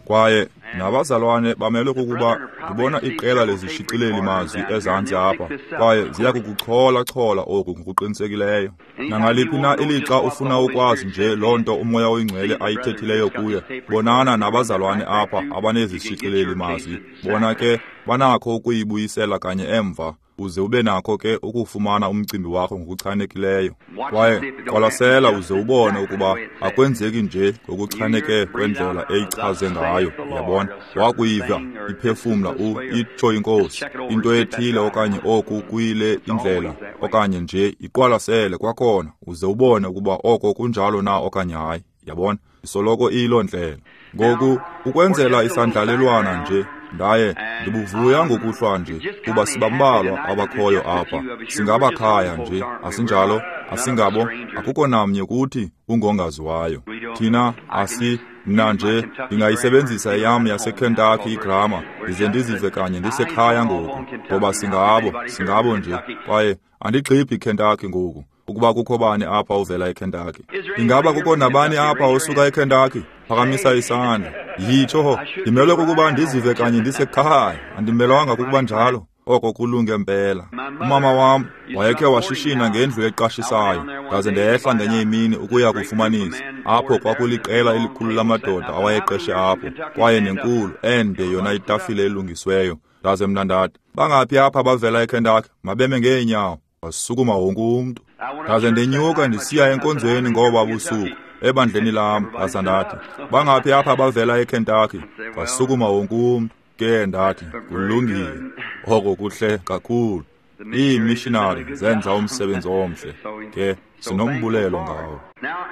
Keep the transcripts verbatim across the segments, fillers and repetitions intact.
Kwaye nabazalwane bamelwe kukuba ndibona iqela lezishicileli mazwi ezantsi apha, kwaye ziya kukuchola-chola oku ngokuqinisekileyo. Nangaliphi na ilixa ufuna ukwazi nje loo nto uMoya oyiNgcwele ayithethileyo kuye, bonana nabazalwane apha abanezishicileli mazwi. Bona ke banakho ukuyibuyisela kanye emva, uze ube nakho ke ukufumana umcimbi wakho ngokuchanekileyo. Kwaye qwalasela uze ubone ukuba akwenzeki nje ngokuchaneke kwendlela eyichaze ngayo. Uyabona, wakuyiva iphefumla u itsho iNkosi into ethile okanye oku kuyile indlela, okanye nje iqwalasele kwakhona uze ubone ukuba oko kunjalo na okanye hayi. Yabona, isoloko iyiloo ndlela. Ngoku ukwenzela isandlalelwana nje, ndaye ndibuvuya ngokuhlwa nje kuba sibambalwa abakhoyo apha. Singabakhaya nje, asinjalo? Asingabo? Akukho namnye kuthi ungongaziwayo. Thina asi mna nje ndingayisebenzisa eyam yaseKentucky igrama ndize ndizive kanye ndisekhaya ngoku, ngoba singabo, singabo nje. Kwaye andigxibhi iKentucky ngoku. Ukuba kukho bani apha uvela eKentucky? Ingaba kukho nabani apha osuka eKentucky? Phakamisa isandla. Yitsho, ndimelwe kukuba ndizive kanye ndisekhaya. Andimelwanga kukuba njalo. Oko kulunge mpela. Umama wam wayekhe washishina ngendlu eqashisayo, ndaze ndehla ngenye imini ukuya kufumanisa. Apho kwakuliqela elikhulu lamadoda awayeqeshe apho, kwaye nenkulu ende yona itafile elungisweyo. Ndaze mna ndathi, bangaphi apha bavela eKentucky? Mabeme ngeenyawo. Wasukuma wonke umntu. Ndaze ndenyuka ndisiya enkonzweni ngoba busuku ebandleni lam. Ndaza ndathi, bangaphi apha bavela eKentucky? Wasukuma wonke umntu. Ke ndathi, kulungile, oko kuhle kakhulu. Iimishinari zenza umsebenzi omhle, ke sinombulelo ngawo.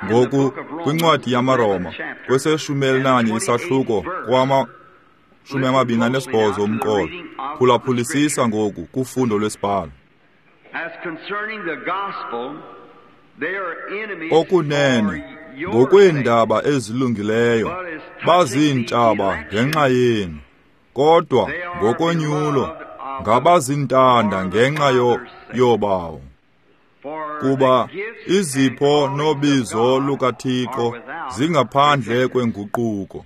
Ngoku kwincwadi yamaRoma kweseshumi elinanye isahluko kwama shumi amabini anesibhozo umqolo, phulaphulisisa ngoku kufundo lwesibhalo. Okunene ngokweendaba ezilungileyo baziintshaba ngenxa yenu, kodwa ngokonyulo ngabazintanda ngenxa yobawo. Kuba izipho nobizo lukaThixo zingaphandle kwenguquko.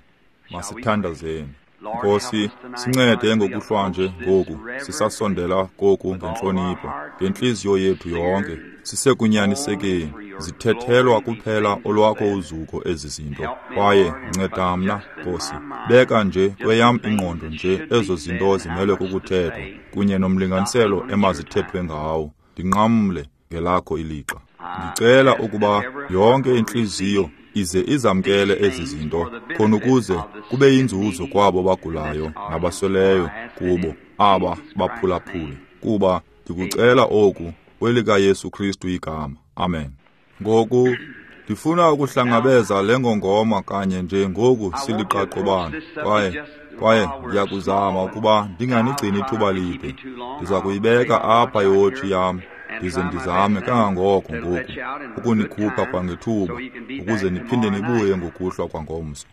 Masithandazeni. Nkosi, sincede ngokuhlwa nje ngoku sisasondela koku ngentlonipho, ngentliziyo yethu yonke, sisekunyanisekeni. Zithethelwa kuphela olwakho uzuko ezi zinto. Kwaye nceda mna, Nkosi, beka nje kweyam ingqondo nje ezo zinto zimelwe kukuthethwa kunye nomlinganiselo emazithethwe ngawo. Ndinqamle ngelakho ilixa. Ndicela ukuba yonke intliziyo ize izamkele ezi zinto, khona ukuze kube yinzuzo kwabo bagulayo nabasweleyo kubo aba baphulaphule. Kuba ndikucela oku kwelikaYesu Kristu igama. Amen. Ngoku ndifuna ukuhlangabeza le ngongoma kanye nje ngoku siliqaqobana, kwaye kwaye ndiyakuzama ukuba ndinganigcini ithuba lide. Ndiza kuyibeka apha iwotshi yam ndize ndizame kangangoko ngoku ukunikhupha kwangethuba ukuze niphinde nibuye ngokuhlwa kwangomso.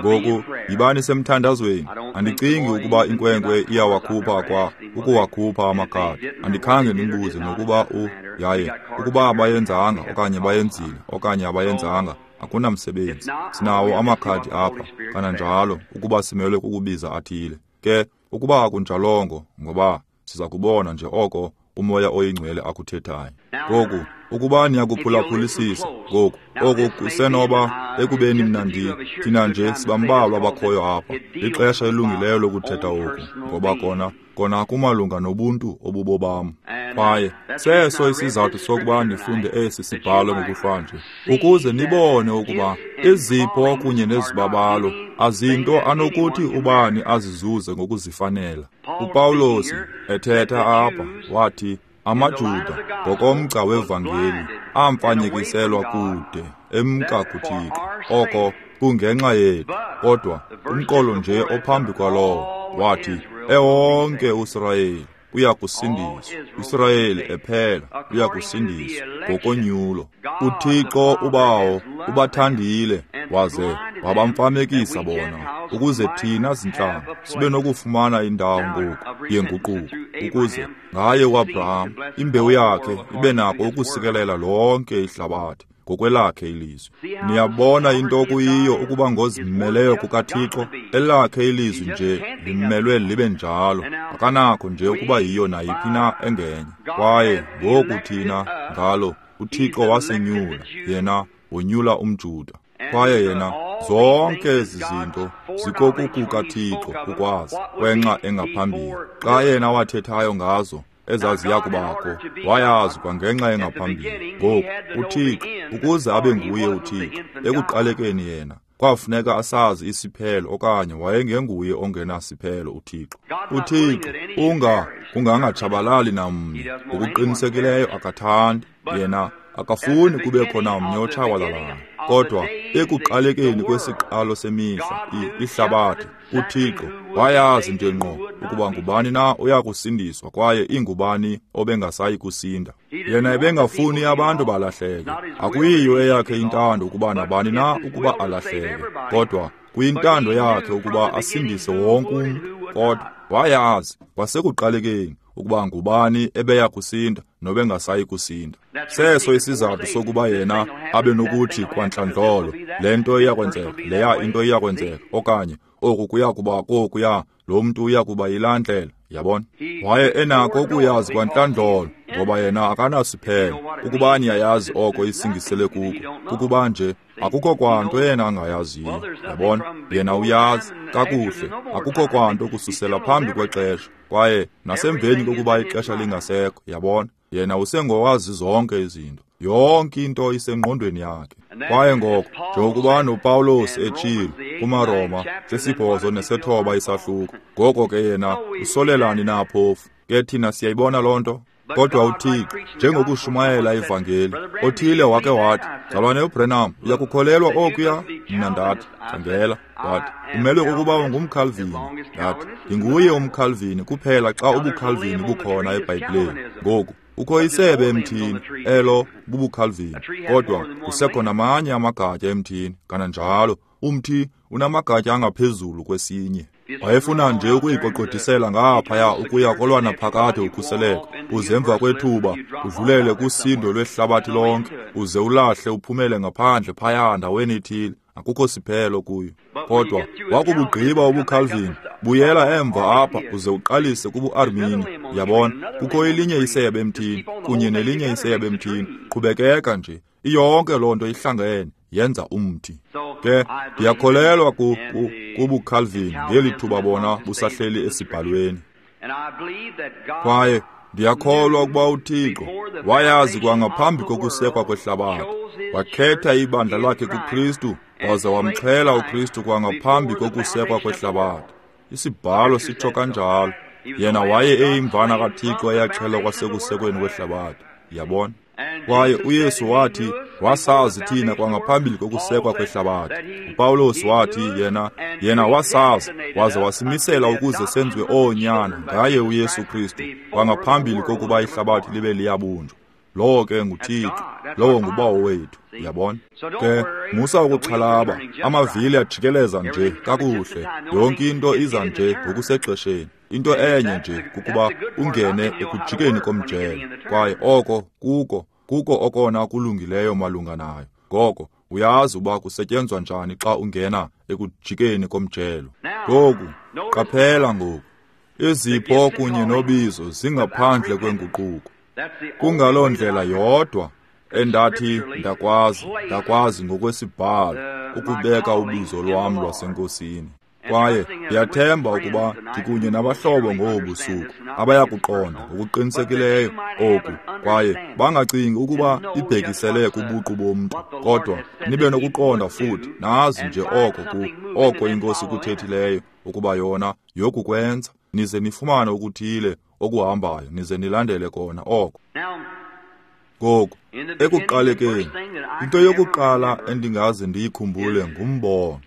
Ngoku yibani semthandazweni. Andicingi ukuba inkwenkwe iyawakhupha kwa ukuwakhupha amakhadi. Andikhange ndimbuze nokuba u yaye ukuba abayenzanga okanye bayenzile okanye abayenzanga, akunamsebenzi. Sinawo amakhadi apha kananjalo ukuba simelwe kukubiza athile. Ke ukuba akunjalongo, ngoba siza kubona nje oko uMoya oyiNgcwele akuthethayo. Ngoku ukuba niyakuphulaphulisisa ngoku, oku kusenoba ekubeni mna ndi thina nje sibambalwa abakhoyo apha. Lixesha elungileyo lokuthetha oku, ngoba kona kona kumalunga nobuntu obubobam. Kwaye seso isizathu sokuba ndifunde esi sibhalo ngokuhlwa nje, ukuze nibone ukuba izipho kunye nezibabalo azinto anokuthi ubani azizuze ngokuzifanela. UPawulos ethetha apha wathi amaJuda ngokomgca wevangeli amfanyekiselwa kude emka kuThixo, oko kungenxa yethu. Kodwa umqolo nje ophambi kwalowo wathi ewonke uSirayeli uyakusindiswa, uSirayeli ephela uyakusindiswa ngokonyulo. UThixo uBawo ubathandile waze wabamfamekisa bona, ukuze thina zintlanga sibe nokufumana indawo ngoku yenguquko, ukuze ngaye uAbraham imbewu yakhe ibe nako ukusikelela lonke ihlabathi. ngokwelakhe ilizwi. Niyabona into okuyiyo ukuba ngozimeleyo kukaThixo, elakhe ilizwi nje limelwe libe njalo, akanakho nje ukuba yiyo nayiphi na engenye. Kwaye ngoku thina ngalo uThixo wasenyula, yena wonyula umJuda. Kwaye yena zonke ezi zinto zikokukukaThixo ukwazi kwenxa engaphambili. Xa yena wathethayo ngazo ezaziya kubakho, wayazi kwangenxa engaphambili. Ngoku uThixo ukuze abe nguye uThixo ekuqalekeni yena kwafuneka asazi isiphelo, okanye wayengenguye ongenasiphelo uThixo. UThixo unga kungangatshabalali namnye, ngokuqinisekileyo akathandi yena, akafuni kubekho namnye otshabalalayo. Kodwa ekuqalekeni kwesiqalo semihla ihlabathi, uThixo wayazi nje ngqo ukuba ngubani na oya kusindiswa kwaye ingubani obengasayi kusinda. Yena ebengafuni abantu balahleke. Akuyiyo eyakhe intando ukuba nabani na ukuba alahleke, kodwa kuyintando yakhe ukuba asindise wonke umntu. Kodwa wayazi kwasekuqalekeni ukuba ngubani ebeya kusinda nobengasayi kusinda. Seso isizathu sokuba yena abe nokuthi kwantlandlolo le nto iyakwenzeka, leya into iyakwenzeka, okanye oku kuya kuba kokuya, lo mntu uya kuba yilaa ndlela. Yabona, waye enako ukuyazi kwantlandlolo ngoba yena akanasiphelo. Ukuba niyayazi oko isingisele kuko, kukuba nje akukho kwanto yena angayaziyo. Yabona, yena uyazi kakuhle, akukho kwanto kususela phambi kwexesha kwaye nasemveni kokuba ixesha lingasekho. Yabona, yena usengowazi zonke izinto, yonke into isengqondweni yakhe. Kwaye ngoko njengokuba noPawulos etshilo kumaRoma sesibhozo nesethoba isahluko, ngoko ke yena usolelani na phofu? Ke thina siyayibona loo nto. Kodwa uThixo, njengokushumayela ivangeli, othile wake wathi, "Mzalwane uBranham, uyakukholelwa okuya?" Mna ndathi, "Khangela." Wathi, "Umelwe kukuba ungumKalvini." Ndathi, "Ndinguye umKalvini kuphela xa ubuKalvini bukhona eBhayibhileni. Ngoku ukho isebe emthini, elo bubuKalvini, kodwa kusekho namanye amagatya emthini, kananjalo umthi unamagatya angaphezulu kwesinye." Wayefuna nje ukuyiqoqodisela ngaphaya ukuya kolwana phakade ukhuseleko, uze emva kwethuba udlulele kusindo lwehlabathi lonke, uze ulahle uphumele ngaphandle phaya ndaweni ithile, akukho siphelo kuyo. Kodwa wakubugqiba ubuKalvini, buyela emva apha uze uqalise kubuArmini. Yabona, kukho elinye isebe emthini kunye nelinye isebe emthini, qhubekeka nje, iyonke loo nto ihlangene yenza umthi. Ke ndiyakholelwa ku, ku, kubuKalvini ngeli thuba bona busahleli esibhalweni. Kwaye ndiyakholwa ukuba uThixo wayazi kwangaphambi kokusekwa kwehlabathi, wakhetha ibandla lakhe kuKristu waze wamxhela uKristu kwangaphambi kokusekwa kwehlabathi. Isibhalo sitsho kanjalo. Yena waye eyimvana kaThixo eyaxhelwa kwasekusekweni kwehlabathi. Yabona? Kwaye uYesu wathi wasazi thina kwangaphambili kokusekwa kwehlabathi. uPawulos wathi yena yena wasazi waze wasimisela ukuze senziwe oonyana ngaye uYesu Kristu kwangaphambili kokuba ihlabathi libe liyabunjwa. Lowo ke nguThixo, lowo nguBawo wethu. Yabona? Ke musa ukuxhalaba, amavili ajikeleza nje kakuhle, yonke into iza nje ngokusexesheni. Into enye nje kukuba ungene ekujikeni komjelo, kwaye oko kuko kuko okona kulungileyo malunga nayo. Ngoko uyazi uba kusetyenzwa njani xa ungena ekujikeni komjelo. Ngoku qaphela ngoku, izipho kunye nobizo zingaphandle kwenguquko. Kungaloo ndlela yodwa endathi ndakwazi ndakwazi ngokwesibhalo ukubeka ubizo lwam lwasenkosini. Kwaye ndiyathemba ukuba ndikunye nabahlobo ngobu busuku abayakuqonda ngokuqinisekileyo oku, kwaye bangacingi ukuba ibhekisele kubuqu bomntu, kodwa nibe nokuqonda futhi nazi nje oko ku oko iNkosi ikuthethileyo ukuba yona yokukwenza, nize nifumane okuthile okuhambayo, nize nilandele kona oko. Ngoku ekuqalekeni, into yokuqala endingaze ndiyikhumbule ngumbono.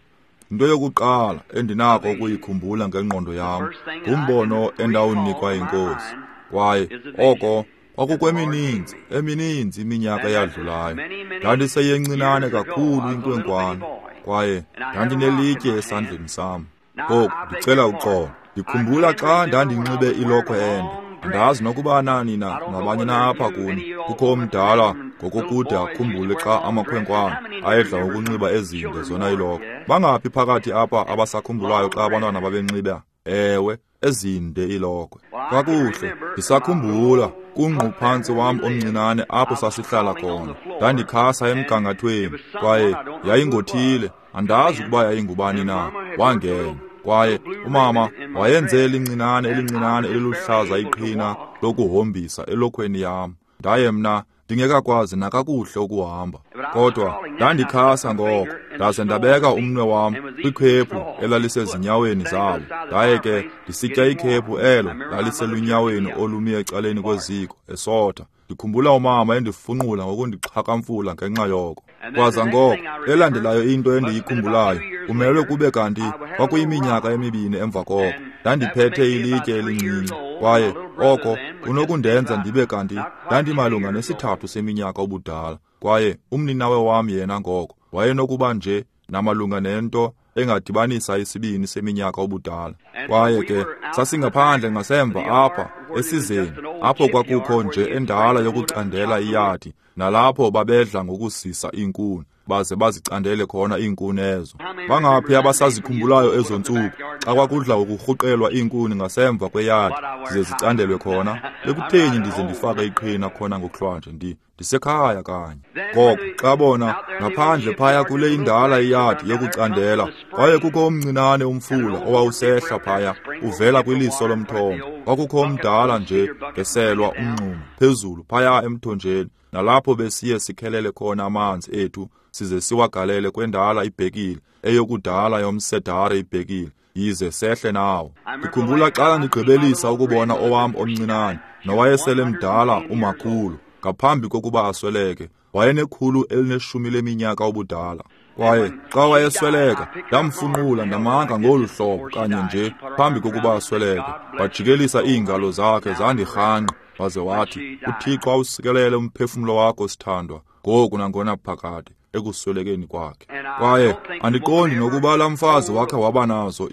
Into yokuqala endinako ukuyikhumbula ngengqondo yam ngumbono endawunikwa yiNkosi. Kwaye oko kwakukwemininzi emininzi iminyaka eyadlulayo. Ndandiseyencinane kakhulu inkwenkwana, kwaye ndandinelitye esandleni sam. Ngoku ndicela uxolo. Ndikhumbula xa ndandinxibe ilokhwe ende, Andazi nokuba nani na nabanye na apha kuni kukho omdala ngokokude akhumbule xa amakhwenkwana ayedla ukunxiba ezinde zona ilokhwe. Bangaphi phakathi apha abasakhumbulayo xa abantwana babenxiba? Ewe, ezinde ilokhwe. Kakuhle, ndisakhumbula kungquphantsi wam omncinane apho sasihlala khona. Ndandikhasa emgangathweni kwaye yayingothile, andazi ukuba yayingubani na, wangena. Kwaye umama wayenze elincinane elincinane eliluhlaza iqhina lokuhombisa elokhweni yam. Ndaye mna ndingekakwazi nakakuhle ukuhamba, kodwa ndandikhasa ngoko, ndaze ndabeka umnwe wam kwikhephu elalisezinyaweni zabo. Ndaye ke ndisitya ikhephu elo laliselunyaweni olumi ecaleni kweziko esotha. Ndikhumbula umama endifunqula ngokundixhakamfula ngenxa yoko. Kwaza ngoko elandelayo into endiyikhumbulayo, kumelwe kube kanti kwakuyiminyaka emibini emva koko, ndandiphethe ilitye elincinci, kwaye oko kunokundenza ndibe kanti ndandimalunga nesithathu seminyaka ubudala. Kwaye umninawe wam yena ngoko wayenokuba nje namalunga nento engadibanisa isibini seminyaka ubudala. Kwaye ke sasingaphandle ngasemva apha esizeni, apho kwakukho nje endala yokucandela iyadi, nalapho babedla ngokusisa iinkuni baze bazicandele khona iinkuni ezo. Bangaphi abasazikhumbulayo ezo ntsuku xa kwakudla ukurhuqelwa iinkuni ngasemva kweyadi zize zicandelwe khona? Bekutheni ndize ndifake iqhina khona ngokuhlwanje? Ndi ndisekhaya kanye. Ngoko xa bona ngaphandle phaya kule indala iyadi yokucandela, kwaye kukho omncinane umfula owawusehla phaya uvela kwiliso lomthombo. Kwakukho omdala nje ngeselwa umnxuma phezulu phaya emthonjeni, nalapho besiye sikhelele khona amanzi ethu size siwagalele kwendala ibhekile eyokudala yomsedare ibhekile, yize sehle nawo. Ndikhumbula xa ndigqibelisa ukubona owam omncinane nowayesele mdala umakhulu ngaphambi kokuba asweleke. Wayenekhulu elineshumi leminyaka ubudala. Kwaye xa wayesweleka ndamfunqula ndamanga ngolu hlobo kanye nje phambi kokuba asweleke. Wajikelisa iingalo zakhe zandirhanqa, waze wathi, uThixo awusikelele umphefumlo wakho sithandwa, ngoku nangona phakade, ekuswelekeni kwakhe. Kwaye andiqondi nokuba laa mfazi wakhe waba nazo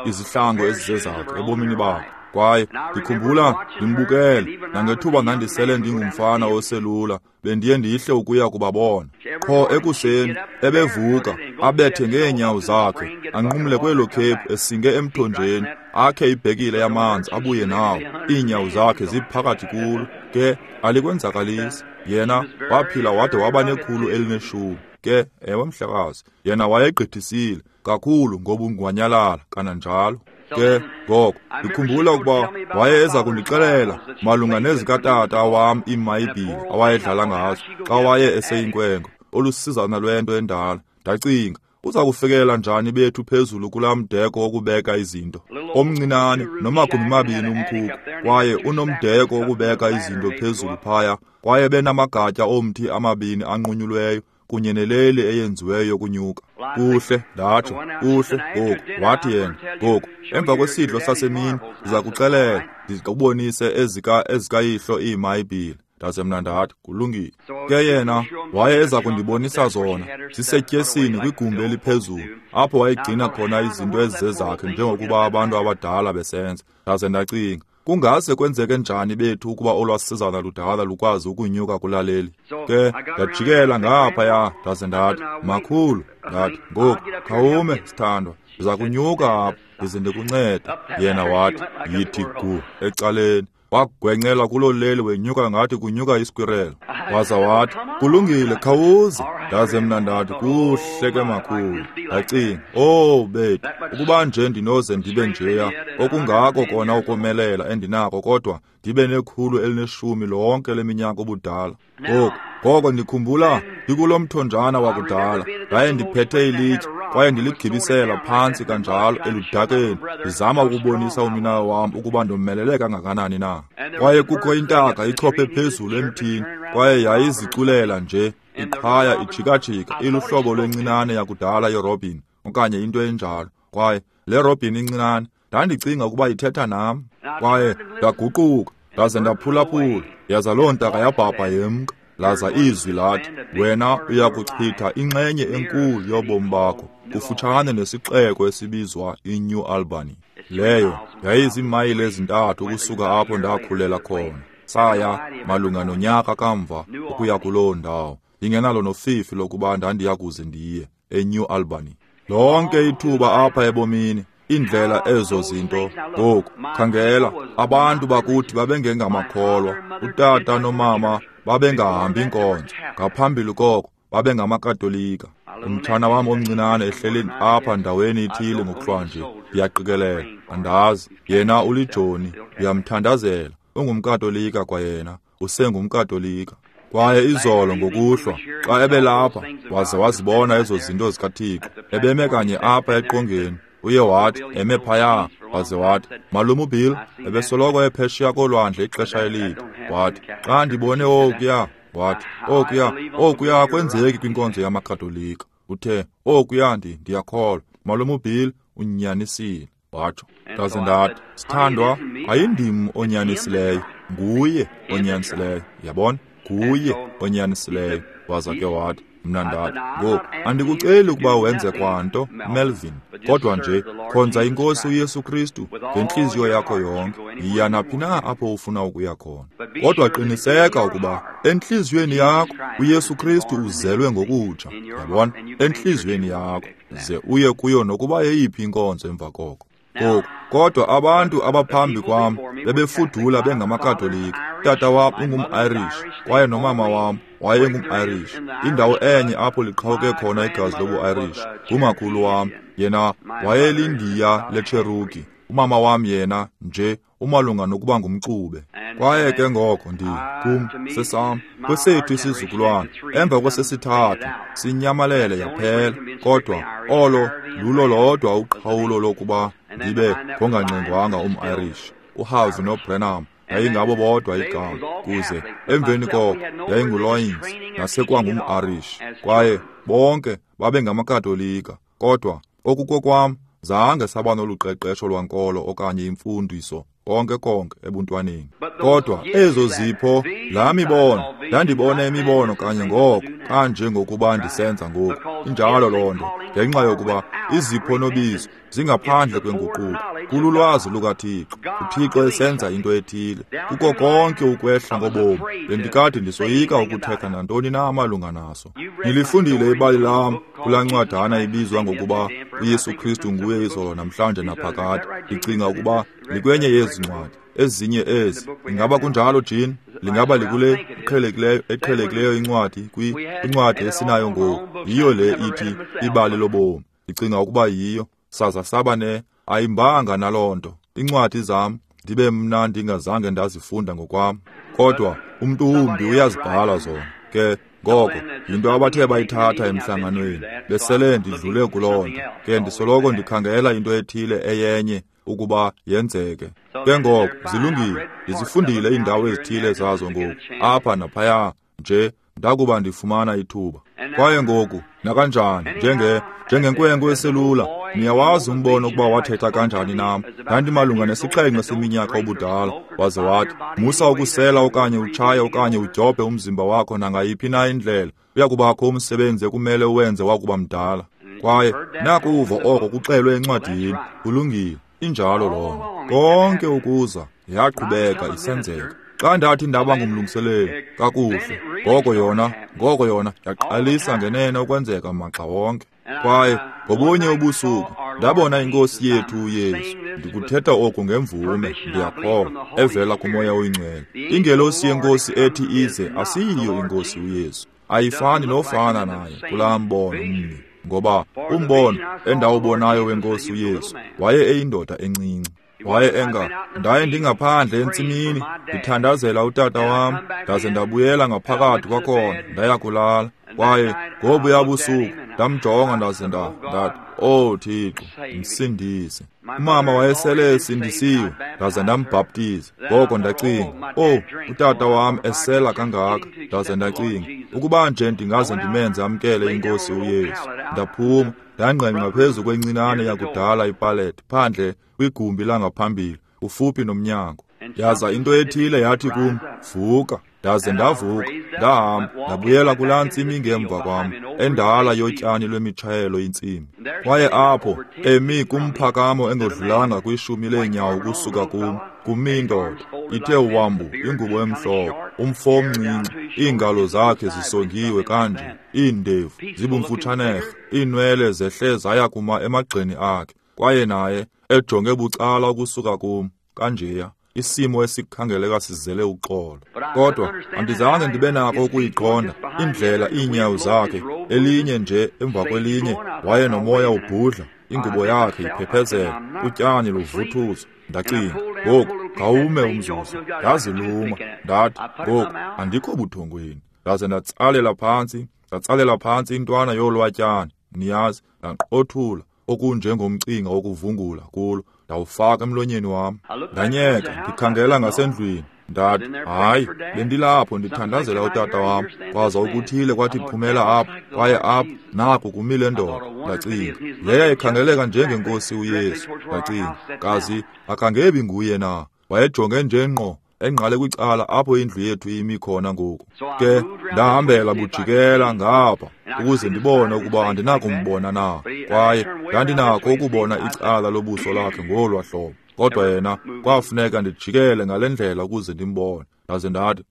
izihlangu ezizezakhe ebomini bakhe. Kwaye ndikhumbula ndimbukele, nangethuba ndandisele ndingumfana oselula, bendiye ndihle ukuya kubabona. Qho ekuseni ebevuka abethe ngeenyawo zakhe, anqumle kwelo khephu esinge emthonjeni, akhe ibhekile yamanzi abuye nawo, iinyawo zakhe ziphakathi kulo. Ke alikwenzakalisi. Yena waphila wade waba nekhulu elineshumi. Ke ewe mhlekazi, yena wayegqithisile kakhulu ngobungwanyalala kananjalo. Ke ngoko ndikhumbula ukuba waye eza kundixelela malunga nezikatata wam iimayibhile awayedlala ngazo xa waye eseyinkwenkwe, olusizana lwento endala. Ndacinga, uza kufikela njani bethu phezulu kulaa mdeko wokubeka izinto omncinane nomagumbi mabini umkhukhu, kwaye unomdeko wokubeka izinto phezulu phaya, kwaye benamagatya omthi amabini anqunyulweyo kunye neleli eyenziweyo yokunyuka. Kuhle, ndatsho, kuhle ngoku. Wathi yena, ngoku emva kwesidlo sasemini ndiza kuxelela, ndikubonise ezika ezikayihlo iimayibhile. Ndaze mna ndathi, kulungile. Ke yena waye eza kundibonisa zona zisetyesini kwigumbi eliphezulu, apho wayegcina khona izinto ezizezakhe njengokuba abantu abadala besenza. Ndaze ndacinga, kungase kwenzeke njani bethu ukuba olwasizana ludala lukwazi ukunyuka kulaleli? Ke ndajikela ngaphaya, ndaze ndathi, makhulu, ndathi, ngoku khawume sithandwa, ndiza kunyuka apha ndize ndikuncede. Yena wathi, yithi gu ecaleni. Wagwencela kuloo leli wenyuka ngathi kunyuka iskwirelo. Waza wathi, kulungile, khawuze. Ndaze mna ndathi, kuhle ke makhulu. Ndacinga, oh bethu, ukuba nje ndinoze ndibe njeya, okungako kona ukomelela endinako, kodwa ndibe nekhulu elineshumi lonke leminyaka ubudala. Ngoku ngoko ndikhumbula ndikulo mthonjana wakudala, ndaye ndiphethe ilitye kwaye ndiligibisela phantsi kanjalo eludakeni, ndizama ukubonisa unina wam ukuba ndomelele kangakanani na. Kwaye kukho intaka ichophe phezulu emthini, kwaye yayiziculela nje iqhaya ijikajika, iluhlobo lwencinane yakudala yerobin okanye into enjalo. Kwaye le robin incinane ndandicinga ukuba ithetha nam, kwaye ndaguquka ndaze ndaphulaphula, yaza loo ntaka yabhabha yemka. Laza izwi lathi, wena uya kuchitha inxenye enkulu yobomi bakho kufutshane nesixeko esibizwa iNew Albany. Leyo yayiziimayile ezintathu ukusuka apho ndakhulela khona. Saya malunga nonyaka kamva ukuya kuloo ndawo, ndingenalo nofifi lokuba ndandiya kuze ndiye eNew Albany. Lonke ithuba apha ebomini, indlela ezo zinto. Ngoku khangela, abantu bakuthi babengengamakholwa. Utata nomama babengahambi inkonzo. Ngaphambili koko babengamakatolika. Umtshana wam omncinane ehleli apha ndaweni ithile ngokuhlwanje, ndiyaqikelela, andazi. Yena ulijoni, ndiyamthandazela. Ungumkatolika kwayena, usengumkatolika. Kwaye izolo ngokuhlwa xa ebelapha waze wazibona ezo zinto zikaThixo, ebeme kanye apha eqongeni. Uye wathi eme phaya, waze wathi, "Malume uBill ebesoloko ephesheya kolwandle ixesha elide." Wathi, "Xa ndibone okuya," wathi, "okuya, okuya akwenzeki kwinkonzo yamaKatolika." Uthe, "Okuya ndi ndiyakholwa. Malume uBill unyanisile." Watsho. Ndaze ndathi, "Sithandwa, ayindim onyanisileyo, nguye onyanisileyo." Yabona? Nguye onyanisileyo. Waza ke wathi, mna ndathi, "Ngoku andikuceli ukuba wenze kwanto, Melvin, kodwa nje khonza iNkosi uYesu Kristu ngentliziyo yakho yonke. Yiya naphi na apho ufuna ukuya khona. Kodwa qiniseka ukuba entliziyweni yakho uYesu Kristu uzelwe ngokutsha. Yabona? Entliziyweni yakho, ze uye kuyo nokuba yeyiphi inkonzo emva koko." Ngoku, kodwa abantu abaphambi kwam bebefudula bengamakatolika. Tata wam ungum-Irish kwaye nomama wam wayengum-Irish. Indawo enye apho liqhawuke khona igazi lobu-Irish ngumakhulu wam, yena wayelindiya leCherokee. Umama wam yena nje umalunga nokuba ngumxube. Kwaye ke ngoko ndi kum sesam kwesethu isizukulwana emva kwesesithathu sinyamalele yaphela. Kodwa olo lulo lodwa uqhawulo lokuba ndibe ngongangxengwanga um-Irish. uHarvey noBrenham yayingabo bodwa igama, kuze emveni koko yayinguLoyins nasekwangum-Irish. Kwaye bonke babengamakatolika. Kodwa okukokwam zange saba noluqeqesho lwankolo okanye imfundiso konke konke ebuntwaneni. Kodwa ezo zipho, laa mibono, ndandibona imibono kanye ngoko, kanje ngokuba ndisenza ngoku. Injalo loo nto, ngenxa yokuba izipho nobizo zingaphandle kwenguquko, kululwazi lukaThixo. UThixo esenza into ethile kuko konke ukwehla ngobomi. Bendikade ndisoyika ukuthetha nantoni na amalunga naso. Nilifundile ibali lam kulaa ncwadana ibizwa ngokuba uYesu Kristu nguye izolo namhlanje naphakade. Ndicinga ukuba likwenye yezi ncwadi. Ezinye ezi, ingaba kunjalo, Jean? Lingaba likule iqhelekileyo eqhelekileyo incwadi kwincwadi esinayo ngoku. Yiyo le ithi ibali lobomi. Ndicinga ukuba yiyo. Saza saba ne ayimbanga naloo nto. Incwadi zam ndibe mna ndingazange ndazifunda ngokwam, kodwa umntu wumbi uyazibhala zona. Ke ngoko yinto abathe bayithatha emhlanganweni, besele ndidlule kuloo nto. Ke ndisoloko ndikhangela into ethile eyenye ukuba yenzeke. Ke ngoko zilungile, ndizifundile iindawo ezithile zazo ngoku, apha naphaya nje ndakuba ndifumana ithuba. Kwaye ngoku nakanjani, njenge njengenkwenkwe eselula, niyawazi umbono ukuba wathetha kanjani nam. Ndandimalunga nesixhenxe seminyaka ubudala, waze wathi, "Musa ukusela okanye utshaye okanye udyobhe umzimba wakho nangayiphi na indlela. Uyakubakho umsebenzi ekumele uwenze wakuba mdala." Kwaye nakuva oko kuxelwe encwadini. Kulungile, injalo loo nto. Konke ukuza yaqhubeka isenzeka. Xa ndathi ndaba ngumlungiseleli kakuhle, ngoko yona ngoko yona yaqalisa ngenene ukwenzeka maxa wonke. Kwaye ngobunye ubusuku ndabona iNkosi yethu uYesu. Ndikuthetha oku ngemvume, ndiyakholwa, evela kuMoya oyiNgcwele. Ingelosi yeNkosi ethi ize asiyiyo iNkosi uYesu. Ayifani nofana naye kulaa mbono mnye, ngoba umbono endawubonayo weNkosi uYesu waye eyindoda encinci. Waye enga, ndaye ndingaphandle entsimini ndithandazela utata wam, ndaze ndabuyela ngaphakathi kwakhona ndaya kulala. Kwaye ngobuya busuku ndamjonga ndaze ndathi, "Oh Thixo, msindise." Umama wayesele esindisiwe, ndaze ndambhaptiza. Ngoko ndacinga, "Oh, utata wam esela kangaka." Ndaze ndacinga, ukuba nje ndingaze ndimenze amkele iNkosi uYesu. Ndaphuma ndangqengqa phezu kwencinane yakudala ipalete phandle kwigumbi langaphambili kufuphi nomnyango. Yaza into ethile yathi kum, "Vuka." Ndaze ndavuka, ndahamba, ndabuyela kulaa ntsimi ngemva kwam, endala yotyani lwemitshayelo intsimi. Kwaye apho, emi kumphakamo engodlulanga kwishumi leenyawo ukusuka kum, kumi indoda, ithe wambu ingubo emhlophe, umfo omncinci, iingalo zakhe zisongiwe kanje, iindevu zibumfutshanerhe, iinwele zehle zaya kuma emagxeni akhe, kwaye naye ejonge bucala ukusuka kum, kanjeya. Isimo esikhangeleka sizele uxolo. Kodwa andizange ndibe nako ukuyiqonda indlela iinyawo zakhe, elinye nje emva kwelinye, waye nomoya ubhudla, ingubo yakhe iphephezela, utyani luvuthuza. Ndacinga, ngoku khawume umzuzu. Ndaziluma, ndathi, ngoku andikho buthongweni. Ndaze ndatsalela phantsi, ndatsalela phantsi intwana yolwatyani, niyazi, ndaqothula okunjengomcinga wokuvungula kulo, ndawufaka emlonyeni wam. Ndanyeka, ndikhangela ngasendlwini. Ndathi, hayi, bendilapho ndithandazela utata wam, kwaza ukuthile kwathi phumela apha, kwaye apha naku kumile ndoda. Ndacinga, leya ikhangeleka njengenkosi uYesu. Ndacinga, kazi akangebi nguye na? Wayejonge nje ngqo engqale kwicala apho indlu yethu imi khona ngoku. Ke ndahambela bujikela ngapha ukuze ndibone ukuba andinakumbona na, kwaye ndandinako ukubona icala lobuso lakhe ngolwa hlobo. Kodwa yena kwafuneka ndijikele ngale ndlela ukuze ndimbone. Ndaze ndathi,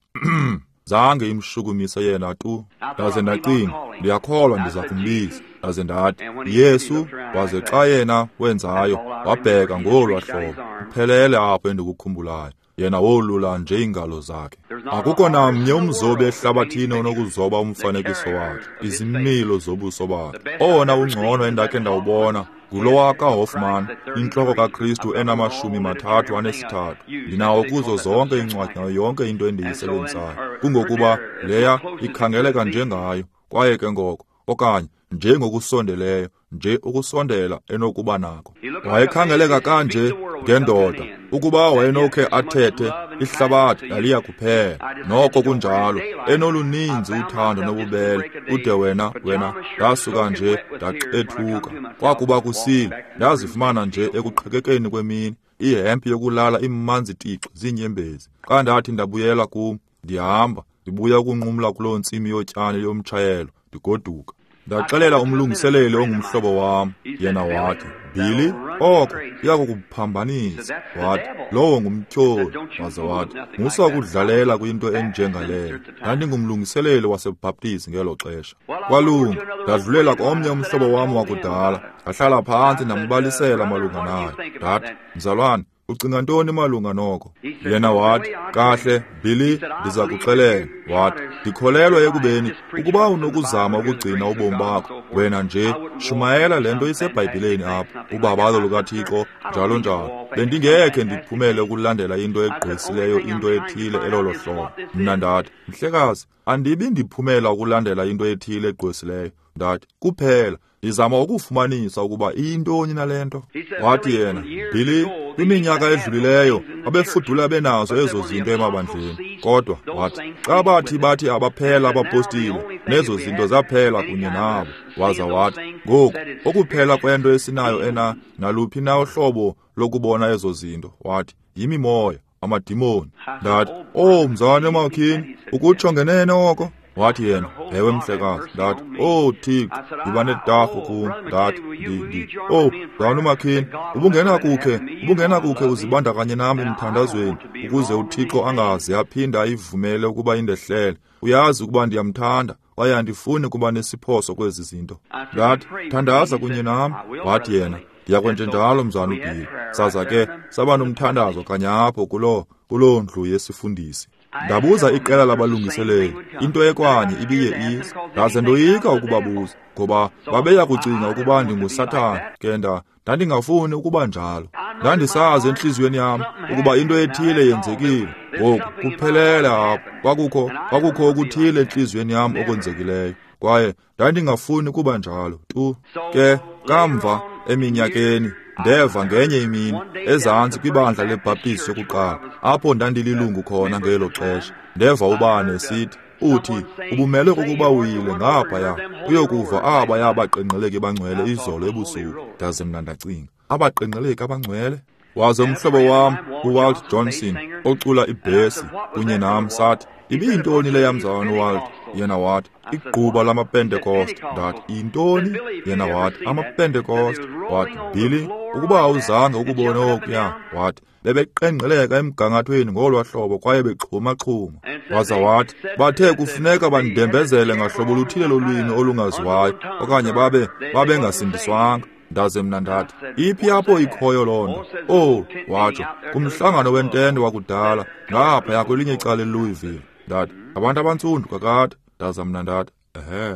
zange imshukumise yena tu. Ndaze ndacinga, ndiyakholwa ndiza kumbiza. Ndaze ndathi, Yesu. Waze xa yena wenzayo, wabheka ngolwa hlobo, uphelele apho endikukhumbulayo. Yena wolula nje iingalo zakhe. Akukho namnye umzobi ehlabathini onokuzoba umfanekiso wakhe, izimilo zobuso bakhe. Owona ungcono endakhe ndawubona ngulowa kaHoffman, intloko kaKristu enamashumi mathathu anesithathu. Ndinawo kuzo zonke iincwadi nayo yonke into endiyisebenzisayo. Kungokuba leya ikhangeleka njengayo, kwaye ke ngoko, okanye njengokusondeleyo, nje ukusondela enokuba nako. Wayekhangeleka kanje ngendoda, ukuba wayenokhe athethe, ihlabathi laliya kuphela. Noko kunjalo, enoluninzi uthando nobubele, ude wena, wena, ndasuka nje ndaqethuka. Kwakuba kusile, ndazifumana nje ekuqhekekeni kwemini, ihempe yokulala imanzi tixi ziinyembezi. Xa ndathi ndabuyela kum, ndihamba, ndibuya ukunqumla kuloo ntsimi yotyani yomtshayelo, ndigoduka. Ndaxelela umlungiseleli ongumhlobo wam, yena wathi, Billy, oko iyakukuphambanisa. Wathi, lowo ngumtyholi. Waze wathi, musa ukudlalela kwinto enjengaleyo. Ndandingumlungiseleli waseBhaptizi ngelo xesha. Kwalunga, ndadlulela komnye umhlobo wam wakudala, ndahlala phantsi ndambalisela malunga nayo. Ndathi, mzalwane, ucinga ntoni malunga noko? Yena wathi, kahle, Billy, ndiza kuxelela. Wathi, ndikholelwa ekubeni ukuba unokuzama ukugcina ubomi bakho, wena nje shumayela le nto iseBhayibhileni apha, ubabalo lukaThixo, njalo njalo. Bendingekhe ndiphumele ukulandela into egqwesileyo, into ethile elolo hlobo. Mna ndathi, mhlekazi, andibi ndiphumela ukulandela into ethile egqwesileyo. Ndathi, kuphela ndizama ukufumanisa ukuba iyintoni nale nto. Wathi yena, Billy, kwiminyaka edlulileyo babefudula benazo ezo zinto emabandleni. Kodwa wathi, xa bathi bathi abaphela abapostile, nezo zinto zaphela kunye nabo. Waza wathi, ngoku okuphela kwento esinayo ena naluphi na uhlobo lokubona ezo zinto, wathi, yimimoya, amadimoni. Ndathi, oh mzalwane Makhini, ukutsho ngenene oko? Wathi yena, ewe mhlekazi. Ndathi, oh Thixo, ndiba netarhu kum. Ndathi, ndi, oh mzalwane uMakhini, ubungenakukhe, ubungenakukhe uzibandakanye nam emthandazweni ukuze uThixo angaze aphinde ayivumele ukuba indehlele. Uyazi ukuba ndiyamthanda, kwaye andifuni kuba nesiphoso kwezi zinto. Ndathi, thandaza kunye nam. Wathi yena, ndiyakwenjenjalo mzalwane uBilly. Saza ke saba nomthandazo kanye apho kuloo kuloo ndlu yesifundisi. Ndabuza iqela labalungiseleli, into ekwanye ibiye ize. Ndaze ndoyika ukubabuza, ngoba babeya kucinga ukuba ndinguSathane. Ke nda ndandingafuni ukuba njalo. Ndandisazi entliziyweni yam ukuba into ethile yenzekile. Ngoku kuphelele apho. Kwakukho kwakukho okuthile entliziyweni yam okwenzekileyo, kwaye ndandingafuni kuba njalo tu. Ke kamva eminyakeni ndeva ngenye imini ezantsi kwibandla leBhaptizi yokuqala, apho ndandililungu khona ngelo xesha, ndeva ubani esithi, uthi ubumele ukuba uyile ngaphaya uyokuva abaya abaqengqeleki bangcwele izolo ebusuku. Ndaze mna ndacinga, abaqengqeleki abangcwele? Waze umhlobo wam uWalt Johnson ocula ibhesi kunye nam sathi, Ibiyintoni leya, mzalwane uWalt? Yena wathi, igquba lamaPentekoste. Ndathi, yintoni? Yena wathi, amaPentekoste. Wathi, Billy, ukuba awuzange ukubone okuya, wathi, bebeqengqeleka emgangathweni ngolwa hlobo kwaye bexhuma-xhuma. Waza wathi, bathe kufuneka bandembezele ngahlobo oluthile lolwimi olungaziwayo, okanye babe babengasindiswanga. Ndaze mna ndathi, iphi apho ikhoyo loo nto? Oh, watsho, kumhlangano wentente wakudala, ngaphaya kwelinye icala eLouisville. Ndathi, abantu abantsundu kakade. Ndaza mna ndathi, ehe.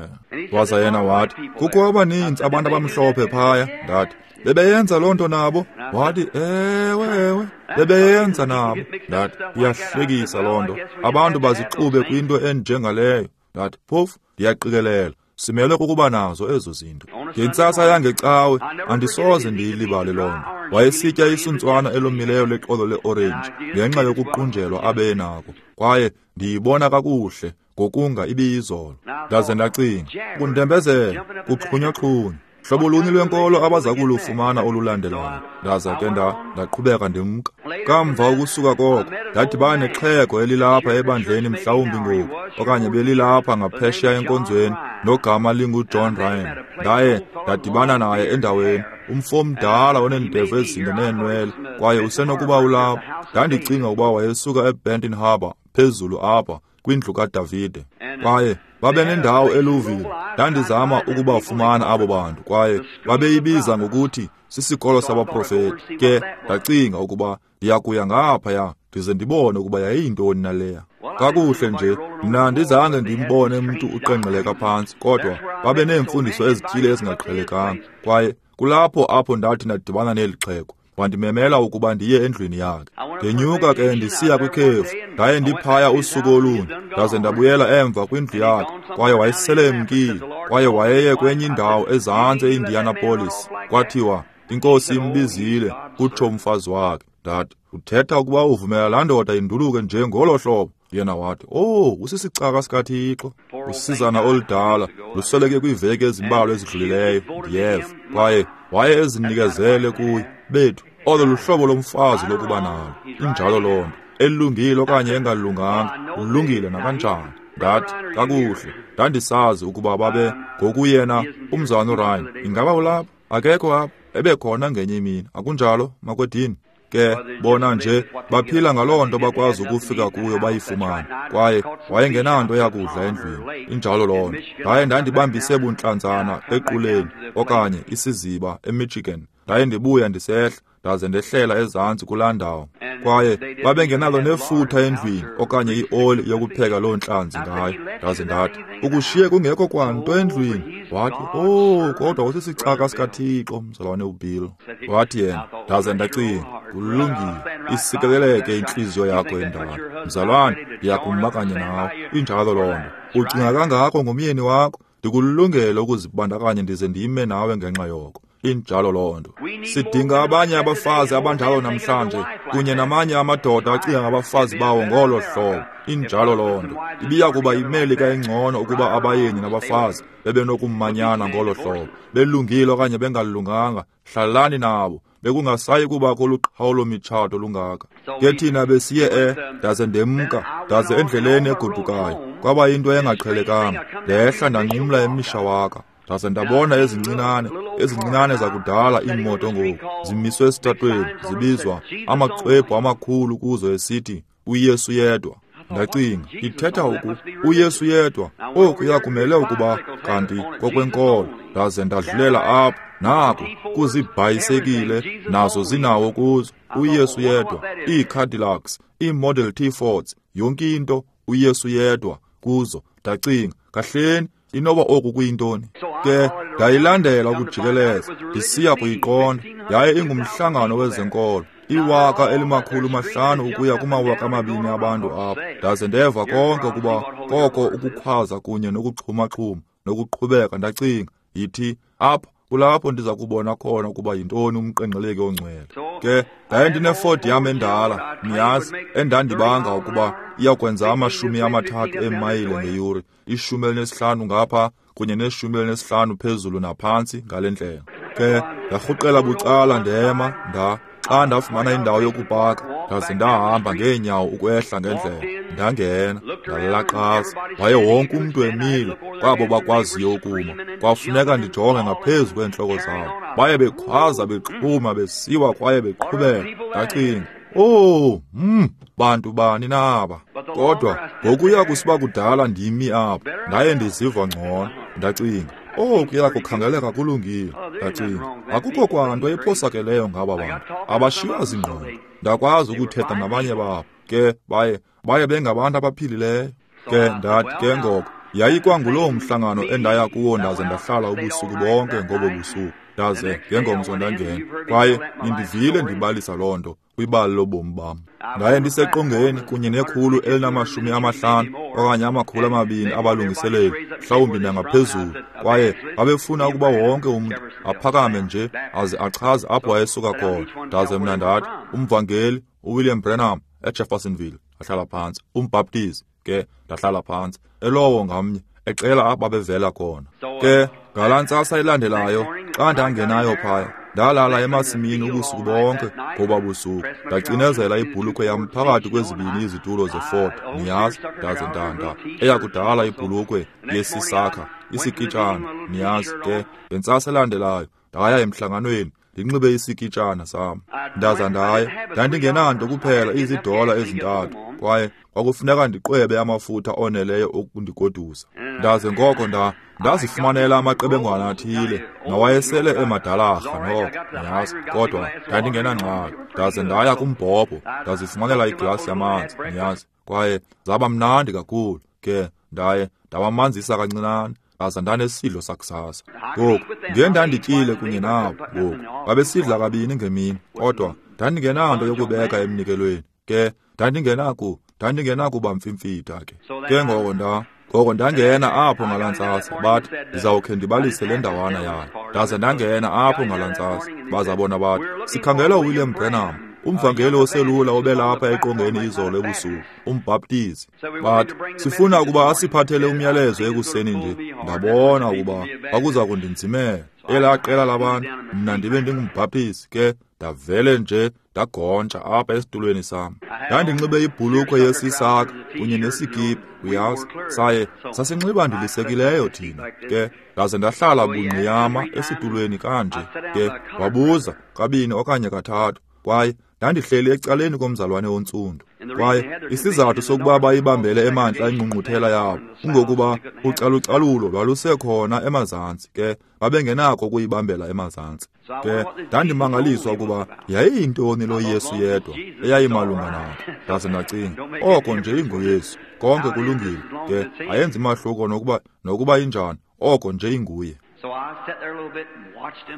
Waza yena wathi, kukho abaninzi abantu abamhlophe phaya. Ndathi, bebeyenza loo nto nabo? Wathi, ewe, ewe, bebeyenza nabo. Ndathi, iyahlekisa loo nto. Abantu bazixube kwinto enjengaleyo. Ndathi, phofu, ndiyaqikelela, simele kukuba nazo ezo zinto. Ngentsasa yangecawe, andisoze ndiyilibale loo nto. Wayesitya isuntswana elomileyo lexolo leorenji ngenxa yokuqunjelwa abe nako, kwaye ndiyibona kakuhle ngokunga ibiyizolo. Ndaze ndacinga, kundembezela, kuxhunywaxhunywa, hlobo luni lwenkolo abaza kulufumana olulandelayo. Ndaza ke ndaqhubeka ndimka. Kamva ukusuka koko, ndadibana nexhego elilapha ebandleni mhlawumbi ngoku, okanye belilapha ngaphesheya enkonzweni, nogama linguJohn Ryan. Ndaye ndadibana naye endaweni, umfo omdala oneendevu ezinde neenwele, kwaye usenokuba ulapha. Ndandicinga ukuba wayesuka eBenton Harbor phezulu apha kwindlu kaDavide, kwaye babe nendawo eLouisville. Ndandizama ukubafumana abo bantu, kwaye babeyibiza ngokuthi sisikolo sabaprofeti. Ke ndacinga ukuba ndiyakuya ngaphaya ndize ndibone ukuba yayiyintoni naleya. Kakuhle nje, mna ndizange ndimbone mntu uqengqeleka phantsi, kodwa babe neemfundiso ezithile ezingaqhelekanga. Kwaye kulapho apho ndathi ndadibana neli xhego. Wandimemela ukuba ndiye endlwini yakhe. Ndenyuka ke ndisiya kwikhefu. Ndaye ndiphaya usuku olunye, ndaze ndabuyela emva kwindlu yakhe, kwaye wayesele emkile, kwaye wayeye kwenye indawo ezantsi eIndianapolis. Kwathiwa, inkosi imbizile, kutsho umfazi wakhe. Ndathi, uthetha ukuba uvumela laa ndoda induluke nje ngolo hlobo? Yena wathi, oh, usisicaka sikaThixo. Usizana oludala, lusweleke kwiiveki ezimbalwa ezidlulileyo, ndiyeva. Kwaye waye ezinikezele kuye. Bethu, olo luhlobo lomfazi lokuba nalo. Injalo loo nto, elungile okanye engalunganga, ulungile nakanjani. Ndathi, kakuhle, ndandisazi ukuba babe ngokuyena umzalwana uRyan. Ingaba ulapha? Akekho apha, ebekhona ngenye imini. Akunjalo, makwedini? Ke bona nje baphila ngaloo nto bakwazi ukufika kuyo bayifumane. Kwaye wayengenanto yakudla endlwini. Injalo loo nto. Ndaye ndandibambise buntlantsana equleni okanye isiziba eMichigan. Ndaye ndibuya ndisehla, ndaze ndehlela ezantsi kulaa ndawo. Kwaye babengenalo nefutha endlwini okanye ioli yokupheka loo ntlanzi ngayo. Ndaze ndathi, ukushiye kungekho kwanto endlwini. Wathi, oh, kodwa usisicaka sikaThixo, mzalwane uBill. Wathi yena, ndaze ndacinga, kulungile, isikeleleke intliziyo yakho endala. Mzalwane, ndiyakuma kanye nawe. Injalo loo nto. Ucinga kangako ngomyeni wakho, ndikulungele ukuzibandakanya ndize ndime nawe ngenxa yoko. Injalo loo nto. Sidinga abanye abafazi abanjalo namhlanje, kunye namanye amadoda acinga ngabafazi bawo ngolo hlobo. Injalo loo nto. Ibiya kuba iMelika engcono ukuba abayeni nabafazi bebenokumanyana ngolo hlobo, belungile okanye bengalunganga, hlalani nabo. Bekungasayi kubakho luqhawulo mitshato lungaka. Ke thina besiye e, ndaze ndemka, ndaze endleleni egodukayo. Kwaba yinto engaqhelekanga. Ndehla ndanqumla eMishawaka. Ndaze ndabona ezincinane, ezincinane zakudala iimoto ngoku, zimiswe esitratweni, zibizwa amaxwebhu amakhulu kuzo esithi, uYesu yedwa. Ndacinga, ithetha oku, uYesu yedwa, okuya kumele ukuba kanti kokwenkolo. Ndaze ndadlulela apho, nako, kuzibhayisekile, nazo zinawo kuzo, uYesu yedwa, iiCadillacs, iiModel T Fords, yonke into, uYesu yedwa kuzo. Ndacinga, kahleni, inoba oku kuyintoni? Ke ndayilandela ukujikeleza, ndisiya kuyiqonda. Yaye ingumhlangano wezenkolo, iwaka elimakhulu mahlanu ukuya kumawaka amabini abantu apho. Ndaze ndeva konke ukuba koko ukukhwaza kunye nokuxhumaxhuma nokuqhubeka. Ndacinga, yithi apha kulapho ndiza kubona khona ukuba yintoni umqengqeleki ongcwele. Ke ndaye ndineFord yam endala, niyazi, endandibanga ukuba iyakwenza amashumi amathathu eemayile ngeyure, ishumi elinesihlanu ngapha kunye neshumi elinesihlanu phezulu naphantsi ngale ndlela. Ke ndarhuqela bucala ndema, nda Xa ndafumana indawo yokupaka, ndaze ndahamba ngeenyawo ukwehla ngendlela. Ndangena, ndalaqaza. Waye wonke umntu emile, kwabo bakwaziyo ukuma. Kwafuneka ndijonge ngaphezu kweentloko zabo. Baye bekhwaza, bexhuma, besiwa kwaye beqhubeka. Ndacinga, oh, mm, bantu bani naba? Kodwa ngokuya kusiba kudala ndimi apho, ndaye ndiziva ngcono. Ndacinga, oh, kuya kukhangeleka kulungile. Ndacinga, akukho kwanto ephosakeleyo ngaba bantu, abashiywa zingqondo. Ndakwazi ukuthetha nabanye babo, ke baye baye bengabantu abaphilileyo. Ke ndathi ke ngoko, yayikwanguloo mhlangano endaya kuwo ndaze ndahlala ubusuku bonke ngobo busuku. Ndaze ngengomso ndangena, kwaye nindivile ndibalisa loo nto kwibali lobomi bam. Ndaye ndiseqongeni kunye nekhulu elinamashumi amahlanu okanye amakhulu amabini abalungiseleli, mhlawumbi nangaphezulu, kwaye babefuna ukuba wonke umntu aphakame nje aze achaze apho wayesuka khona. Ndaze mna ndathi, umvangeli uWilliam Branham eJeffersonville, ndahlala phantsi. Umbhaptizi ke, ndahlala phantsi. Elowo ngamnye ecela apho babevela khona. Ke ngalaa ntsasa ilandelayo, xa ndangenayo phaya, ndalala emasimini ubusuku bonke ngoba busuku. Ndacinezela ibhulukhwe yam phakathi kwezibini izitulo zeFord, niyazi, ndaze ndanda eyakudala ibhulukhwe yesisakha, isikitshana, niyazi. Ke ngentsasa elandelayo ndaya emhlanganweni ndinxibe isikitshana sam. Ndaza ndaya, ndandingenanto kuphela izidola ezintathu, kwaye kwakufuneka ndiqwebe amafutha oneleyo okundigodusa. Ndaze ngoko nda ndazifumanela amaqebengwana athile nawayesele emadalarha noko, niyazi, kodwa ndandingenangxaki. Ndaze ndaya kumbhobho, ndazifumanela iglasi yamanzi, niyazi, kwaye zaba mnandi kakhulu. Ke ndaye ndawamanzisa kancinane, ndaza ndanesidlo sakusasa. Ngoku ndiye ndandityile kunye nabo. Ngoku babesidla kabini ngemini, kodwa ndandingenanto yokubeka emnikelweni. Ke ndandingenaku ndandingenakuba mfimfitha ke. Ke ngoko nda ngoko ndangena apho ngalaa ntsasa, bathi ndizawukhe ndibalise le ndawana yayo. Ndaze ndangena apho ngalaa ntsasa, baza bona bathi, sikhangela uWilliam Branham, umvangeli oselula obelapha eqongeni izolo ebusuku, umbhaptizi. Bathi, sifuna ukuba asiphathele umyalezo ekuseni nje. Ndabona ukuba kwakuza kundinzimela elaa qela labantu, mna ndibe ndingumbhaptizi. Ke ndavele nje ndagontsha apha esitulweni sam. Ndandinxibe ibhulukhwe yesisaka kunye nesikipa, uyazi, saye sasinxiba ndilisekileyo thina. Ke ndaze ndahlala bungqiyama esitulweni kanje. Ke wabuza kabini okanye kathathu, kwaye ndandihleli ecaleni komzalwane ontsundu. Kwaye isizathu sokuba bayibambele emantla ingqungquthela yabo kungokuba ucalucalulo lwalusekhona emazantsi, ke babengenako ukuyibambela emazantsi. Ke ndandimangaliswa ukuba yayiyintoni lo Yesu yedwa eyayimalunga nako. Ndaze ndacinga, oko nje inguYesu, konke kulungile. Ke ayenzi mahluko nokuba nokuba injani, oko nje inguye.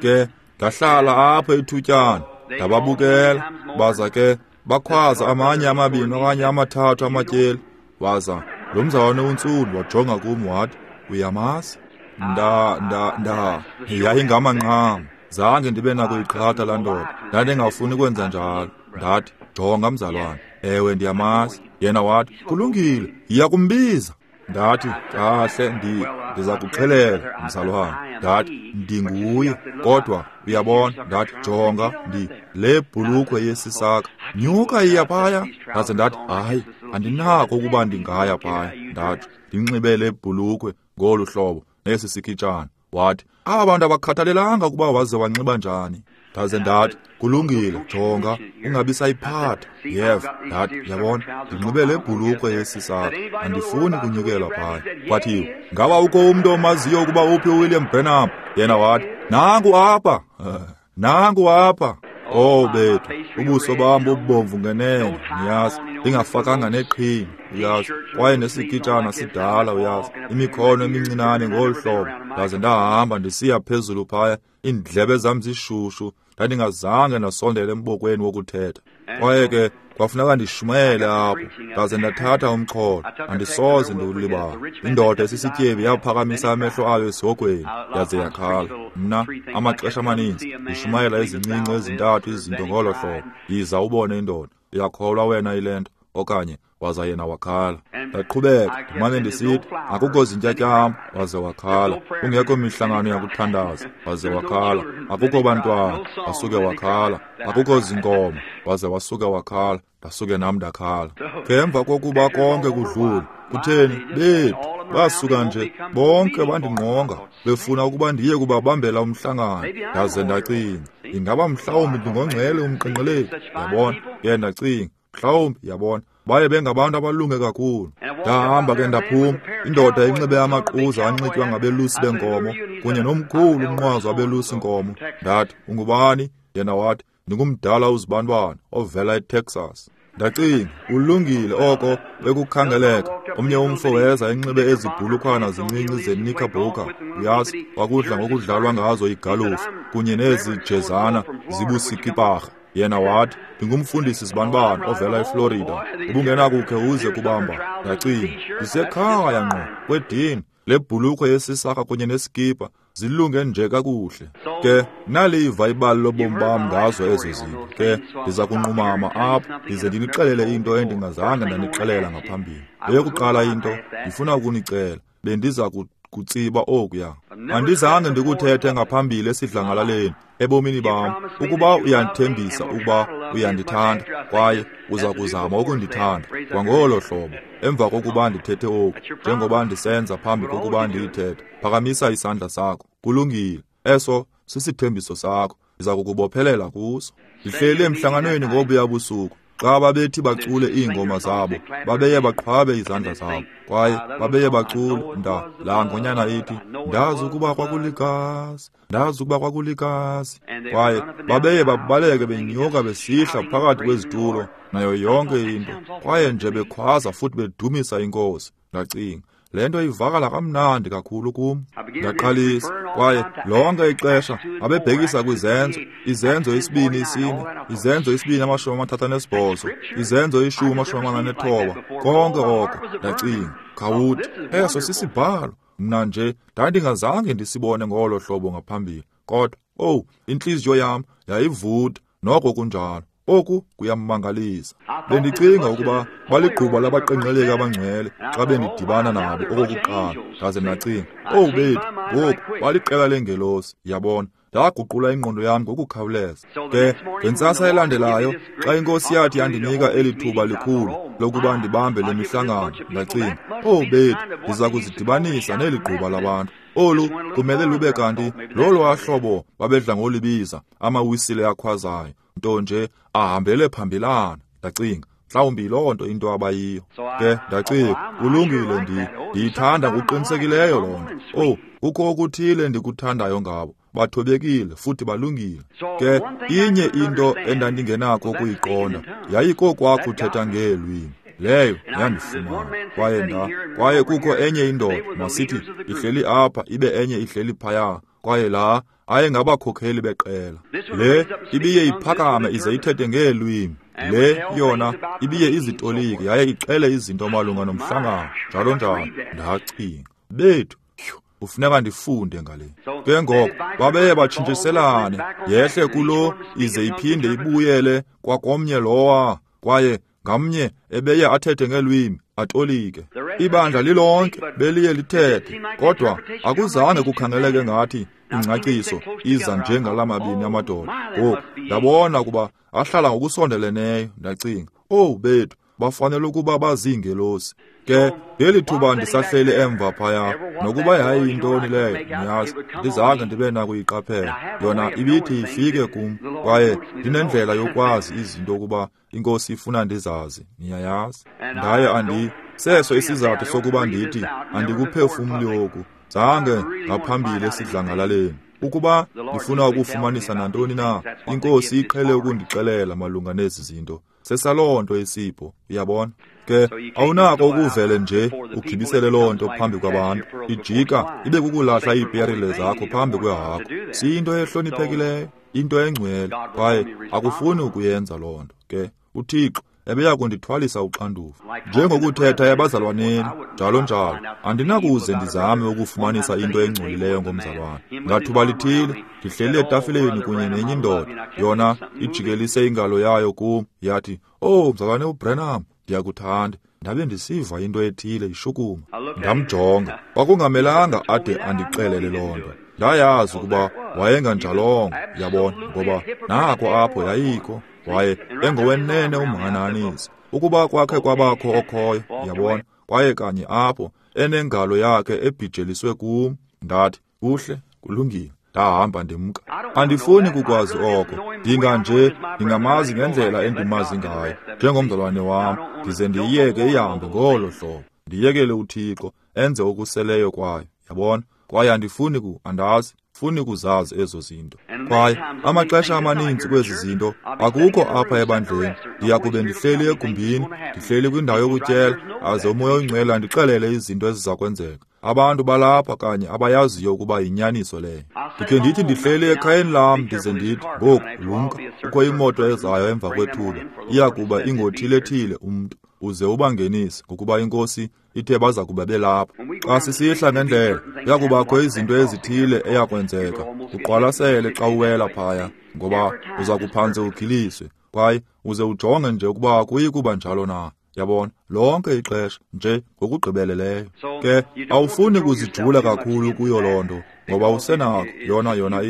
Ke ndahlala apho ithutyana, ndababukela. Baza ke bakhwaza amanye amabini okanye amathathu amatyeli. Waza lo mzalwane untsundu wajonga kum wathi, uyamazi? Nda nda nda yayingamanqam. Zange ndibe nakuyiqhatha laa ndoda, ndandingafuni kwenza njalo. Ndathi, jonga mzalwane, ewe ndiyamazi. Yena wathi, kulungile, yiya kumbiza. Ndathi, kahle, ndi ndiza kuxelela mzalwane. Ndathi, ndinguye, kodwa uyabona. Ndathi, jonga, ndi le bhulukhwe yesisaka, nyuka iya phaya. Ndaze ndathi, hayi, andinako ukuba ndingaya phaya. Ndathi, ndinxibe le bhulukhwe ngolu hlobo nesi sikitshana. Wathi, aba bantu abakhathalelanga ukuba waze wanxiba njani. Ndaze ndathi, kulungile, jonga, ungabi sayiphatha. Yeva. Ndathi, yabona, ndinxibe le bhulukhwe yesisaka, andifuni kunyukela phaya. Kwathiwa, ngaba ukho umntu omaziyo ukuba uphi uWilliam Branham? Yena wathi, nangu apha, nangu apha. Oh bethu, ubuso bam bubomvu ngenene, niyazi, ndingafakanga neqhina, uyazi, kwaye nesikitshana sidala, uyazi, imikhono emincinane ngolu hlobo. Ndaze ndahamba ndisiya phezulu phaya, iindlebe zam zishushu, ndandingazange ndasondela embokweni wokuthetha. Kwaye ke kwafuneka ndishumayele apho. Ndaze ndathatha umxholo, andisoze ndiwulibale. Indoda esisityebi yaphakamisa amehlo ayo esihogweni, yaze yakhala. Mna amaxesha amaninzi ndishumayela ezincinci ezintathu izinto ngolo hlobo. Yiza ubone indoda, uyakholwa wena ile nto? okanye waza yena wakhala. Ndaqhubeka ndimane ndisithi akukho zintyatyambo, waze wakhala. Kungekho mihlangano yakuthandaza, waze wakhala. Akukho bantwana, wasuke wakhala. Akukho zinkomo, waze wasuke wakhala. Ndasuke nam ndakhala. Ngemva kokuba konke kudlule, kutheni bethu basuka nje bonke bandingqonga befuna ukuba ndiye kubabambela umhlangano. Ndaze ndacinga, ingaba mhlawumbi ndingongcwele umqenqeleki, yabona. Ke ndacinga, mhlawumbi, yabona, baye bengabantu abalunge kakhulu. Ndahamba ke ndaphuma, indoda inxibe amaquza anxitywa ngabelusi benkomo kunye nomkhulu umnqwazi wabelusi nkomo. Ndathi, ungubani? Yena wathi, ndingumdala uzibanibani ovela eTexas. Ndacinga, ulungile oko bekukhangeleka. Omnye umfo weza enxibe ezi bhulukhwana zincinci zenikabhoka, uyazi, kwakudla ngokudlalwa ngazo igalufu kunye nezi jezana zibusikiparha. Yena wathi, ndingumfundisi zibanibani ovela eFlorida, ubungenakukhe uze kubamba. Ndacinga, ndisekhaya ngqo kwedini, le bhulukhwe yesisaka kunye nesikipa zilunge nje kakuhle. Ke naliva ibali lobomi bam ngazo ezo zinto. Ke ndiza kunqumama apha ndize ndinixelele into endingazange ndanixelela ngaphambili. Eyokuqala into ndifuna ukunicela, bendiza kutsiba okuya. Andizange ndikuthethe ngaphambili esidlangalaleni ebomini bam. Ukuba uyandithembisa ukuba uyandithanda kwaye uza kuzama ukundithanda kwangolo hlobo, emva kokuba ndithethe oku, njengoba ndisenza phambi kokuba ndiyithethe, phakamisa isandla sakho. Kulungile, eso sisithembiso sakho, ndiza kukubophelela kuso. Ndihleli emhlanganweni ngobuya busuku, xa babethi bacule iingoma zabo, babeye baqhwabe izandla zabo, kwaye babeye bacule nda laa ngonyana ithi, ndazi ukuba kwakuligazi, ndazi ukuba kwakuligazi. Kwaye babeye babaleke benyuka besihla phakathi kwezitulo nayo yonke into, kwaye nje bekhwaza futhi bedumisa iNkosi. Ndacinga, le nto ivakala kamnandi kakhulu kum. Ndaqalisa, kwaye lonke ixesha abebhekisa kwizenzo, izenzo isibini isine, izenzo isibini amashumi amathathu anesibhozo, izenzo ishumi amashumi amane anethoba, konke oko. Ndacinga, khawuthi, eso sisibhalo. Mna nje ndandingazange ndisibone ngolo hlobo ngaphambili, kodwa owu, intliziyo yam yayivuta noko kunjalo. Oku kuyamangalisa. Bendicinga ukuba baligquba labaqenqeleki abangcwele xa bendidibana nabo okokuqala. Ndaze ndacinga, owu bethu, ngoku baliqela leengelosi, yabona. Ndaguqula ingqondo yam ngokukhawuleza. Ke ngentsasa elandelayo, xa iNkosi yathi yandinika eli thuba likhulu lokuba ndibambe le mihlangano, ndacinga, owu bethu, ndiza kuzidibanisa neli gquba labantu. Olu kumele lube kanti lolwa hlobo babedla ngolibiza amawisile akhwazayo, nto nje ahambele phambilana. Ndacinga, mhlawumbi loo nto into abayiyo. Ke ndacinga, kulungile, ndi ndiyithanda ngokuqinisekileyo loo nto. Owu, kukho okuthile ndikuthandayo ngabo, bathobekile futhi balungile. Ke inye into endandingenako ukuyiqonda yayikokwakho uthetha ngeelwimi. Leyo yandifumana. Kwaye nda kwaye kukho enye indoda, masithi ihleli apha ibe enye ihleli phaya, kwaye laa ayengabakhokheli beqela. Le ibiye iphakame ize ithethe ngeelwimi, le yona ibiye izitolike yaye ixele izinto malunga nomhlangano, njalo njalo. Ndacinga, bethu, kufuneka ndifunde ngale. Ke ngoko babeye batshintshiselane, yehle kulo ize iphinde ibuyele kwakomnye lowa, kwaye ngamnye ebeye athethe ngelwimi atolike. Ibandla lilonke beliye lithethe, kodwa akuzange kukhangeleke ngathi ingcaciso iza njengalamabini amadoda. Ngoku ndabona ukuba ahlala ngokusondeleneyo. Ndacinga, owu bethu, bafanele ukuba baziingelosi. Ke ngeli thuba ndisahleli emva phaya, nokuba yayiyintoni leyo, niyazi, ndizange ndibe nakuyiqaphela. Yona ibithi ifike kum, kwaye ndinendlela yokwazi izinto ukuba iNkosi ifuna ndizazi, niyayazi. Ndaye andi seso isizathu sokuba ndithi andikuphefumli oku, zange ngaphambili esidlangalaleni. Ukuba ndifuna ukufumanisa nantoni na, iNkosi iqhele ukundixelela malunga nezi zinto. Sesaloo nto isipho, uyabona. Ke awunako ukuvele nje ugibisele loo nto phambi kwabantu, ijika ibe kukulahla iiperile zakho phambi kwehagu. Siyinto ehloniphekileyo, into engcwele, kwaye akufuni ukuyenza loo nto. Ke uThixo ebeya kundithwalisa uxanduva, njengokuthetha ebazalwaneni, njalo njalo. Andinakuze ndizame ukufumanisa into engcolileyo ngomzalwane. Ngathuba lithile ndihleli etafileni kunye nenye indoda, yona ijikelise ingalo yayo kum, yathi, "Oh, mzalwane uBranham." ndiyakuthanda. Ndabe ndisiva into ethile ishukuma. Ndamjonga. Kwakungamelanga ade andixelele loo nto. Ndayazi ukuba wayenganjalongo, yabona, ngoba nako apho yayikho. Waye engowenene umhanahanisi. Ukuba kwakhe kwabakho okhoyo, yabona, kwaye kanye apho enengalo yakhe ebhijeliswe kum. Ndathi, kuhle, kulungile. Ndahamba ndimka. Andifuni kukwazi oko. Ndinga nje ndingamazi ngendlela endimazi ngayo njengomzalwane wam, ndize ndiyiyeke ihambe ngolo hlobo. Ndiyekele uThixo enze okuseleyo kwayo, yabona. Kwaye andifuni ku andazi funi kuzazi ezo zinto. Kwaye amaxesha amaninzi kwezi zinto akukho apha ebandleni. Ndiya kube ndihleli egumbini, ndihleli kwindawo yokutyela, aze uMoya oyiNgcwele andixelele izinto eziza kwenzeka. Abantu balapha kanye abayaziyo ukuba yinyaniso leyo. Ndikhe ndithi ndihleli ekhayeni lam ndize ndithi, ngoku lumka, kukho imoto ezayo emva kwethuba, iya kuba ingothile-thile umntu, uze ubangenise, ngokuba iNkosi ithe baza kuba belapha. Xa sisihla ngendlela, kuya kubakho izinto ezithile eyakwenzeka. Uqwalasele xa uwela phaya, ngoba uza kuphantse ugiliswe, kwaye uze ujonge nje ukuba akuyi kuba njalo na. Yabona, lonke ixesha nje ngokugqibeleleyo. Ke awufuni kuzijula kakhulu kuyo loo nto, ngoba usenakho yona yona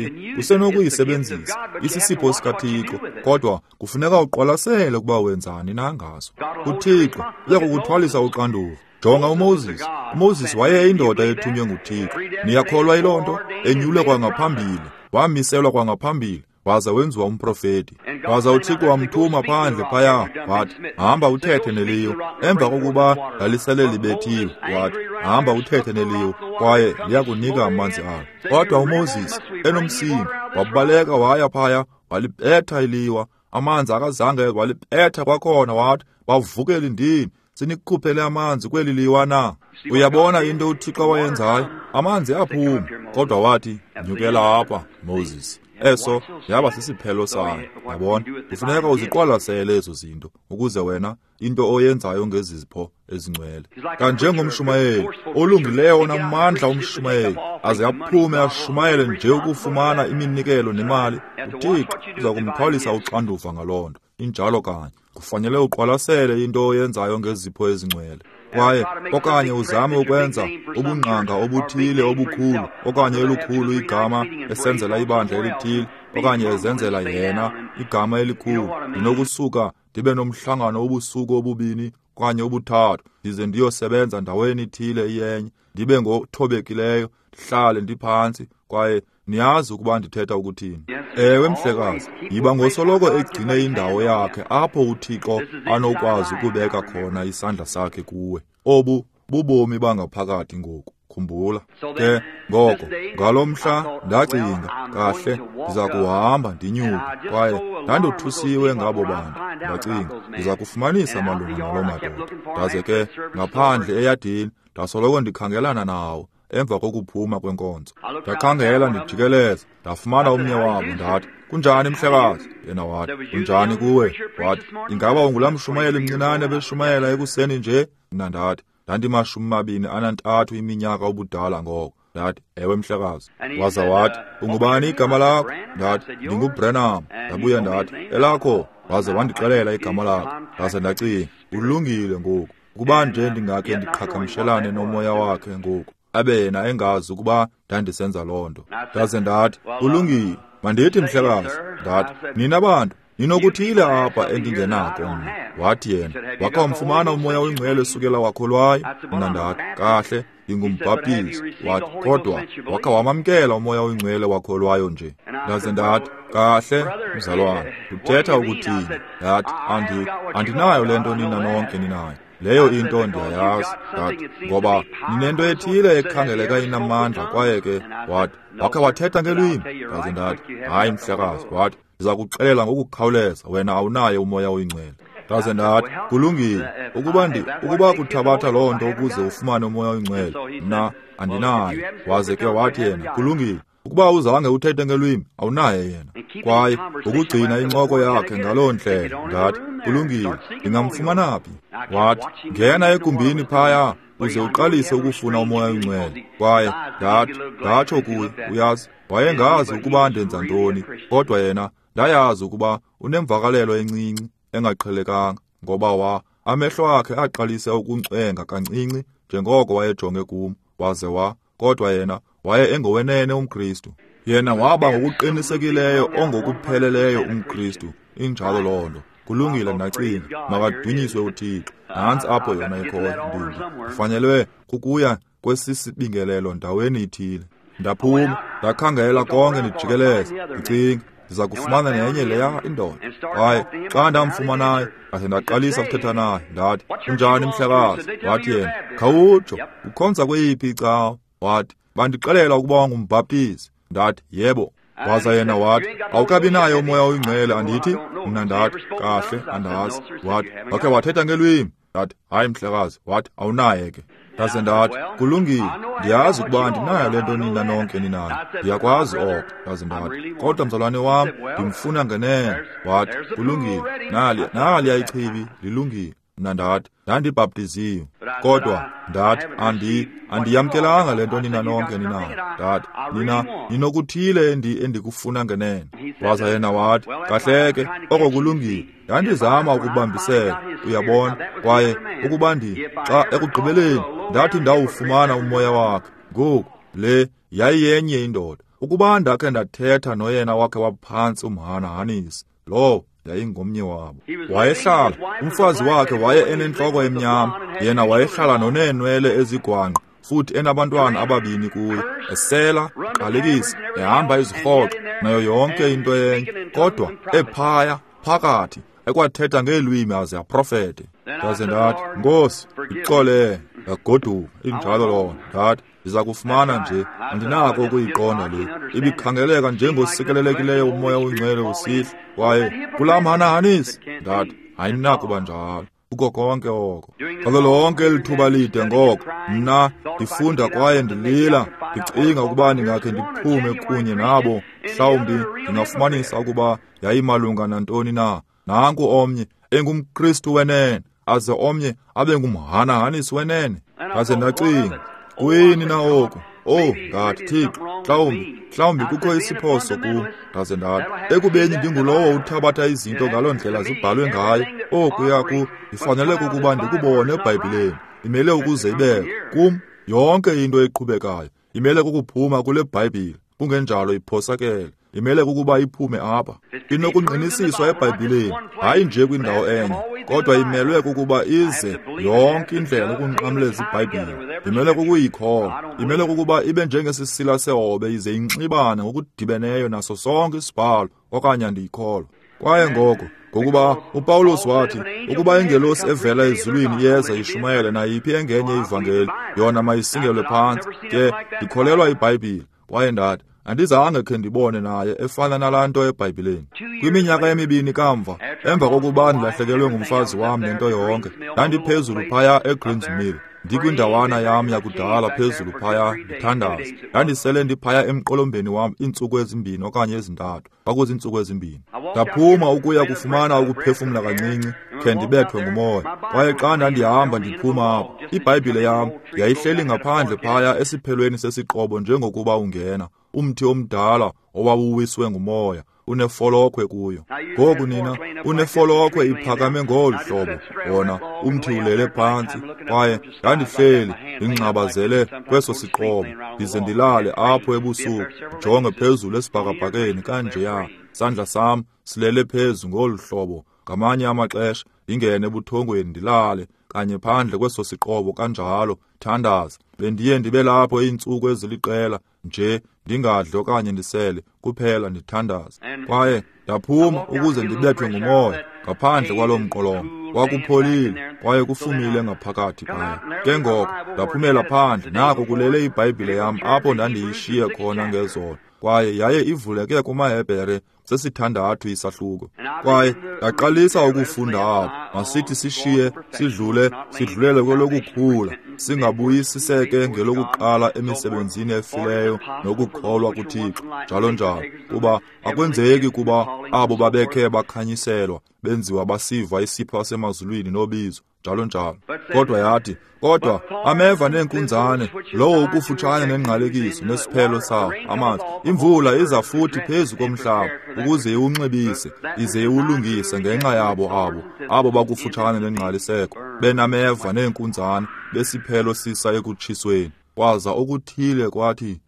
usenokuyisebenzisa. Isisipho sikaThixo, kodwa kufuneka uqwalasele ukuba wenzani na ngaso. UThixo uya kukuthwalisa uxanduva. Jonga uMoses. uMoses wayeyindoda ethunywe nguThixo. Niyakholwa yiloo nto? Enyulwe kwangaphambili, wamiselwa kwangaphambili, waza wenziwa umprofeti. Waza uThixo wamthuma phandle phaya, wathi, hamba uthethe neliyo. Emva kokuba lalisele libethiwe, wathi, hamba uthethe neliyo, kwaye liyakunika amanzi alo. Kodwa uMoses, enomsindo, wabaleka waya phaya, walibetha iliwa. Amanzi akazange, walibetha kwakhona, wathi, bavukele ndini, sinikukhuphele amanzi kweli liwa na? Uyabona into uThixo wayenzayo? Amanzi aphuma, kodwa wathi, nyukela apha, Moses. Eso yaba sisiphelo sayo. Yabona, kufuneka uziqwalasele ezo zinto ukuze wena into oyenzayo ngezipho ezingcwele. Kanjengomshumayeli olungileyo onamandla, umshumayeli aze aphume ashumayele nje ukufumana iminikelo nemali, uThixo uza kumthwalisa uxanduva ngaloo nto. Injalo kanye. Kufanele uqwalasele into oyenzayo ngezipho ezingcwele. Kwaye okanye uzame ukwenza ubungqanga obuthile obukhulu, okanye elikhulu igama esenzela ibandla elithile, okanye ezenzela yena igama elikhulu. Ndinokusuka ndibe nomhlangano obusuku obubini okanye obuthathu, ndize ndiyosebenza ndaweni ithile iyenye, ndibe ngothobekileyo, ndihlale ndiphantsi, kwaye niyazi ukuba ndithetha ukuthini. Ewe mhlekazi, yiba ngosoloko egcine indawo yakhe apho uThixo anokwazi ukubeka khona isandla sakhe kuwe. Obu bubomi bangaphakathi ngoku, khumbula. Ke ngoko ngalo mhla ndacinga, kahle, ndiza kuhamba ndinyuke, kwaye ndandothusiwe ngabo bantu. Ndacinga, ndiza kufumanisa malunga naloo madoda. Ndaze ke ngaphandle eyadini ndasoloko ndikhangelana nawo. Emva kokuphuma kwenkonzo ndakhangela ndijikeleza, ndafumana omnye wabo. Ndathi, kunjani mhlekazi? Yena wathi, kunjani kuwe? Wathi, ingaba ungulaa mshumayeli mncinane beshumayela ekuseni nje? Mna ndathi, ndandimashumi mabini anantathu iminyaka ubudala ngoko. Ndathi, ewe mhlekazi. Waza wathi, ungubani igama lakho? Ndathi, ndinguBranham. Ndabuya ndathi, elakho? Waze wandixelela igama lakho. Ndaze ndacinga, ulungile ngoku, ukuba nje ndingakhe ndiqhagamshelane nomoya wakhe ngoku, abe yena engazi ukuba ndandisenza loo nto. Ndaze ndathi, kulungile, mandithi mhlekazi. Ndathi, nina bantu ninokuthile apha endingenako mna. Wathi yena, wakha wamfumana uMoya oyiNgcwele esukela wakholwayo? Mna ndathi, kahle, ndingumbhaptizi. Wathi, kodwa wakha wamamkela uMoya oyiNgcwele wakholwayo nje? Ndaze ndathi, kahle, mzalwane, uthetha ukuthini? Ndathi, andi andinayo le nto nina nonke ninayo. Leyo into ndiyayazi. Ndathi, ngoba ninento ethile ekhangeleka inamandla. Kwaye ke wathi, wakhe wathetha ngelwimi? Ndaze ndathi, hayi mhlekazi. Wathi, ndiza kuxelela ngokukhawuleza, wena awunaye uMoya oyiNgcwele. Ndaze ndathi, kulungile, ukuba ndi ukuba kuthabatha loo nto ukuze ufumane uMoya oyiNgcwele, mna andinayo. Waze ke wathi yena, kulungile, ukuba uzange uthethe ngelwimi, awunaye yena. Kwaye ukugcina incoko yakhe ngaloo ndlela, ndathi, kulungile, ndingamfumana phi? Wathi, ngena egumbini phaya uze uqalise ukufuna uMoya oyiNgcwele. Kwaye ndathi, ndatsho kuye, uyazi, wayengazi ukuba ndenza ntoni, kodwa yena ndayazi ukuba unemvakalelo encinci engaqhelekanga, ngoba wa Amehlo akhe aqalise ukuncwenga kancinci njengoko wayejonge kum, waze wa, kodwa yena waye engowenene umKristu. Yena waba ngokuqinisekileyo ongokupheleleyo umKristu. Injalo loo nto. Kulungile, ndacinga, makadunyiswe uThixo. Nantsi apho yona ikhoyo, ndingi. Ndifanelwe kukuya kwesisibingelelo ndaweni ithile. Ndaphuma, ndakhangela konke ndijikeleza, ndicinga, ndiza kufumana nenye leya indoda. Kwaye xa ndamfumanayo, ndaze ndaqalisa ukuthetha naye, ndathi, unjani mhlekazi? Wathi yena, khawutsho, ukhonza kweyiphi icawa? Wathi, bandixelela ukuba ngumbhaptizi. Ndathi, yebo. Waza yena wathi, awukabi naye uMoya oyiNgcwele, andithi? Mna ndathi, kahle, andazi. Wathi, wakhe wathetha ngelwimi? Ndathi, hayi mhlekazi. Wathi, awunaye ke. Ndaze ndathi, kulungile, ndiyazi ukuba andinayo le nto nina nonke ninayo. Ndiyakwazi oko. Ndaze ndathi, kodwa mzalwane wam, ndimfuna ngenene. Wathi, kulungile, nali naliya ichibi, lilungile. Mna ndathi, ndandibhaptiziwe, kodwa ndathi, andi andiyamkelanga le nto nina nonke ninayo. Ndathi, nina ninokuthile endi endikufuna ngenene. Waza yena wathi, kahle ke, oko kulungile. Ndandizama ukubambisela, uyabona, kwaye ukuba ndi xa ekugqibeleni ndathi ndawufumana umoya wakhe. Ngoku le yayiyenye indoda. Ukuba ndakhe ndathetha noyena wakhe waphantsi umhanahanisi, lowo yayingomnye wabo. Wayehlala, umfazi wakhe waye enentloko emnyama, yena wayehlala noneenwele ezigwangqa, futhi enabantwana ababini kuye, esela, qalekisa, ehamba izirhoxo, nayo yonke into enye, kodwa ephaya phakathi ekwathetha ngeelwimi aze aprofete. Ndaze ndathi, Nkosi, ndixolele. Ndagoduka, injalo loo nto. Ndathi, ndiza kufumana nje, andinako ukuyiqonda le. Ibikhangeleka njengosikelelekileyo uMoya oyiNgcwele usihla, kwaye kulaa mhanahanisi. Ndathi, ayinakuba njalo. Kuko konke oko. Ngalo lonke eli thuba lide ngoko, mna ndifunda kwaye ndilila, ndicinga ukuba ndingakhe ndiphume kunye nabo, mhlawumbi ndingafumanisa ukuba yayimalunga nantoni na. Nanku omnye engumKristu wenene, aze omnye abe ngumhanahanisi wenene. Ndaze ndacinga, kuyini na oku? Oh, ngathi, Thixo, mhlawumbi, mhlawumbi kukho isiphoso kum. Ndaze ndathi, ekubeni ndingulowo uthabatha izinto ngaloo ndlela zibhalwe ngayo, okuya ku ndifanele kukuba ndikubone eBhayibhileni. Imele ukuze ibekho kum yonke into eqhubekayo. Imele kukuphuma kule Bhayibhile, kungenjalo iphosakele. Imele kukuba iphume apha. Inokungqinisiswa eBhayibhileni, hayi nje kwindawo enye, kodwa imelwe kukuba ize yonke indlela ukunqamleza iBhayibhile. Imele kukuyikholwa. Imele kukuba ibe njengesisila sehobe ize inxibane ngokudibeneyo naso sonke isibhalo, okanye andiyikholwa. Kwaye ngoko, ngokuba uPawulos wathi, ukuba ingelosi evela ezulwini iyeza ishumayele nayiphi engenye ivangeli, yona mayisingelwe phantsi. Ke ndikholelwa iBhayibhile. Kwaye ndathi, andizange khe ndibone naye efana nalaa nto eBhayibhileni. Kwiminyaka emibini kamva, emva kokuba ndilahlekelwe ngumfazi wam nento yonke, ndandiphezulu phaya eGreens Mill, ndikwindawana yam yakudala phezulu phaya ndithandaza. Ndandisele ndiphaya emqolombeni wam iintsuku ezimbini okanye ezintathu, kwakuziintsuku ezimbini. Ndaphuma ukuya kufumana ukuphefumla kancinci, khe ndibethwe ngumoya. Kwaye xa ndandihamba ndiphuma apho, iBhayibhile yam yayihleli ngaphandle phaya esiphelweni sesiqobo njengokuba ungena, umthi omdala owawuwiswe ngumoya, unefolokhwe kuyo. Ngoku nina, unefolokhwe iphakame ngolu hlobo, wona umthi ulele phantsi. Kwaye ndandihleli ndingxabazele kweso siqobo, ndize ndilale apho ebusuku, ndijonge phezulu esibhakabhakeni kanjeya. Isandla sam silele phezu ngolu hlobo. Ngamanye amaxesha ndingene ebuthongweni ndilale kanye phandle kweso siqobo kanjalo, thandaza. Bendiye ndibe lapho iintsuku eziliqela nje, ndingadli okanye ndisele, kuphela ndithandaza. Kwaye ndaphuma ukuze ndibethwe ngumoya ngaphandle kwaloo mqolomba. Kwakupholile kwaye kufumile ngaphakathi phaya. Ke ngoko ndaphumela phandle, nako kulele iBhayibhile yam apho ndandiyishiye khona ngezolo, kwaye yaye ivuleke kumaHebhere sesithandathu isahluko. Kwaye ndaqalisa ukufunda apho. Masithi sishiye, sidlule, sidlulele kwelokukhula, singabuyisiseke ngelokuqala emisebenzini efileyo nokukholwa kuThixo, njalo njalo. Kuba akwenzeki kuba abo babekhe bakhanyiselwa, benziwa basiva isipho sasemazulwini nobizo, njalo njalo. Kodwa yathi, kodwa ameva neenkunzane, lowo ukufutshane nengqalekiso nesiphelo sawo amanzi, imvula iza futhi phezu komhlaba ukuze iwunxibise, ize iwulungise ngenxa yabo abo abo okufutshane nengqaliseko, benameva neenkunzana, besiphelo sisa ekutshisweni. Kwaza okuthile kwathi,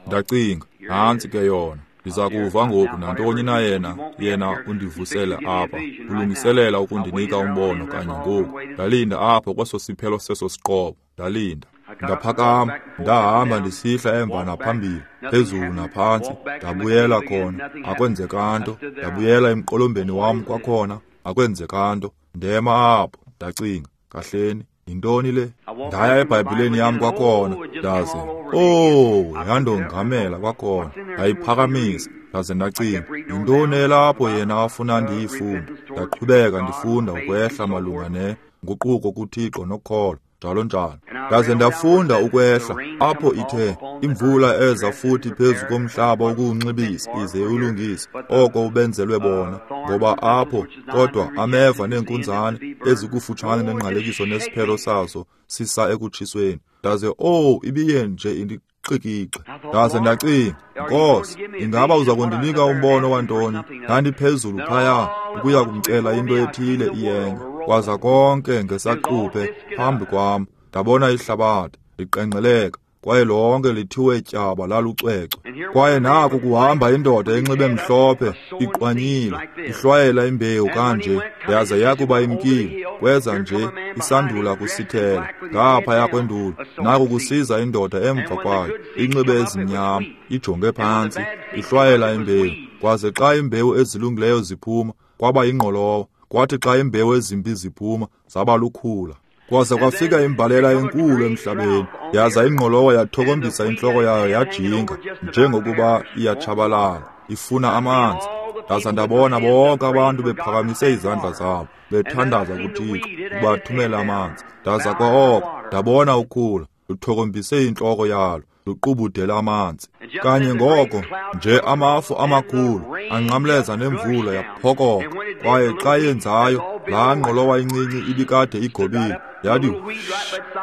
ndacinga, nantsi ke yona. Ndiza kuva ngoku nantoni na yena, yena undivusele apha, ulungiselela ukundinika umbono kanye ngoku. Ndalinda apho kweso siphelo seso siqobo, ndalinda. Ndaphakama, ndahamba ndisihla emva naphambili, phezulu naphantsi, ndabuyela khona, akwenzeka nto. Ndabuyela emqolombeni wam kwakhona, akwenzeka nto. Ndema apho, ndacinga, kahleni, yintoni le? Ndaya eBhayibhileni yam kwakhona, ndaze, oh, yandongamela kwakhona, ndayiphakamisa, ndaze ndacinga, yintoni elapho yena afuna ndiyifunde? Ndaqhubeka ndifunda ukwehla malunga ne nguquko kuThixo nokholo, njalo njalo. Ndaze ndafunda ukwehla apho ithe imvula eza futhi phezu komhlaba ukuwunxibisa ize iwulungise oko ubenzelwe bona, ngoba apho kodwa ameva neenkunzane ezikufutshane nengqalekiso nesiphelo sazo sisa ekutshisweni. Ndaze, oh, ibiye nje indixikixe. Ndaze ndacinga, Nkosi, ingaba uza kundinika umbono wantoni? Ndandiphezulu phaya ukuya kumcela into ethile iyenye. Kwaza konke ngesaquphe phambi kwam, ndabona ihlabathi liqengqeleka, kwaye lonke lithiwe tyaba lalucwecwe. Kwaye naku kuhamba indoda enxibe mhlophe, iqwanyile, ihlwayela imbewu kanje, yaza yakuba imkile, kweza nje isandula kusithela ngaphaya kwendulu. Naku kusiza indoda emva kwayo, inxibe ezimnyama, ijonge phantsi, ihlwayela imbewu. Kwaze xa imbewu ezilungileyo ziphuma, kwaba yingqolowa. Kwathi xa imbewu ezimbi ziphuma, zaba lukhula. Kwaza kwafika imbalela enkulu emhlabeni, yaza ingqolowa yathokombisa intloko yayo yajinga, njengokuba iyatshabalala, ifuna amanzi. Ndaza ndabona bonke abantu bephakamise izandla zabo, bethandaza kuThixo ukubathumela amanzi. Ndaza kwa oko ndabona ukhula luthokombise intloko yalo, luqubudela amanzi. Kanye ngoko nje amafu amakhulu anqamleza nemvula yaphokoka, kwaye xa yenzayo, laa ngqolowa incinci ibikade igobile yathi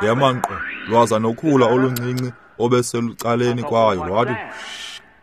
yema nkqo, lwaza nokhula oluncinci obeselucaleni kwayo lwathi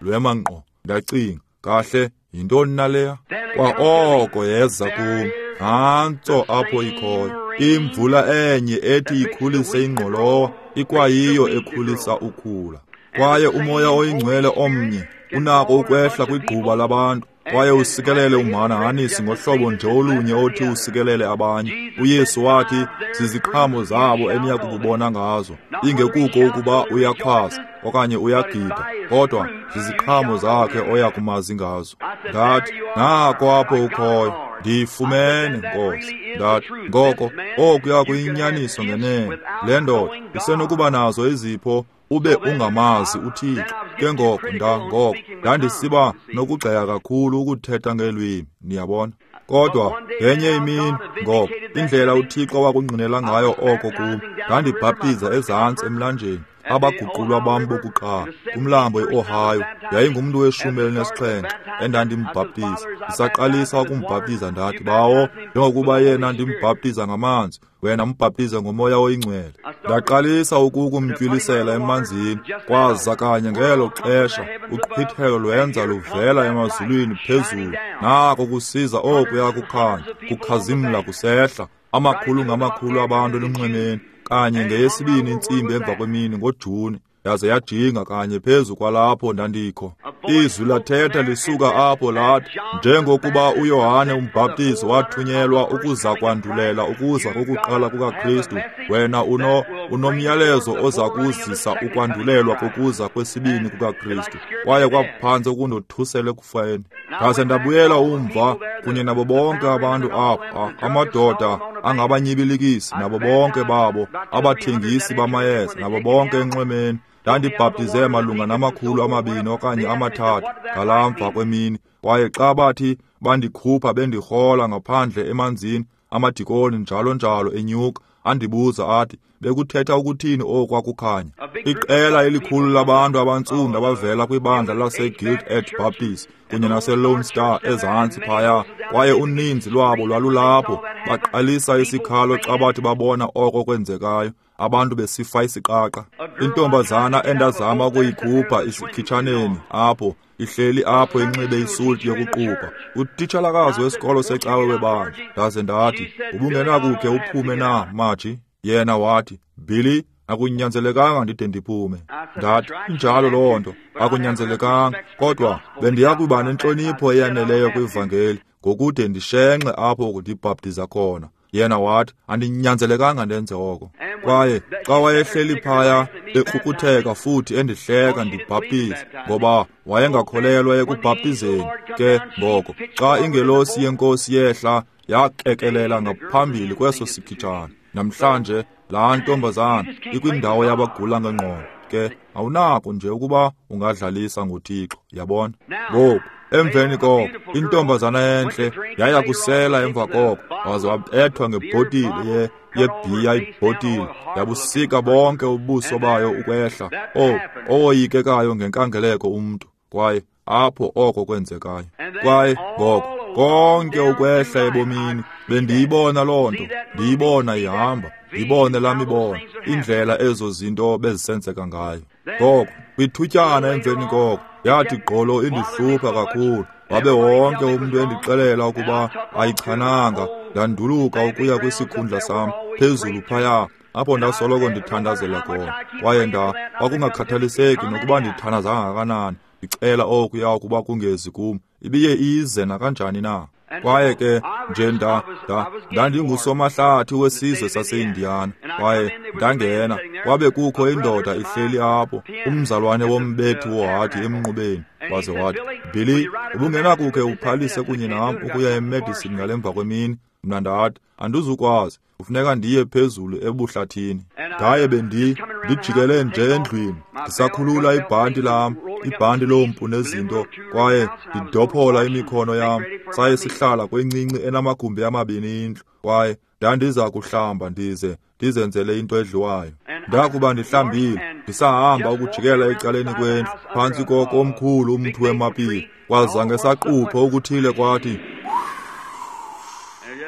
lwema nkqo. Ndacinga, kahle, yintoni na leya? Kwa oko yeza kum, nantso apho ikhoyo. Imvula enye ethi ikhulise ingqolowa ikwayiyo ekhulisa ukhula. Kwaye uMoya oyiNgcwele omnye unako ukwehla kwigquba labantu kwaye usikelele umhanahanisi ngohlobo nje olunye othi usikelele abanye. UYesu wathi, ziziqhamo zabo eniya kukubona ngazo. Ingekuko ukuba uyakhwaza okanye uyagida, kodwa ziziqhamo zakhe oya kumazi ngazo. Ndathi, nako apho ukhoyo, ndiyifumene, Nkosi. Ndathi, ngoko okuya kuyinyaniso ngenene. Le ndoda isenokuba nazo izipho ube ungamazi uThixo. Ke ngoko nda ngoko ndandisiba nokugxeka kakhulu ukuthetha ngeelwimi, niyabona. Kodwa ngenye imini, ngoko indlela uThixo wakungqinela ngayo oko kum, ndandibhaptiza ezantsi emlanjeni abaguqulwa bam bokuqala kumlambo iOhio. Yayingumntu weshumi elinesixhenxe endandimbhaptiza. Ndisaqalisa ukumbhaptiza ndathi, Bawo, njengokuba yena ndimbhaptiza ngamanzi, wena mbhaptize ngoMoya oyiNgcwele. Ndaqalisa ukukumtywilisela emanzini, kwaza kanye ngelo xesha uqhwithelo lwenza luvela emazulwini phezulu. Nako kusiza okuya kukhanya, kukhazimla kusehla, amakhulu ngamakhulu abantu elunxwemeni, kanye ngeyesibini intsimbi emva kwemini ngoJuni, yaze yajinga kanye phezu kwalapho ndandikho. Izwi lathetha lisuka apho lathi, njengokuba uYohane umbhaptizi wathunyelwa ukuza kwandulela ukuza kokuqala kukaKristu, wena uno unomyalezo oza kuzisa ukwandulelwa kokuza kwesibini kukaKristu. Kwaye kwaphantse ukundothusela ekufeni. Ndaze ndabuyela umva kunye nabo bonke abantu apho, amadoda angabanyibilikisi nabo bonke babo, abathengisi bamayeza nabo bonke enxwemeni. Ndandibhaptize malunga namakhulu amabini okanye amathathu ngalaa mva kwemini. Kwaye xa bathi bandikhupha bendirhola ngaphandle emanzini, amadikoni njalo njalo enyuka, andibuza athi, bekuthetha ukuthini okwakukhanya? Iqela elikhulu labantu abantsundu abavela kwibandla laseGilt Edge Baptist kunye naseLone Star ezantsi phaya, kwaye uninzi lwabo lwalulapho, baqalisa isikhalo xa bathi babona oko kwenzekayo. abantu besifa isiqaqa. Intombazana endazama ukuyikhupha isikhitshaneni apho, ihleli apho inxibe isuti yokuqupha, utitshalakazi wesikolo secawe webandla. Ndaze ndathi, ubungenakukhe uphume na, Maji? Yena wathi, Billy, akunyanzelekanga ndide ndiphume. Ndathi, injalo loo nto, akunyanzelekanga, kodwa bendiyakuba nentlonipho eyaneleyo kwivangeli ngokude ndishenxe apho ndibhaptiza khona. Yena wathi, andinyanzelekanga ndenze oko. Kwaye xa wayehleli phaya ekrukutheka futhi endihleka ndibhaptiza, ngoba wayengakholelwa ekubhaptizeni. Ke ngoko xa ingelosi yenkosi yehla, yakekelela ngaphambili kweso sikhitshana. Namhlanje laa ntombazana ikwindawo yabagula ngengqondo. Ke awunako nje ukuba ungadlalisa ngoThixo, yabona. Ngoku emveni koko intombazana entle yaya kusela emva koko, waze wabethwa ngebhotile ye yebhiya ibhotile, yabusika bonke ubuso bayo ukwehla. Oh, owoyikekayo ngenkangeleko umntu. Kwaye apho oko kwenzekayo. Kwaye ngoko konke ukwehla ebomini bendiyibona loo nto, ndiyibona ihamba, ndibone laa mibono, indlela ezo zinto bezisenzeka ngayo. Ngoko kwithutyana emveni koko yathi gqolo indihlupha kakhulu, wabe wonke umntu endixelela ukuba ayichananga. Ndanduluka ukuya kwisikhundla sam phezulu phaya apho ndasoloko ndithandazela khona. Kwaye nda kwakungakhathaliseki nokuba ndithandaza kangakanani, ndicela okuya ukuba kungezi kum, ibiye ize nakanjani na. Kwaye ke nje nda nda ndandingusomahlathi wesizwe saseIndiana. Kwaye ndangena, kwabe kukho indoda ihleli apho, umzalwane wombethi wohadi emnqubeni. Waze wathi, Billy, ubungenakukhe uphalise kunye nam ukuya eMedicine ngalemva kwemini? Mna ndathi, andizukwazi, kufuneka ndiye phezulu ebuhlathini. Ndaye bendi ndijikele nje endlwini, ndisakhulula ibhanti lam, ibhanti lompu nezinto, kwaye ndidophola imikhono yam. Saye sihlala kwencinci enamagumbi amabini indlu, kwaye ndandiza kuhlamba ndize ndizenzele into edliwayo. Ndakuba ndihlambile, ndisahamba ukujikela ecaleni kwendlu, phantsi koko omkhulu umthi wemapile, kwaza ngesaquphe okuthile kwathi,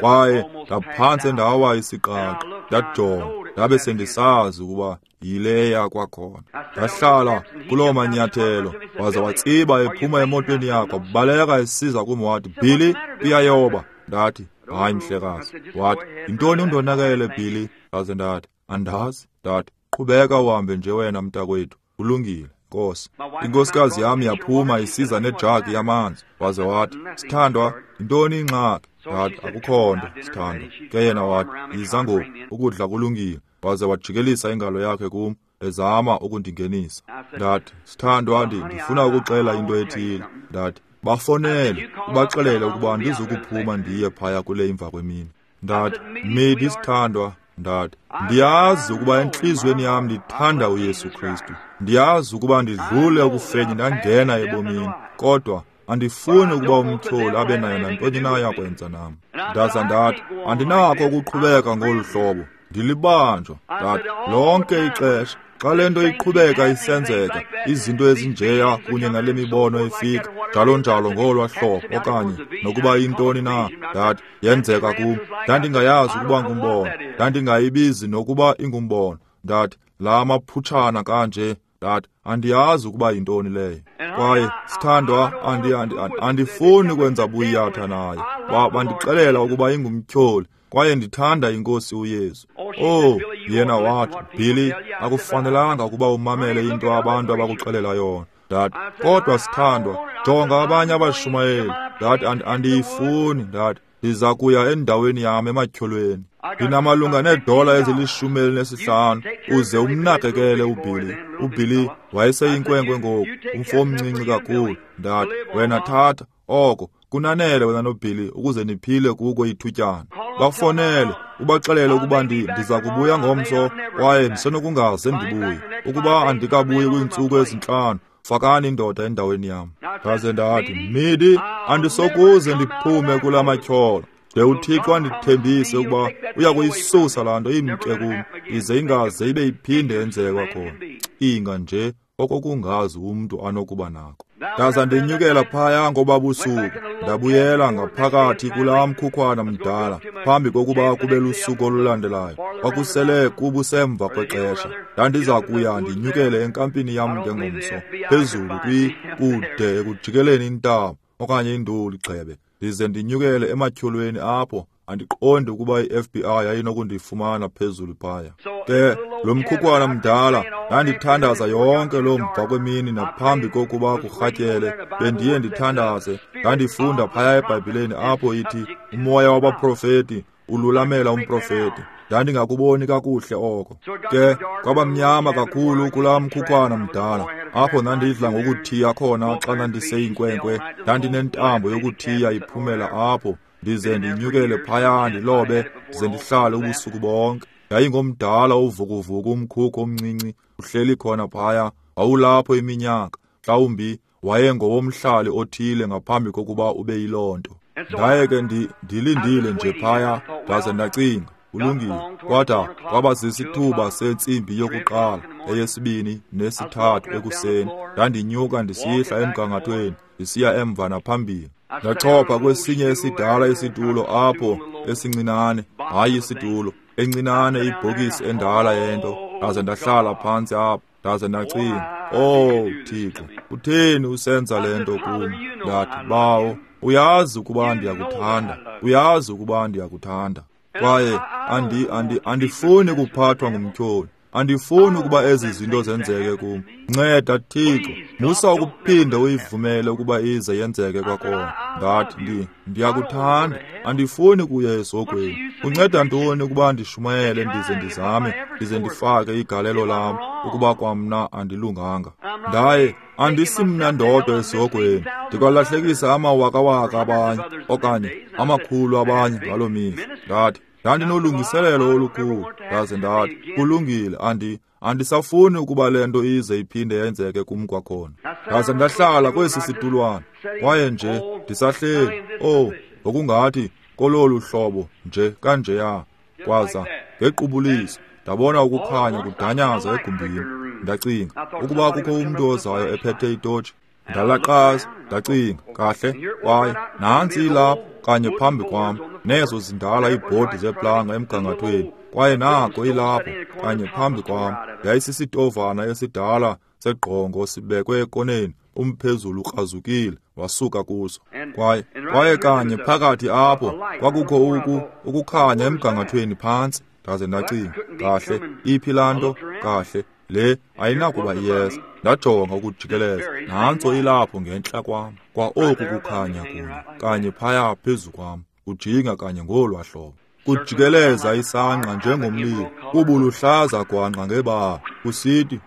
kwaye ndaphantse ndawa isiqaqa. Ndajonga, ndabe sendisazi ukuba yileya kwakhona. Ndahlala kuloo manyathelo, waza watsiba ephuma emotweni yakhe, wabaleka esiza kum, wathi, Billy, uyayoba. Ndathi, hayi mhlekazi. Wathi, yintoni undonakele, Billy? Ndaze ndathi, andazi. Ndathi, qhubeka uhambe nje wena mntakwethu, kulungile, Nkosi. Inkosikazi yam yaphuma isiza nejagi yamanzi, waze wathi, sithandwa, yintoni ingxaki? Ndathi, akukho nto, sithandwa. Ke yena wathi, yiza ngoku, ukudla kulungile. Waze wajikelisa ingalo yakhe kum, ezama ukundingenisa. Ndathi, sithandwa, ndifuna ukuxela into ethile. Ndathi, bafonele, ubaxelele ukuba ndizukuphuma ndiye phaya kule imva kwemini. Ndathi, Midi, sithandwa, ndathi, ndiyazi ukuba entliziyweni yam ndithanda uYesu Kristu. Ndiyazi ukuba ndidlule ekufeni ndangena ebomini, kodwa andifuni ukuba umtyholi abe nayo nantoni na yakwenza nam. Ndaza ndathi, andinako ukuqhubeka ngolu hlobo, ndilibanjwa. Ndathi, lonke ixesha xa le nto iqhubeka isenzeka, izinto ezinjeya kunye nale mibono ifika njalo njalo ngolwa hlobo, okanye nokuba yintoni na, ndathi, yenzeka kum. Ndandingayazi ukuba ngumbono, ndandingayibizi nokuba ingumbono. Ndathi, la maphutshana kanje, ndathi, andiyazi ukuba yintoni leyo. Kwaye sithandwa, andi andi andifuni kwenza buyatha naye. Bandixelela ukuba ingumtyholi, kwaye ndithanda inkosi uYesu. Oh, yena wathi, Billy, akufanelanga ukuba umamele into abantu abakuxelela yona. Ndathi, kodwa sithandwa, jonga abanye abashumayeli. Ndathi, andiyifuni. Ndathi, ndiza kuya endaweni yam ematyholweni. Ndinamalunga needola ezilishumi elinesihlanu, uze umnakekele uBilly. uBilly wayeseyinkwenkwe ngoku, umfo omncinci kakhulu. Ndathi, wena thatha oko, kunanele wena noBilly ukuze niphile kuko ithutyana. Bafonele, ubaxelele ukuba ndiza kubuya ngomso, kwaye ndisenokungaze ndibuye. Ukuba andikabuyi kwiintsuku ezintlanu, fakani indoda endaweni yam. Ndaze ndathi, Midi, andisokuze ndiphume kula matyholo. De uThixo andithembise ukuba uya kuyisusa laa nto imke kum, ize ingaze ibe iphinde yenzeke kwakhona. Cinga nje okokungazi umntu anokuba nako. Ndaza ndinyukela phaya ngobabusuku, ndabuyela ngaphakathi kulaa mkhukhwana mdala phambi kokuba kube lusuku olulandelayo. Kwakusele kubusemva kwexesha. Ndandiza kuya ndinyukele enkampini yam ngengomso, phezulu kwi kude ekujikeleni intaba okanye induli gxebe, ndize ndinyukele ematyholweni apho. Andiqondi ukuba i-F B I yayinokundifumana phezulu phaya. Ke lo mkhukhwana mdala ndandithandaza yonke loo mva kwemini naphambi kokuba kurhatyele, bendiye ndithandaze. Ndandifunda phaya eBhayibhileni apho ithi umoya wabaprofeti ululamela umprofeti. Ndandingakuboni kakuhle oko. Ke kwaba mnyama kakhulu kulaa mkhukhwana mdala apho ndandidla ngokuthiya khona xa ndandiseyinkwenkwe. Ndandinentambo yokuthiya iphumela apho, ndize ndinyukele phaya ndilobe, ndize ndihlale ubusuku bonke. Yayingomdala uvukuvuku umkhukhu omncinci uhleli khona phaya, wawulapho iminyaka. Mhlawumbi wayengowomhlali othile ngaphambi kokuba ube yiloo nto. Ndaye ke ndilindile nje phaya, ndaze ndacinga, kulungile. Kwada kwaba sisithuba sentsimbi yokuqala, eyesibini nesithathu ekuseni. Ndandinyuka ndisihla emgangathweni, ndisiya emva naphambili. Ndachopha kwesinye esidala isitulo apho esincinane, hayi isitulo, encinane ibhokisi endala yento. Ndaze ndahlala phantsi apho, ndaze ndacinga, "Oh Thixo, kutheni usenza le nto kum?" Ndathi, "Bawo, uyazi ukuba ndiyakuthanda, uyazi ukuba ndiyakuthanda. Kwaye andi andi andifuni kuphathwa ngumtyholi. Andifuni ukuba ezi zinto zenzeke kum. Nceda Thixo, musa ukuphinda uyivumele ukuba ize yenzeke kwakhona." Ndathi, ndi ndiyakuthanda, andifuni kuya esogweni. Unceda ntoni ukuba ndishumayele ndize ndizame, ndize ndifake igalelo lam ukuba kwamna andilunganga? Ndaye andisimna ndodwa esogweni, ndikwalahlekisa amawakawaka abanye okanye amakhulu abanye ngaloo mihla. Ndathi, ndandinolungiselelo olukhulu. Ndaze ndathi, kulungile, andi andisafuni ukuba le nto ize iphinde yenzeke kum kwakhona. Ndaze ndahlala kwesi situlwana, kwaye nje ndisahleli, oh, ngokungathi kololu hlobo nje kanjeya. Kwaza ngequbuliso ndabona ukukhanya kudanyaza egumbini. Ndacinga ukuba kukho umntu ozayo ephethe itotshi. Ndalaqaza, ndacinga, kahle, kwaye nantsi ilapho kanye phambi kwam, nezo zindala iibhodi zeplanga emgangathweni, kwaye nako ilapho kanye phambi kwam. Yayisisitovana esidala segqongo sibekwe ekoneni, umphezulu ukrazukile wasuka kuso. Kwaye kwaye kanye phakathi apho kwakukho uku ukukhanya emgangathweni phantsi. Ndaze ndacinga, kahle, iphi laa nto? Kahle, le ayinakuba iyeza. Ndajonga ukujikeleza, nantso ilapho ngentla kwam, kwa oku kukhanya kunye kanye phaya phezu kwam, kujinga kanye ngolwa hlobo, kujikeleza isangqa njengomlilo, kubuluhlaza gwanqa ngebala, kusithi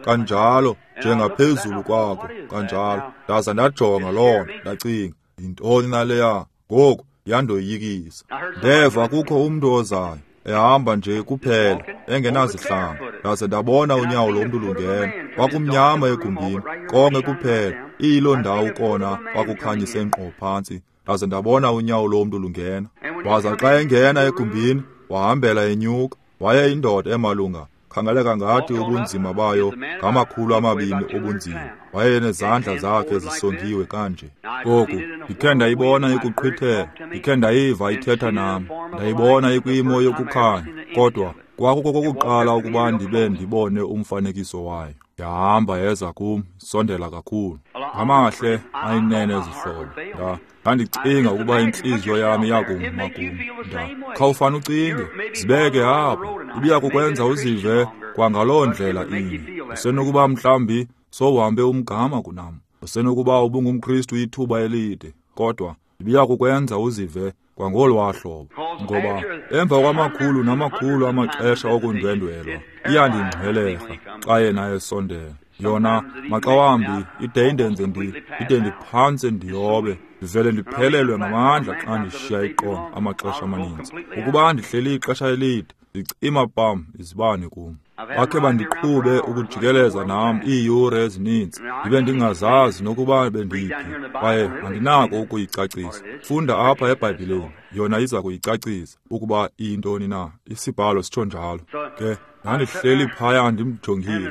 kanjalo njengaphezulu kwakho kanjalo. Ndaza ndajonga loo nto, ndacinga, yintoni naleya? Ngoku yandoyikisa. Ndeva kukho umntu ozayo, ehamba nje kuphela, engenazihlangu. Ndaze ndabona unyawo lomntu lungena. Kwakumnyama egumbini, konke kuphela, iyiloo ndawo kona kwakukhanyise nkqo phantsi. Ndaze ndabona unyawo lomntu lungena. Waza xa engena egumbini, wahambela enyuka. Wayeyindoda emalunga, khangeleka ngathi ubunzima bayo ngamakhulu amabini obunzima. Wayenezandla zakhe zisongiwe kanje. Ngoku ndikhe ndayibona ikuqhwithela, ndikhe ndayiva ithetha nam, ndayibona ikwimo yokukhanya, kodwa kwakukokokuqala ukuba ndibe ndibone umfanekiso wayo. Yahamba yeza kum, sondela kakhulu. Ngamahle ayinene ezihlobo. Nda ndandicinga ukuba intliziyo yam iyakuma kum. Nda khawufane ucinge, zibeke apho, ibiya kukwenza uzive kwangaloo ndlela inye. Usenokuba mhlawumbi sowuhambe umgama kunam, usenokuba ubungumKristu ithuba elide, kodwa ibiya kukwenza uzive kwangolwaa hlobo. Ngoba emva kwamakhulu namakhulu amaxesha okundwendwelwa, iyandingxwelerha xa yena esondela. Yona maxa wambi ide indenze ndi ide ndiphantse ndiyobe, ndivele ndiphelelwe ngamandla xa ndishiya iqonga amaxesha amaninzi. Ukuba ndihleli ixesha elide, ndicima pam izibane kum. Bakhe bandiqhube ukujikeleza nam iiyure ezininzi, ndibe ndingazazi nokuba bendiphi, kwaye andinako ukuyicacisa. Funda apha eBhayibhileni, yona iza kuyicacisa ukuba iyintoni na. Isibhalo sitsho njalo. Ke ndandihleli phaya ndimjongile,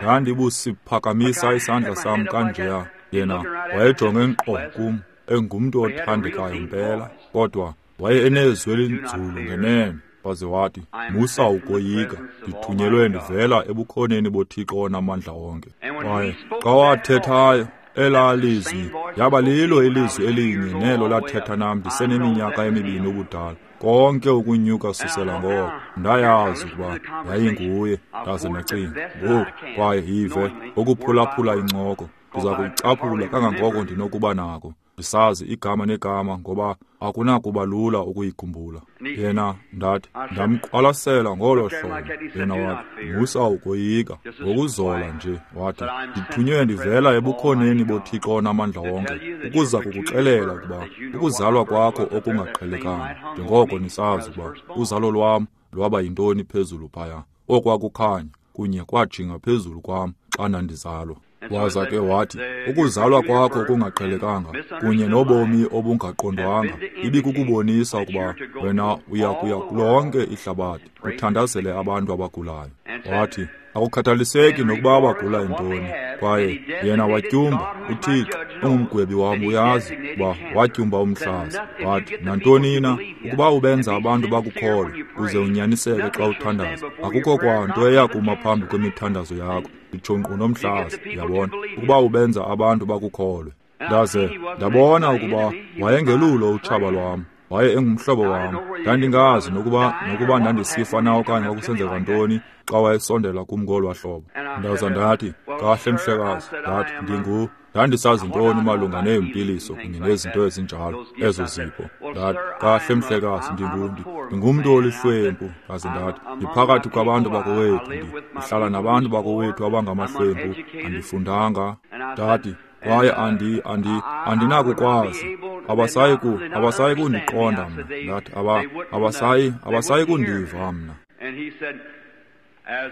ndandibusiphakamisa isandla sam kanjeya. Yena wayejonge nkqo kum, engumntu othandekayo mpela, kodwa waye enezwi elinzulu ngenene. Waze wathi, musa ukoyika, ndithunyelwe ndivela ebukhoneni boThixo onamandla onke. Kwaye xa wathethayo elaa lizwi, yaba lilo ilizwi elinye nelo lathetha nam ndiseneminyaka emibini ubudala. Konke ukunyuka susela ngoko, ndayazi ukuba yayinguye. Ndaze ndacinga, ngoku kwaye yive ukuphulaphula incoko, ndiza kuyicaphula kangangoko ndinokuba nako, ndisazi igama negama, ngoba akunakuba lula ukuyikhumbula. Yena ndathi, ndamqwalasela ngolo hlobo. Yena wathi, musa ukoyika, ngokuzola nje. Wathi, ndithunywe ndivela ebukhoneni boThixo onamandla wonke, ukuza kukuxelela ukuba ukuzalwa kwakho okungaqhelekanga, njengoko nisazi ukuba uzalo lwam lwaba yintoni phezulu phaya, okwakukhanya kunye kwajinga phezulu kwam xa ndandizalwa. Waza ke wathi, ukuzalwa kwakho kungaqhelekanga kunye nobomi obungaqondwanga ibikukubonisa ukuba wena uya kuya kulonke ihlabathi uthandazele abantu abagulayo. Wathi, akukhathaliseki nokuba abagula yintoni. Kwaye yena watyumba, uThixo ungumgwebi wam, uyazi ukuba watyumba umhlaza. Wathi, nantoni na, ukuba ubenza abantu bakukholwe uze unyaniseke xa uthandaza, akukho kwanto eyakuma phambi kwemithandazo yakho, nditsho nkqu nomhlaza, yabona, ukuba ubenza abantu bakukholwe. Ndaze ndabona ukuba wayengelulo utshaba lwam, waye engumhlobo wam. Ndandingazi nokuba nokuba ndandisifa na okanye kwakusenzeka ntoni xa wayesondela kum ngolwaa hlobo. Ndaza ndathi, kahle mhlekazi, ndathi, ndingu ndandisazi ntoni malunga neempiliso kunye nezinto ezinjalo, ezo zipho. Ndathi, kahle mhlekazi, ndingu ndingumntu olihlwempu. Ndaze ndathi, ndiphakathi kwabantu bakowethu, ndihlala nabantu bakowethu abangamahlwempu, andifundanga. Ndathi, kwaye andi andi andinakukwazi, abasayi ku abasayi kundiqonda mna. Ndathi, aba abasayi abasayi kundiva mna.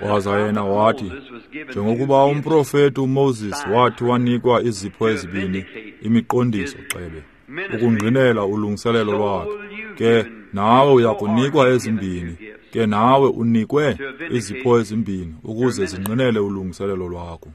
Waza yena wathi, njengokuba umprofeti uMoses wathi wanikwa izipho ezibini, imiqondiso xebe, ukungqinela ulungiselelo lwakhe, ke nawe uyakunikwa ezimbini, ke nawe unikwe izipho ezimbini ukuze zingqinele ulungiselelo lwakho.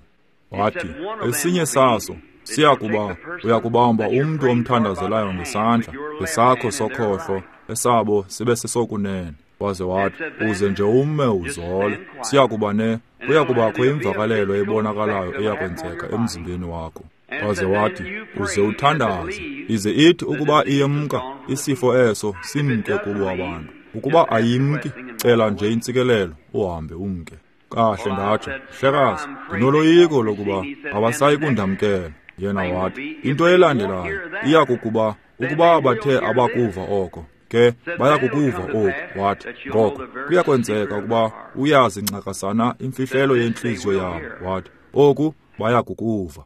Wathi, esinye saso siyakuba uyakubamba umntu omthandazelayo ngesandla ngesakho sokhohlo, esabo sibe sesokunene. Waze wathi, uze nje ume uzole, siyakuba ne kuyakubakho imvakalelo ebonakalayo eyakwenzeka emzimbeni wakho. Waze wathi, uze uthandaze, ize ithi ukuba iyemka isifo eso simke kubo abantu. Ukuba ayimki, cela nje intsikelelo uhambe umke. Kahle, ndatsho, mhlekazi, ndinoloyiko lokuba abasayi kundamkela. Yena wathi, into elandelayo iyakukuba ukuba bathe abakuva oko, ke bayakukuva oku. Wathi, ngoko kuyakwenzeka ukuba uyazi ncakasana imfihlelo yentliziyo yabo. Wathi, oku bayakukuva.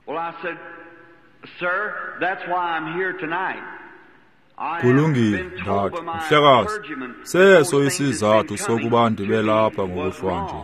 Kulungile, ndathi, mhlekazi, seso isizathu sokuba ndibe lapha ngokuhlwa nje.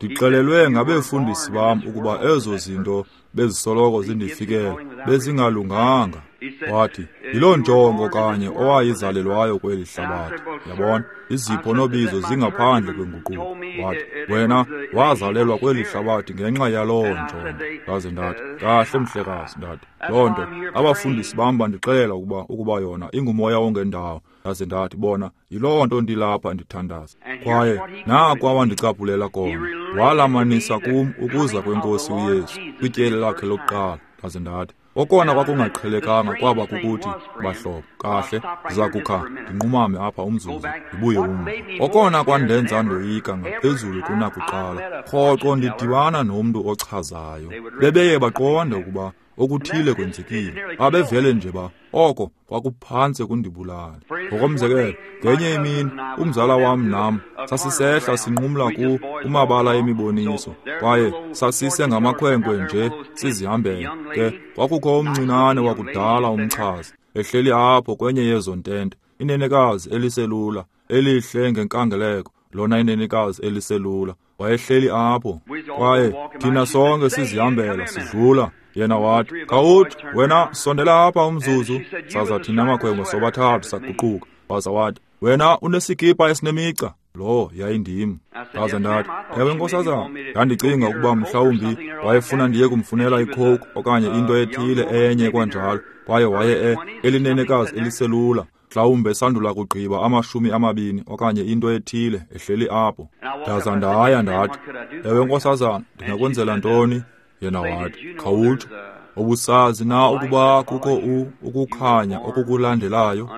Ndixelelwe ngabefundisi bam ukuba ezo zinto bezisoloko zindifikela bezingalunganga. Wathi, yiloo njongo kanye owayizalelwayo kweli hlabathi. Yabona, izipho nobizo zingaphandle kwenguquko. Wathi, wena wazalelwa kweli hlabathi ngenxa yaloo njongo. Ndaze ndathi, kahle mhlekazi, ndathi, loo nto abafundisi bam bandixelela ukuba ukuba yona ingumoya ongendawo. Ndaze ndathi, bona, yiloo nto ndilapha ndithandaza. Kwaye naku awandicaphulela kona, walamanisa kum ukuza kweNkosi uYesu kwityeli lakhe lokuqala. Ndaze ndathi, okona kwakungaqhelekanga kwaba kukuthi, bahlobo, kahle, ndiza kukha ndinqumame apha umzuzu ndibuye umva. Okona kwandenza ndoyika ngaphezulu kunakuqala, rhoqo ndidibana nomntu ochazayo, bebeye baqonde ukuba okuthile kwenzekile. Babevele nje ba oko kwakuphantse kundibulala. Ngokomzekelo, ngenye imini umzala wam nam sasisehla sinqumla ku kumabala emiboniso, kwaye sasise ngamakhwenkwe nje sizihambela. Ke kwakukho umncinane wakudala umchazi ehleli apho kwenye yezo ntente, inenekazi eliselula elihle ngenkangeleko, lona inenekazi eliselula. Wayehleli apho, kwaye thina sonke sizihambela sidlula. Yena wathi, khawuthi wena sondela apha umzuzu. Saza thina makhwenkwe sobathathu saguquka. Waza wathi, wena unesikipa esinemica. Lo yayindim. Ndaze ndathi, ewe nkosazana, ndandicinga ukuba mhlawumbi wayefuna ndiye kumfunela icoke okanye into ethile enye kwanjalo. Kwaye waye elinenekazi eliselula, mhlawumbi esandula kugqiba amashumi amabini okanye into ethile ehleli apho. Ndaza ndaya ndathi, ewe nkosazana, ndingakwenzela ntoni? Yena wathi, khawutsho, ubusazi na ukuba kukho ukukhanya okukulandelayo?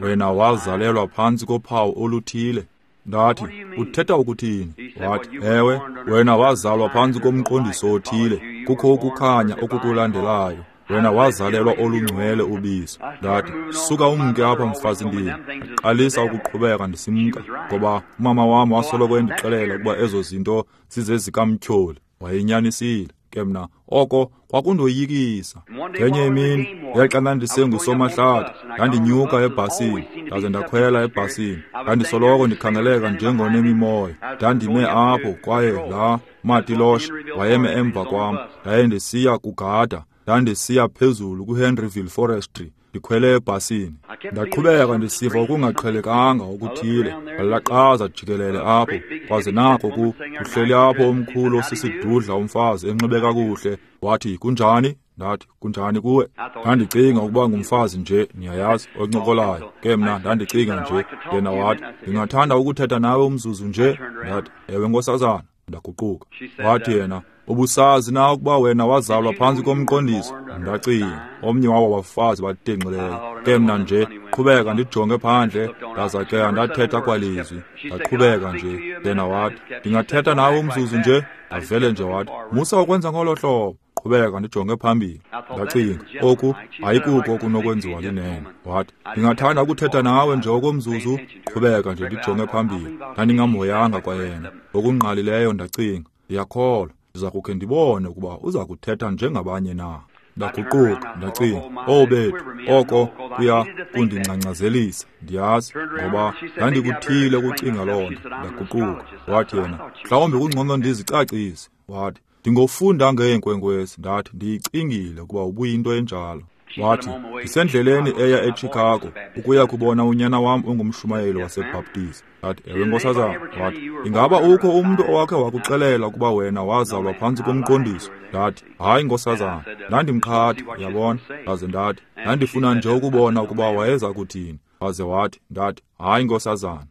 Wena wazalelwa phantsi kophawu oluthile. Ndathi, uthetha ukuthini? Wathi, ewe, wena wazalwa phantsi komqondiso othile, kukho ukukhanya okukulandelayo. Wena wazalelwa olungcwele ubisi. Ndathi, suka umke apha mfazindini. Ndaqalisa ukuqhubeka ndisimka, ngoba umama wam wasoloko endixelela ukuba ezo zinto zizezikamtyholi. Wayenyanisile. Ke mna oko kwakundoyikisa. Ngenye imini yaxa ndandisengusomahlathi, ndandinyuka ebhasini, ndaze ndakhwela ebhasini. Ndandisoloko ndikhangeleka njengonemimoya. Ndandime apho kwaye laa matiloshe wayeme emva kwam. Ndaye ndisiya kugada, ndandisiya phezulu kwiHenryville Forestry, ndikhwele ebhasini. Ndaqhubeka ndisiva okungaqhelekanga okuthile. Ndalaqaza jikelele apho, kwaze nako kuhleli apho omkhulu osisidudla umfazi enxibe kakuhle. Wathi, kunjani? Ndathi, kunjani kuwe? Ndandicinga ukuba ngumfazi nje, niyayazi, oncokolayo. Ke mna ndandicinga nje. Yena wathi, ndingathanda ukuthetha nawe umzuzu nje. Ndathi, ewe nkosazana. Ndaguquka. Wathi yena, ubusazi na ukuba wena wazalwa phantsi komqondiso? Ndacinga, omnye wabo bafazi batenxileyo. Ke mna nje qhubeka ndijonge phandle, ndaza ke andathetha kwalizwi. Ndaqhubeka nje. Yena wathi, ndingathetha nawe umzuzu nje? Ndavele nje wathi, musa ukwenza ngolo hlobo. Qhubeka ndijonge phambili. Ndacinga, oku ayikuko okunokwenziwa linene. Wathi, ndingathanda ukuthetha nawe nje okomzuzu. Qhubeka nje ndijonge phambili. Ndandingamhoyanga kwayena. Ngokungqalileyo ndacinga, ndiyakholwa ndiza kukhe ndibone ukuba uza kuthetha njengabanye na. Ndaguquka, ndacinga, oh bethu, oko kuya kundingcangcazelisa, ndiyazi, ngoba ndandikuthile ukucinga loo nto. Ndaguquka. Wathi yena, mhlawumbi kungcono ndizicacise. Wathi, ndingofunda ngeenkwenkwezi. Ndathi, ndiyicingile ukuba ubuyinto enjalo. Wathi, ndisendleleni eya eChicago ukuya kubona unyana wam ongumshumayeli waseBaptist. Ndathi, ewe nkosazana. Wathi, ingaba ukho umntu owakhe wakuxelela ukuba wena wazalwa phantsi komqondiso? Ndathi, hayi nkosazana. Ndandimqhatha, uyabona. Ndaze ndathi, ndandifuna nje ukubona ukuba wayeza kuthini. Waze wathi, ndathi, hayi nkosazana.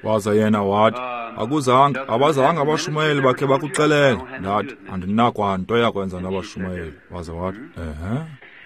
Waza yena wathi, akuzange, abazange abashumayeli bakhe bakuxelela. Ndathi, andinakwanto yakwenza nabashumayeli. Waza wathi, ehe.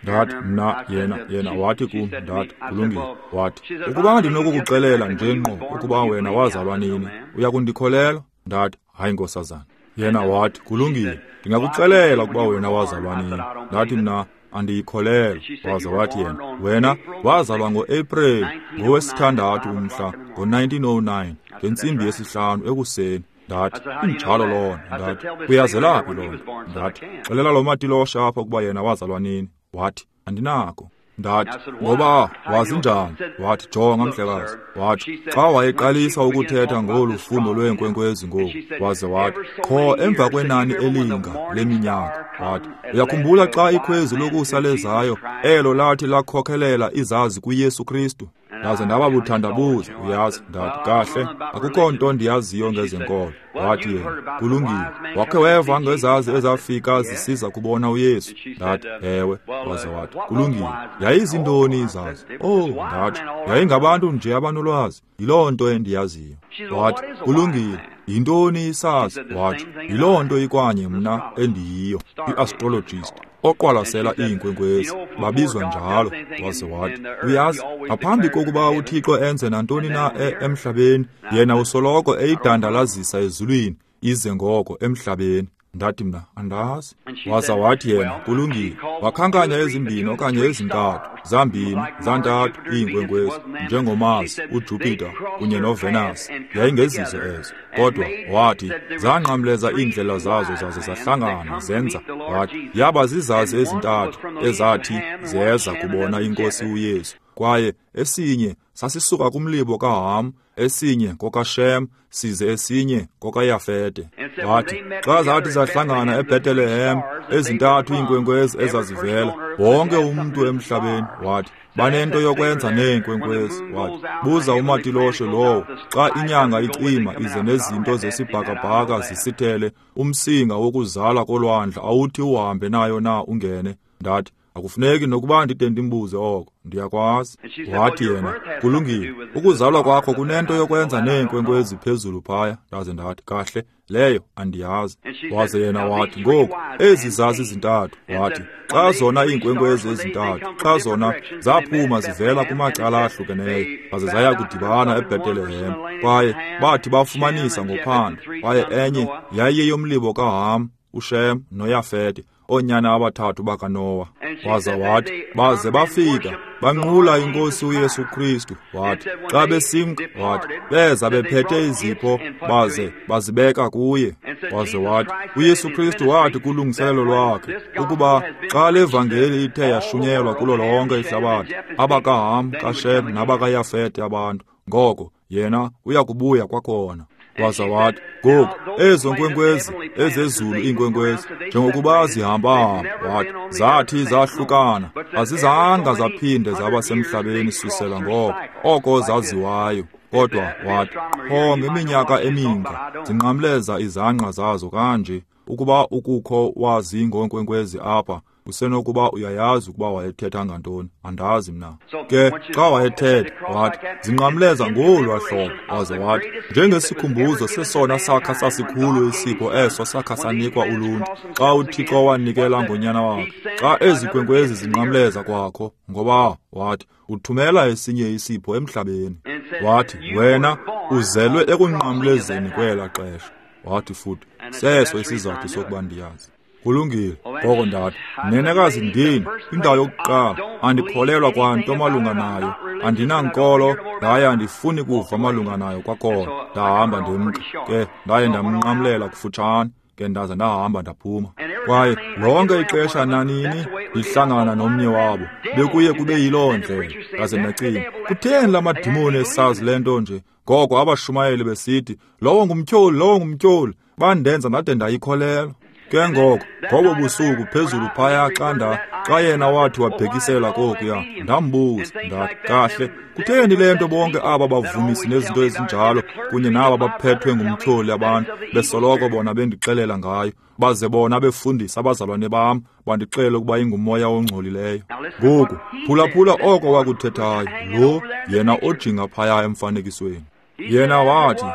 Ndathi, mna, yena, yena wathi kum. Ndathi, kulungile. Wathi, ukuba ndinokukuxelela nje ngqo ukuba wena wazalwa nini, uyakundikholelwa? Ndathi, hayi nkosazana. Yena wathi, kulungile, ndingakuxelela ukuba wena wazalwa nini. Ndathi mna, andiyikholelwa. Waza wathi yena, wena wazalwa ngo-April ngowesithandathu umhla ngo-nineteen oh nine ngentsimbi yesihlanu ekuseni. Ndathi, injalo loo nto. Ndathi, uyazelaphi loo nto? Ndathi, xelela lo matiloshe apha ukuba yena wazalwa nini. Wathi, andinako. Ndathi, ngoba wazi njani? Wathi, jonga mhlekazi. Wathi, xa wayeqalisa ukuthetha ngolu fundo lweenkwenkwezi ngoku, waze wathi, qho emva kwenani elinga leminyaka. Wathi, uyakhumbula xa ikhwezi lokusa lezayo, elo lathi lakhokhelela izazi kuYesu Kristu? Ndaze ndaba buthandabuza, uyazi. Ndathi, kahle, akukho nto ndiyaziyo ngezenkolo. Wathi yena, kulungile, wakhe weva ngezazi ezafika zisiza kubona uYesu? Ndathi, ewe. Waze wathi, kulungile, yayizintoni izazi? Oh, ndathi, yayingabantu nje abanolwazi, yiloo nto endiyaziyo. Wathi, kulungile, yintoni isazi? Wathi, yiloo nto ikwanye mna endiyiyo, i-astrologist, oqwalasela iinkwenkwezi, babizwa njalo. Waze wathi, uyazi, ngaphambi kokuba uThixo enze nantoni na emhlabeni, yena usoloko eyidandalazisa ezulwini, ize ngoko emhlabeni. Ndathi mna, andazi. Waza wathi yena, kulungile, wakhankanya ezimbini okanye ezintathu, zambini, zantathu iinkwenkwezi, njengoMars, uJupiter kunye noVenus. Yayingezizo ezo. Kodwa wathi, zanqamleza iindlela zazo zaze zahlangana zenza. Wathi, yaba zizazi ezintathu ezathi zeza kubona inkosi uYesu. Kwaye esinye sasisuka kumlibo kaHam, esinye kokaShem, size esinye kokaYafete. Wathi xa zathi zahlangana eBethlehem, ezintathu iinkwenkwezi ezazivela, wonke umntu emhlabeni, wathi banento yokwenza neenkwenkwezi. Wathi buza umatiloshe lowo, xa inyanga icima ize nezinto zesibhakabhaka zisithele, umsinga wokuzala kolwandle awuthi uhambe nayo na ungene? Ndathi akufuneki nokuba ndide ndimbuze oko, ndiyakwazi. Wathi yena, kulungile, ukuzalwa kwakho kunento yokwenza neenkwenkwezi phezulu phaya. Ndaze ndathi, kahle, leyo andiyazi. Waze yena wathi, ngoku ezi zazi zintathu. Wathi xa zona iinkwenkwezi ezintathu, xa zona zaphuma zivela kumacala ahlukeneyo, baze zaya kudibana eBethlehem, kwaye bathi bafumanisa ngophando, kwaye enye yayiyeyomlibo kaHam, uShem noYafete, oonyana abathathu bakaNowa. Waza wathi baze bafika banqula inkosi uYesu Kristu. Wathi xa besimka, wathi beza bephethe izipho baze bazibeka kuye. Waze wathi uYesu Kristu wathi kulungiselelo lwakhe ukuba xa le vangeli ithe yashunyelwa kulo lonke ihlabathi, abakaHam, kaShem nabakaYafete abantu, ngoko yena uyakubuya kwakhona. Waza wathi ngoku ezo nkwenkwezi ezezulu iinkwenkwezi njengokuba zihamba-hamba, wathi zathi zahlukana, azizanga zaphinde zaba semhlabeni susela ngoko oko zaziwayo. Kodwa wathi qho ngeminyaka eminga zinqamleza izangqa zazo kanje. Ukuba ukukho wazi ngoonkwenkwezi apha, usenokuba uyayazi ukuba wayethetha ngantoni, andazi mna. Ke xa wayethetha, wathi zinqamleza ngolwa hlobo. Waze wathi njengesikhumbuzo sesona sakha sasikhulu isipho eso sakha sanikwa uluntu xa uThixo wanikela ngonyana wakhe. Xa ezi nkwenkwezi zinqamleza kwakho, ngoba wathi uthumela esinye isipho emhlabeni. Wathi wena uzelwe ekunqamlezeni kwela xesha. Wathi futhi seso isizathu sokuba ndiyazi. Kulungile, ngoko ndathi, nenekazi ndini, indawo yokuqala, andikholelwa kwanto malunga nayo, andinankolo, ndaye andifuni kuva malunga nayo kwakhona. Ndahamba ndimka, ke ndaye ndamnqamlela kufutshane, ke ndaza ndahamba ndaphuma. Kwaye lonke ixesha nanini ndihlangana nomnye wabo, bekuye kube yiloo ndlela. Ndaze ndacinga, kutheni la madimoni esazi le nto nje? Ngoko abashumayeli besithi, lowo ngumtyholi, lowo ngumtyholi, bandenza ndade ndayikholelwa. Ke ngoko ngobo busuku phezulu phaya xa nda xa yena wathi wabhekisela kokuya, ndambuza ndathi, kahle, kutheni le nto bonke aba bavumisi nezinto ezinjalo kunye naba baphethwe ngumtyholi abantu besoloko bona bendixelela ngayo, baze bona befundisa abazalwane bam bandixele ukuba ingumoya ongcolileyo? Ngoku phulaphula oko wakuthethayo lo yena ojinga phaya emfanekisweni. Yena wathi,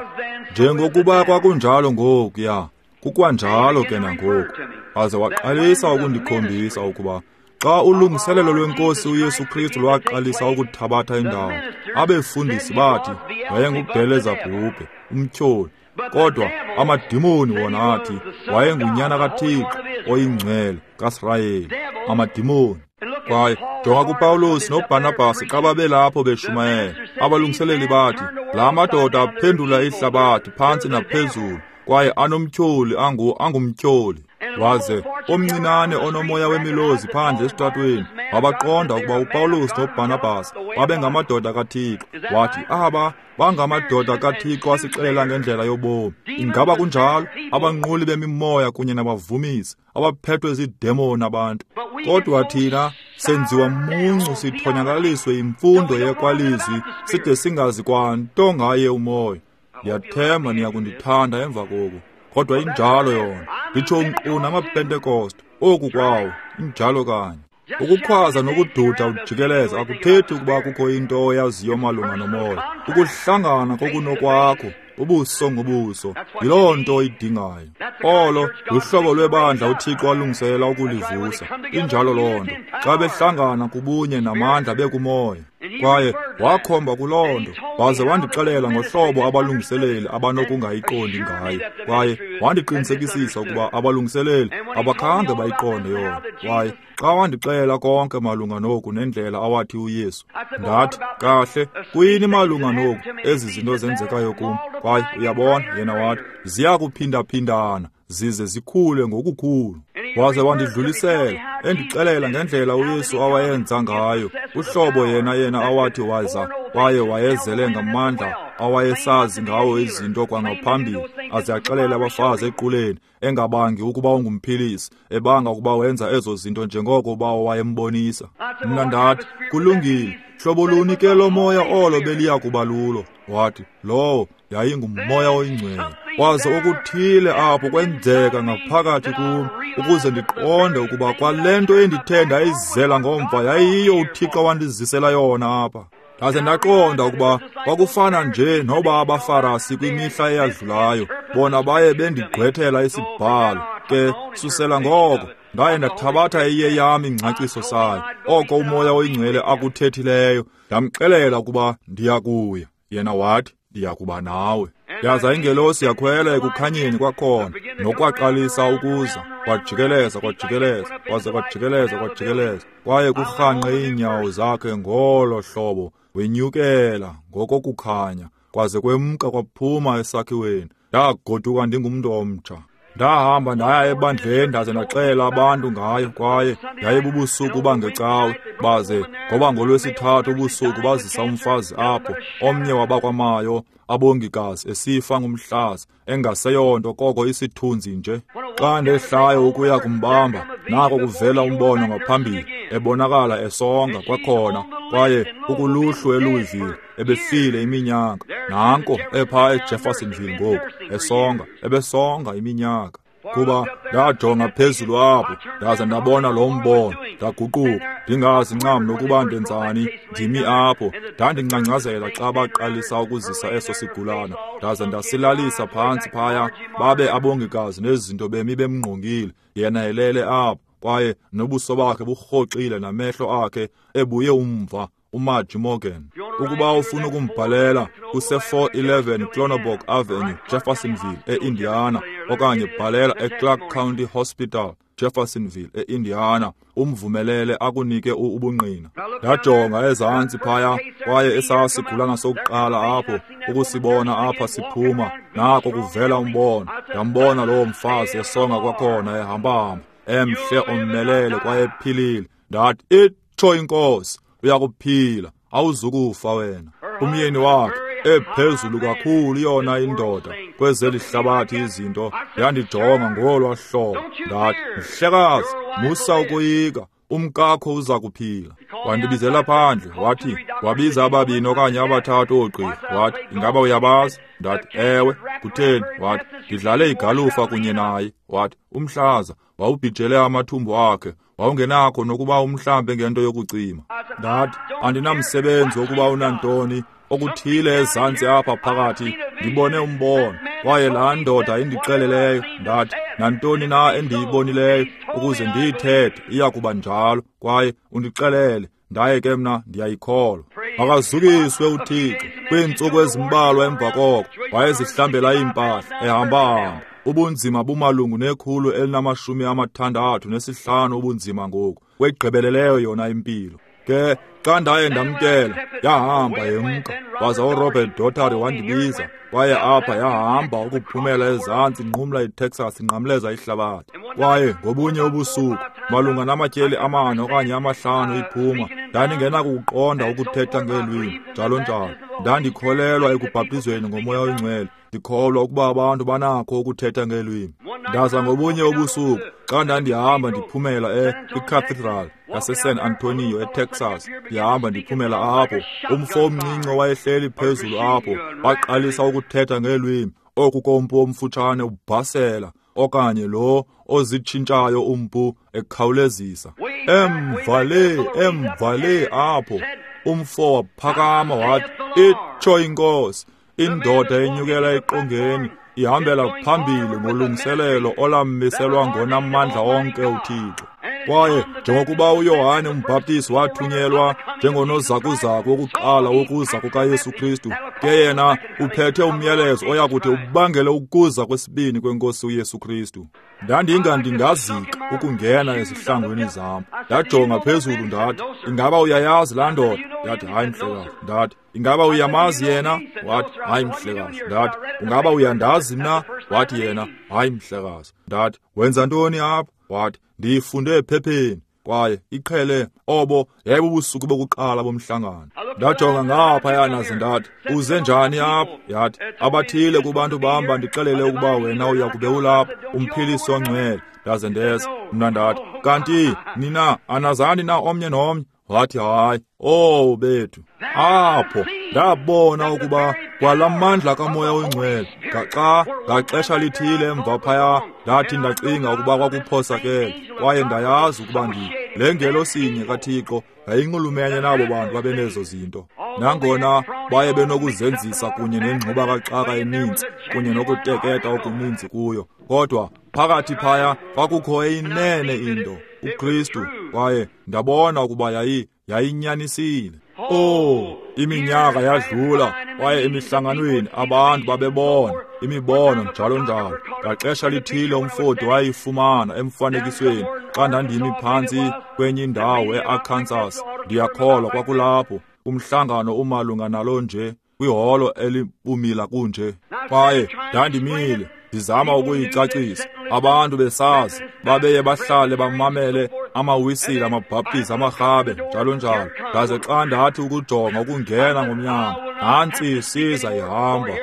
njengokuba kwakunjalo ngokuya, kukwanjalo ke nangoku. Waze waqalisa ukundikhombisa ukuba xa ulungiselelo lwenkosi uYesu Kristu lwaqalisa ukuthabatha indawo, abefundisi bathi wayenguBhelezebhubhe, umtyholi, kodwa amadimoni wona athi wayengunyana kaThixo oyingcwele kaSirayeli, amadimoni. Kwaye jonga kuPawulos noBarnabas xa babelapho beshumayela, abalungiseleli bathi la madoda aphendula ihlabathi phantsi naphezulu, kwaye anomtyholi angu angumtyholi. Waze omncinane onomoya wemilozi phandle esitratweni wabaqonda ukuba uPawulos noBarnabas babengamadoda kaThixo. Wathi aba bangamadoda kaThixo asixelela ngendlela yobomi. Ingaba kunjalo? Abanquli bemimoya kunye nabavumisi abaphethwe ziidemoni abantu. Kodwa thina senziwa muncu sithonyakaliswe imfundo yekwalizwi side singazi kwanto ngaye umoya. Ndiyathemba niyakundithanda emva koku, kodwa injalo yona. Nditsho nkqu namaPentekoste, oku kwawo injalo kanye. Ukukhwaza nokududa ujikeleza akuthethi ukuba kukho into oyaziyo malunga nomoya. Ukuhlangana kokunokwakho ubuso ngobuso yiloo nto oyidingayo. Olo luhlobo lwebandla uThixo alungiselela ukulivusa. Injalo loo nto. Xa behlangana kubunye namandla bekumoya. Kwaye wakhomba kuloo nto, waze wandixelela ngohlobo abalungiseleli abanokungayiqondi ngayo. Kwaye wandiqinisekisisa ukuba abalungiseleli abakhange bayiqonde yona. Kwaye xa wandixelela konke malunga noku nendlela awathi uYesu, ndathi, kahle, kuyini malunga noku ezi zinto zenzekayo kum? Kwaye uyabona, yena wathi ziya kuphindaphindana zize zikhule ngokukhulu. Waze wandidlulisela, endixelela ngendlela uYesu awayenza ngayo, uhlobo yena yena awathi waza, kwaye wayezele ngamandla awayesazi ngawo izinto kwangaphambili, aze axelele abafazi equleni, engabangi ukuba ungumphilisi, ebanga ukuba wenza ezo zinto njengoko ubawo wayembonisa. Mna ndathi, kulungile, hlobo luni ke lo moya olo beliya kuba lulo? Wathi, lowo yayingumoya oyingcwele. Waze okuthile apho kwenzeka ngaphakathi kum, ukuze ndiqonde ukuba kwale nto endithe ndayizela ngomva yayiyo uThixo wandizisela yona apha. Ndaze ndaqonda ukuba kwakufana nje noba abaFarasi kwimihla eyadlulayo, bona baye bendigqwethela isibhalo. Ke susela ngoko ndaye ndathabatha eyeyam ingcaciso sayo, oko umoya oyingcwele akuthethileyo. Ndamxelela ukuba ndiya kuya, yena wathi ndiya kuba nawe. Yaza ingelosi yakhwela ekukhanyeni kwakhona, nokwaqalisa ukuza, kwajikeleza, kwajikeleza, kwaze kwajikeleza, kwajikeleza, kwaye kurhanqe iinyawo zakhe ngolo hlobo, wenyukela ngokokukhanya, kwaze kwemka kwaphuma esakhiweni. Ndagoduka ndingumntu omtsha. Ndahamba ndaya ebandleni ndaze ndaxela abantu ngayo, kwaye yayibubusuku bangecawe, baze ngoba ngolwesithathu ubusuku bazisa umfazi apho, omnye wabakwamayo abongikazi esifa ngumhlaza, engaseyonto koko isithunzi nje. Xa ndehlayo ukuya kumbamba, nako kuvela umbono ngaphambili, ebonakala esonga kwakhona, kwaye ukuluhlu eLouisville, ebefile iminyaka. Nanko epha eJeffersonville ngoku, esonga, ebesonga iminyaka. Kuba ndajonga phezulu apho, ndaze ndabona lo mbono, ndaguquka, ndingazi ncam nokuba ndenzani, ndimi apho. Ndandingcangcazela xa baqalisa ukuzisa eso sigulana, ndaze ndasilalisa phantsi phaya, babe abongikazi nezinto bemi bemngqongile, yena elele apho, kwaye nobuso bakhe burhoxile namehlo akhe ebuye umva. uMarge Morgan. Ukuba ufuna ukumbhalela, kuse four eleven Clonoborg Avenue, Jeffersonville, e-Indiana, okanye bhalela eClark County Hospital, Jeffersonville, e-Indiana, umvumelele akunike ubungqina. Ndajonga ezantsi phaya, kwaye esasigulana sokuqala apho, ukusibona apha siphuma, nako kuvela umbono. Ndambona lowo mfazi esonga kwakhona ehamba-hamba, emhle omelele kwaye ephilile. Ndathi, itsho inkosi, uyakuphila, awuzukufa wena. Umyeni wakhe ephezulu kakhulu yona indoda kwezeli hlabathi izinto, yandijonga ngolwa hlobo. Ndathi, mhlekazi, musa ukoyika, umkakho uza kuphila. Wandibizela phandle, wathi, wabiza ababini okanye abathathu oogqirha. Wathi, ingaba uyabazi? Ndathi, ewe. Kutheni? Wathi, ndidlale igalufa kunye naye. Wathi, umhlaza wawubhijele amathumbu akhe, wawungenakho nokuba umhlambe ngento yokucima. Ndathi, andinamsebenzi wokuba unantoni, okuthile ezantsi apha phakathi, ndibone umbono, kwaye laa ndoda indixeleleyo. Ndathi, nantoni na endiyibonileyo ukuze ndiyithethe iya kuba njalo, kwaye undixelele, ndaye ke mna ndiyayikholwa. Makazukiswe uThixo. Kwiintsuku ezimbalwa emva koko wayezihlambela iimpahla, ehamba-hamba. Ubunzima bumalungu nekhulu elinamashumi amathandathu nesihlanu ubunzima ngoku, kwegqibeleleyo yona impilo. Ke xa ndaye ndamkela, yahamba yemka. Waza uRobert Daugherty wandibiza, kwaye apha yahamba ukuphumela ezantsi inqumla iTexas, inqamleza ihlabathi. Kwaye ngobunye ubusuku, malunga namatyeli amane okanye amahlanu iphuma, ndandingenakukuqonda ukuthetha ngeelwimi, njalo njalo. Ndandikholelwa ekubhaptizweni ngomoya oyingcwele, ndikholwa ukuba abantu banakho ukuthetha ngeelwimi. Ndaza ngobunye ubusuku, xa ndandihamba ndiphumela e-Cathedral yaseSan Antonio eTexas, ndihamba ndiphumela apho, umfo omncinci owayehleli phezulu apho waqalisa ukuthetha ngeelwimi, oku kompu omfutshane ubhasela, okanye lo ozitshintshayo umpu ekhawulezisa. Emva le, emva le apho, umfo waphakama wathi, itsho inkosi, indoda enyukela eqongeni ihambela phambili ngolungiselelo olamiselwa ngonamandla onke uThixo. Kwaye njengokuba uYohane uMbhaptizi wathunyelwa njengonozakuzaku wokuqala wokuza kukaYesu Kristu, ke yena uphethe umyalezo oyakuthi ubangele ukuza kwesibini kweNkosi uYesu Kristu. Ndandinga ndingazika ukungena ezihlangwini zam. Ndajonga phezulu ndathi, ingaba uyayazi laa ndoda? Ndathi, hayi mhlekazi. Ndathi, ingaba uyamazi yena? Wathi, hayi mhlekazi. Ndathi, ungaba uyandazi mna? Wathi yena, hayi mhlekazi. Ndathi, wenza ntoni apha? Wathi, ndiyifunde ephepheni. Kwaye iqhele obo yayibubusuku bokuqala bomhlangano. Ndajonga ngaphaya naze ndathi, uze njani apha? Yathi, abathile kubantu bam bandixelele ukuba wena uya kube ulapha, umphilisi ongcwele. Ndaze ndeza. Mna ndathi, kanti nina anazani na omnye nomnye? Wathi, hayi. Oh bethu, apho ndabona ukuba kwalamandla kaMoya oNgcwele ngaxa ngaxesha lithile emva phaya ndathi ndacinga ukuba kwakuphosakele, kwaye ndayazi ukuba ndi le ngelosinye kaThixo yayinxulumene nabo bantu babenezo zinto. Nangona baye benokuzenzisa kunye nengxuba kaxaka eninzi kunye nokuteketa okuninzi kuyo, kodwa phakathi phaya kwakukho eyinene into, uKristu, kwaye ndabona ukuba yayi yayinyanisile. Oh, iminyaka yadlula, kwaye emihlanganweni abantu babebona imibono njalo njalo. Ngaxesha lithile umfoti wayifumana emfanekisweni xa ndandimi phantsi kwenye indawo eArkansas, ndiyakholwa kwakulapho umhlangano umalunga nalo nje kwiholo elibumila kunje. Kwaye ndandimile ndizama ukuyicacisa, abantu besazi babeye bahlale bamamele amawisile, amabhaptizi, amarhabe njalo njalo. Ndaze xa ndathi ukujonga ukungena ngomnyango, nantsi isiza ihamba.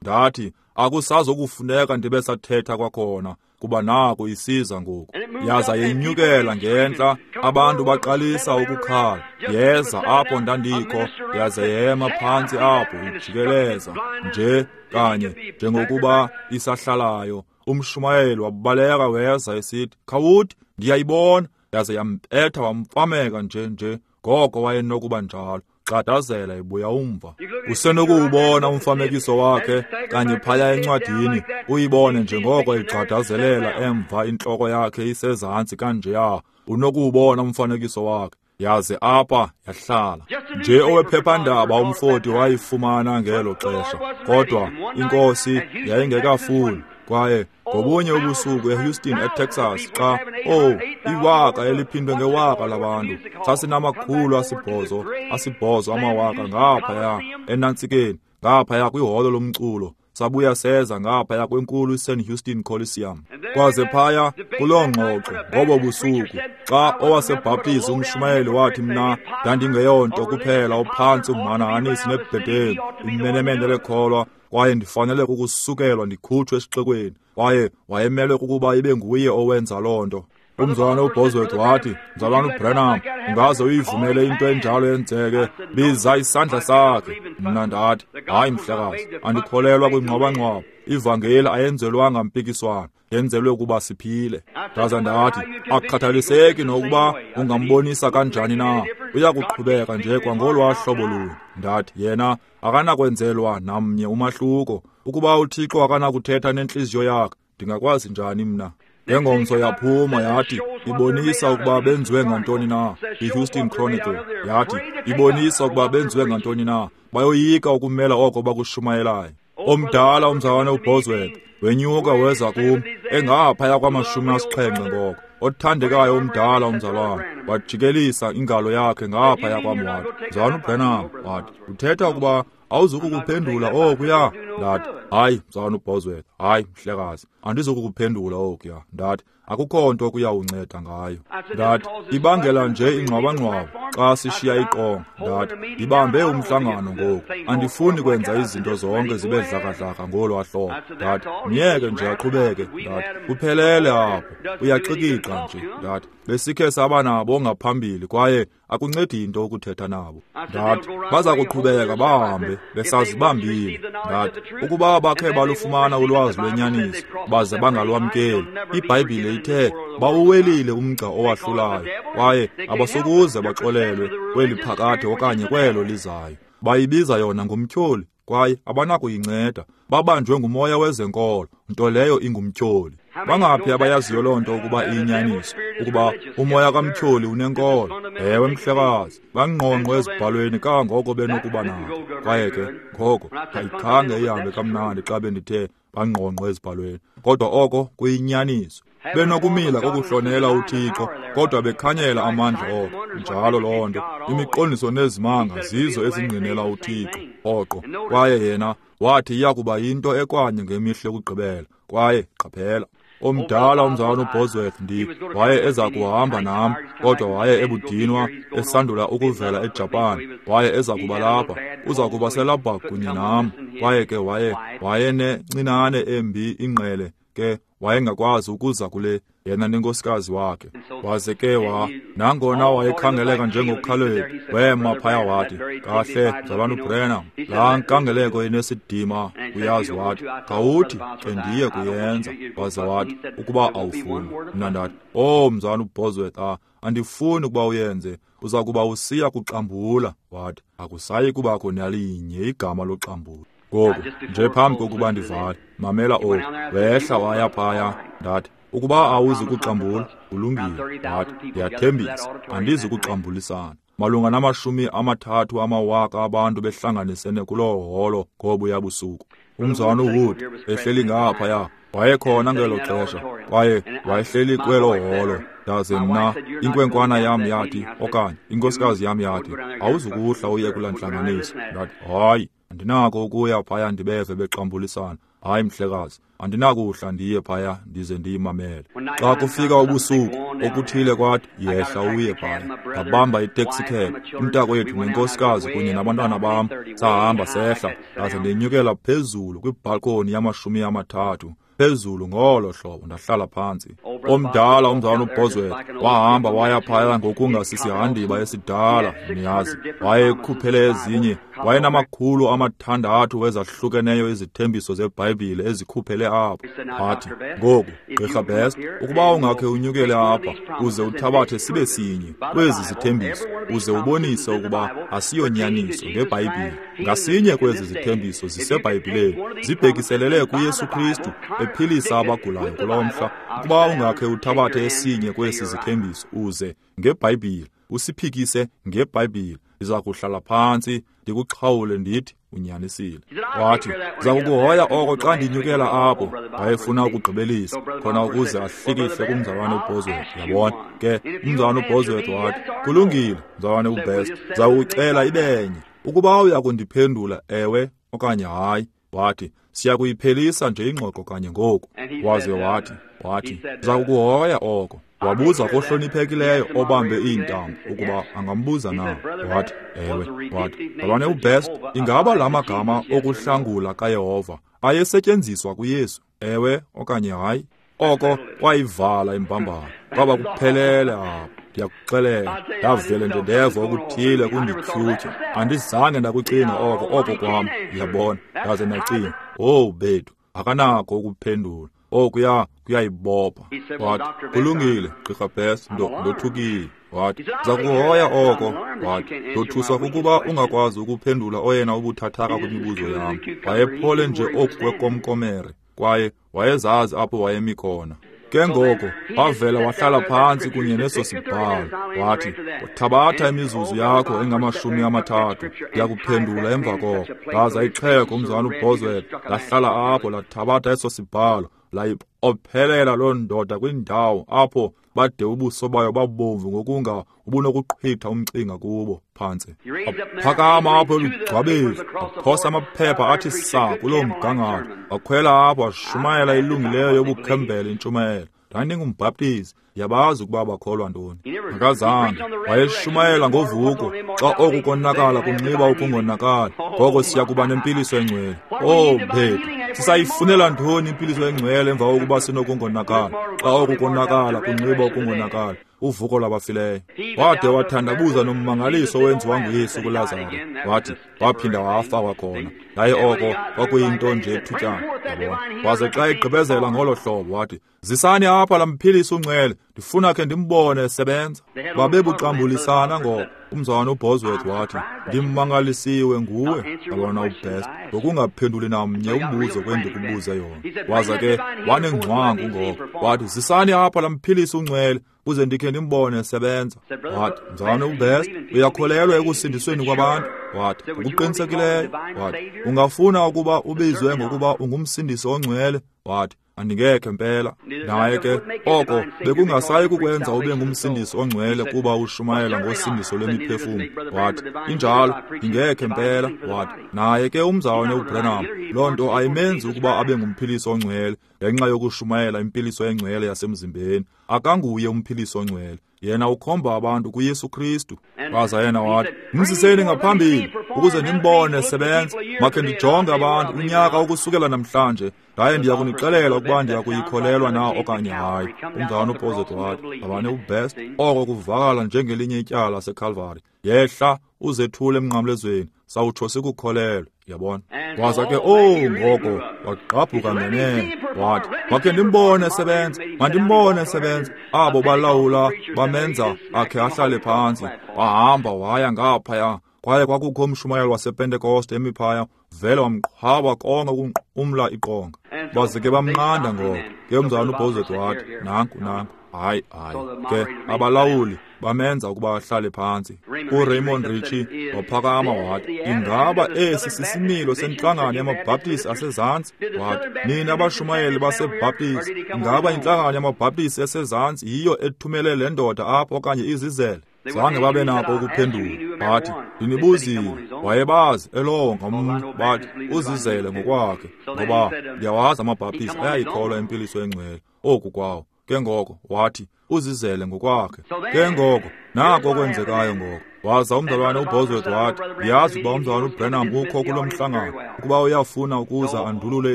Ndathi akusazokufuneka ndibe sathetha kwakhona, kuba naku isiza ngoku. Yaza yenyukela ngentla, abantu baqalisa ukukhala. Yeza apho ndandikho, yaze yema phantsi apho ijikeleza nje kanye njengokuba isahlalayo. Umshumayeli wabaleka weza esithi, khawuthi ndiyayibona. Yaze yambetha wamfameka nje nje ngoko wayenokuba njalo. Gxadazela ibuya umva. Usenokuwubona umfanekiso wakhe kanye phaya encwadini, uyibone njengoko igxadazelela emva intloko yakhe isezantsi kanjeya. Unokuwubona umfanekiso wakhe. Yaze apha yahlala nje owephephandaba umfoti wayifumana ngelo xesha, kodwa inkosi yayingekafuni. Kwaye ngobunye ubusuku eHouston eTexas, xa oh iwaka eliphindwe ngewaka labantu, sasinamakhulu asibhozo asibhozo amawaka ngaphaya enantsikeni, ngaphaya kwiholo lomculo. Sabuya seza ngaphaya kwenkulu iSan Houston Coliseum. Kwaze phaya kuloo ngxoxo ngobo busuku, xa owasebhaptizi umshumayeli wathi mna ndandingeyonto kuphela ophantsi umhanahanisi nebhedeli, imenemene lekholwa, kwaye ndifanele kukusukelwa ndikhutshwe esixekweni. Kwaye wayemelwe kukuba ibe nguye owenza loo nto. Umzalwane uBosworth wathi, mzalwane uBranham, ungaze uyivumele into enjalo yenzeke, biza isandla sakhe. Mna ndathi, hayi mhlekazi, andikholelwa kwingxwabangxwaba. Ivangeli ayenzelwanga mpikiswano, yenzelwe ukuba siphile. Ndaza ndathi, akukhathaliseki nokuba ungambonisa kanjani na, uyakuqhubeka nje kwangolwaa hlobo lunye. Ndathi, yena akanakwenzelwa namnye umahluko. Ukuba uThixo akanakuthetha nentliziyo yakhe, ndingakwazi njani mna? Ngengomso yaphuma yathi, ibonisa ukuba benziwe ngantoni na. IHouston Chronicle yathi, ibonisa ukuba benziwe ngantoni na. Bayoyika ukumela oko bakushumayelayo. Omdala umzalwane uBosworth wenyuka weza kum engaphaya kwamashumi asixhenxe ngoko. Othandekayo omdala umzalwane wajikelisa ingalo yakhe ngaphaya kwam wathi, mzalwane uBranham, wathi, uthetha ukuba awuzukukuphendula okuya? Ndathi, hayi mzalwane uBosworth, hayi mhlekazi, andizukukuphendula okuya. Ndathi, akukho nto kuyawunceda ngayo. Ndathi, ibangela nje ingxwabangxwaba xa sishiya iqonga. Ndathi, ndibambe umhlangano ngoku, andifuni kwenza izinto zonke zibe dlakadlaka ngolwaa hlobo. Ndathi, myeke nje aqhubeke. Ndathi, kuphelele apho, uyaxikixa nje. Ndathi, besikhe saba nabo ngaphambili kwaye akuncedi into ukuthetha nabo. Ndathi, baza kuqhubeka bahambe besazibambile. Ndathi, ukuba bakhe balufumana ulwazi lwenyaniso baze bangalwamkeli, iBhayibhile ithe bawuwelile umgca owahlulayo, kwaye abasokuze baxolelwe kweli phakade okanye kwelo lizayo. Bayibiza yona ngumtyholi, kwaye abanakuyinceda. Babanjwe ngumoya wezenkolo, nto leyo ingumtyholi. Bangaphi abayaziyo loo nto ukuba iyinyaniso, ukuba umoya kamtyholi unenkolo? Ewe mhlekazi, bangqongqo ezibhalweni kangoko benokuba nako. Kwaye ke ngoko ayikhange ihambe kamnandi xa bendithe bangqongqo ezibhalweni, kodwa oko kuyinyaniso. Benokumila kokuhlonela uThixo, kodwa bekhanyela amandla oko. Njalo loo nto, imiqondiso nezimanga zizo ezingqinela uThixo rhoqo. Kwaye yena wathi iyakuba yinto ekwanye ngemihla yokugqibela. Kwaye qaphela, Omdala umzalwana uBosworth ndi waye eza kuhamba nam, kodwa waye ebudinwa esandula ukuvela eJapan. Waye eza kuba lapha, uza kuba selapha kunye nam. Kwaye ke waye wayenencinane embi ingqele, ke wayengakwazi ukuza kule, yena nenkosikazi wakhe. Waze ke wa nangona wayekhangeleka njengoKhaleb, wema phaya wathi, kahle mzalwana uBrenham, laa nkangeleko inesidima uyazi. Wathi, khawuthi ke ndiye kuyenza. Waze wathi, ukuba awufuni. Mna ndathi, oh mzalwana uBosworth, ah, andifuni ukuba uyenze, uza kuba usiya kuxambula. Wathi, akusayi kubakho nalinye igama loxambula. Ngoku nje phambi kokuba ndivale, mamela oku. Wehla waya phaya. Ndathi, ukuba awuzi kuxambula, kulungile. Ndathi, ndiyathembisa andizi kuxambulisana. Malunga namashumi amathathu amawaka abantu behlanganisene kuloo holo ngobuya busuku. Umzalwana uWood ehleli ngaphaya, wayekhona ngelo xesha, kwaye wayehleli kwelo holo. Ndaze mna, inkwenkwana yam yathi, okanye inkosikazi yam yathi, awuzukuhla uye kulaa ntlanganiso. Ndathi, hayi, andinako ukuya phaya ndibeve bexambulisana. Hayi mhlekazi, andinakuhla ndiye phaya ndize ndiyimamele. Xa kufika ubusuku, okuthile kwathi, yehla uye phaya. Ndabamba itaxi cab, umntakwethu nenkosikazi kunye nabantwana bam, sahamba sehla, ndaze ndenyukela phezulu kwibhalkoni yamashumi amathathu, phezulu ngolo hlobo, ndahlala phantsi. Omdala umzalwana uBosworth wahamba waya phaya ngokungasisihandiba esidala, niyazi. Wayekhuphele ezinye, wayenamakhulu amathandathu wezahlukeneyo izithembiso zeBhayibhile ezikhuphele apho. Wathi, ngoku Gqirha Best, ukuba ungakhe unyukele apha uze uthabathe sibe sinye kwezi zithembiso, uze ubonise ukuba asiyonyaniso ngeBhayibhile. Ngasinye kwezi zithembiso ziseBhayibhileni zibhekiselele kuYesu Kristu ephilisa abagulayo kulo mhla. Ukuba ungakhe uthabathe esinye kwesi zithembiso uze ngeBhayibhile usiphikise ngeBhayibhile, ndiza kuhlala phantsi ndikuxhawule ndithi unyanisile. Wathi, ndiza kukuhoya oko xa ndinyukela apho. Wayefuna ukugqibelisa khona ukuze ahlikihle kumzalwane uBosworth, yabona. Ke umzalwane uBosworth wathi, kulungile mzalwane uBest, ndiza kukucela ibenye. Ukuba uya kundiphendula ewe okanye hayi. Wathi, siya kuyiphelisa nje ingxoxo kanye ngoku. Waze wathi, wathi, ndiza kukuhoya oko. Wabuza kohloniphekileyo obambe iintambo ukuba angambuza na. Wathi, ewe. Wathi, mzalwane uBest, ingaba la magama okuhlangula kaYehova ayesetyenziswa kuYesu, ewe okanye hayi? Oko kwayivala imbambano, kwaba kuphelele apho. Ndiyakuxelela, ndavele nje ndeva okuthile kundityhutyha. Andizange ndakucinga oko oko kwam, uyabona. Ndaze ndacinga, owu bethu, akanako ukuphendula. Okuya kuyayibopha. Wathi, kulungile Gqirha Best, ndothukile. Wathi, ndiza kuhoya oko. Wathi, ndothuswa kukuba ungakwazi ukuphendula oyena ubuthathaka kwimibuzo yam. Wayephole nje oku kwekomkomere, kwaye wayezazi apho wayemi khona. Ke ngoko wavela wahlala phantsi kunye neso sibhalo. Wathi, thabatha imizuzu yakho engamashumi amathathu, ndiyakuphendula emva koko. Ndaza ixhego umzalwana uBosworth lahlala apho, lathabatha eso sibhalo, layipophelela loo ndoda kwindawo apho bade ubuso bayo babomvu ngokunga ubunokuqhitha umcinga kubo phantsi. Waphakama apho elugcwabeni, waphosa amaphepha athi saa kuloo mgangatho, wakhwela apho washumayela ilungileyo yobukhembele intshumayelo. Ndandingumbhaptizi, ndiyabazi ukuba bakholwa ntoni. Akazange, wayeshumayela ngovuko. Xa oku konakala kunxiba ukungonakala, ngoko siya kuba nempiliso engcwele. Oh bethu, sisayifunela ntoni impiliso engcwele emva kokuba sinokungonakala? Xa oku konakala kunxiba ukungonakala, uvuko lwabafileyo. Wade wathandabuza nommangaliso owenziwa nguYesu kuLazaro. Wathi, waphinda wafa kwakhona. Yaye oko kwakuyinto nje ethutyana, yabona. Waze xa egqibezela ngolo hlobo wathi, zisani apha laa mphilisi ungcwele, ndifuna khe ndimbone esebenza. Babebuxambulisana ngoko. Umzalwana uBosworth wathi, ndimmangalisiwe nguwe, yabona uBest, ngokungaphenduli namnye umbuzo kwendikubuze yona. Waza ke wanengcwangu ngoko. Wathi, zisani apha laa mphilisi ungcwele, uze ndikhe ndimbone esebenza. Wathi, mzalwana uBest, uyakholelwa ekusindisweni kwabantu? Wathi, ngokuqinisekileyo. Wathi, ungafuna ukuba ubizwe ngokuba ungumsindisi ongcwele? Wathi, andingekhe mpela. Naye ke oko bekungasayi kukwenza ube ngumsindisi ongcwele kuba ushumayela ngosindiso lwemiphefumlo. Wathi, injalo, ndingekhe mpela. Wathi, naye ke umzalwane uBranham, loo nto ayimenzi ukuba abe ngumphilisi ongcwele ngenxa yokushumayela impiliso engcwele yasemzimbeni. Akanguye umphilisi ongcwele, yena ukhomba abantu kuYesu Kristu. Waza yena wathi, mziseni ngaphambili ukuze ndimbone esebenza. Makhe ndijonge abantu unyaka ukusukela namhlanje, ndaye ndiya kunixelela ukuba ndiya kuyikholelwa na okanye hayi. Umzalwane uBosworth wathi, mzalwane uBest, oko kuvakala njengelinye ityala laseKalvari. Yehla uzethule emnqamlezweni, sawutsho sikukholelwe. Yabona? Waza ke, oh, ngoko wagqabhuka ngenene. Wathi, makhe ndimbone esebenza, mandimbone esebenza. Abo balawula bamenza akhe ahlale phantsi. Wahamba waya ngaphaya, kwaye kwakukho umshumayeli wasePentekoste emi phaya, vele wamqhwaba konke ukunqumla iqonga. Baze ke bamnqanda ngoko. Ke umzalwane uBosworth wathi, nanku nanku, hayi hayi. Ke abalawuli bamenza ukuba ahlale phantsi. URaymond Ritchie waphakama wathi, ingaba esi sisimilo sentlangano yamaBhaptisi asezantsi? Wathi, nina abashumayeli baseBhaptisi, ingaba intlangano yamaBhaptisi esezantsi yiyo ethumele le ndoda apha okanye izizele? Zange babe nako ukuphendula. Bathi, ndinibuzile. Wayebazi elowo ngamntu. Bathi, uzizele ngokwakhe, ngoba ndiyawazi amaBhaptisi ayayikholwa impiliso engcwele oku kwawo. Ke ngoko wathi, uzizele ngokwakhe. Ke ngoko nako okwenzekayo ngoko. Waza umzalwane uBosworth wathi, ndiyazi ukuba umzalwane uBranham ukho kulo mhlangano, ukuba uyafuna ukuza andulule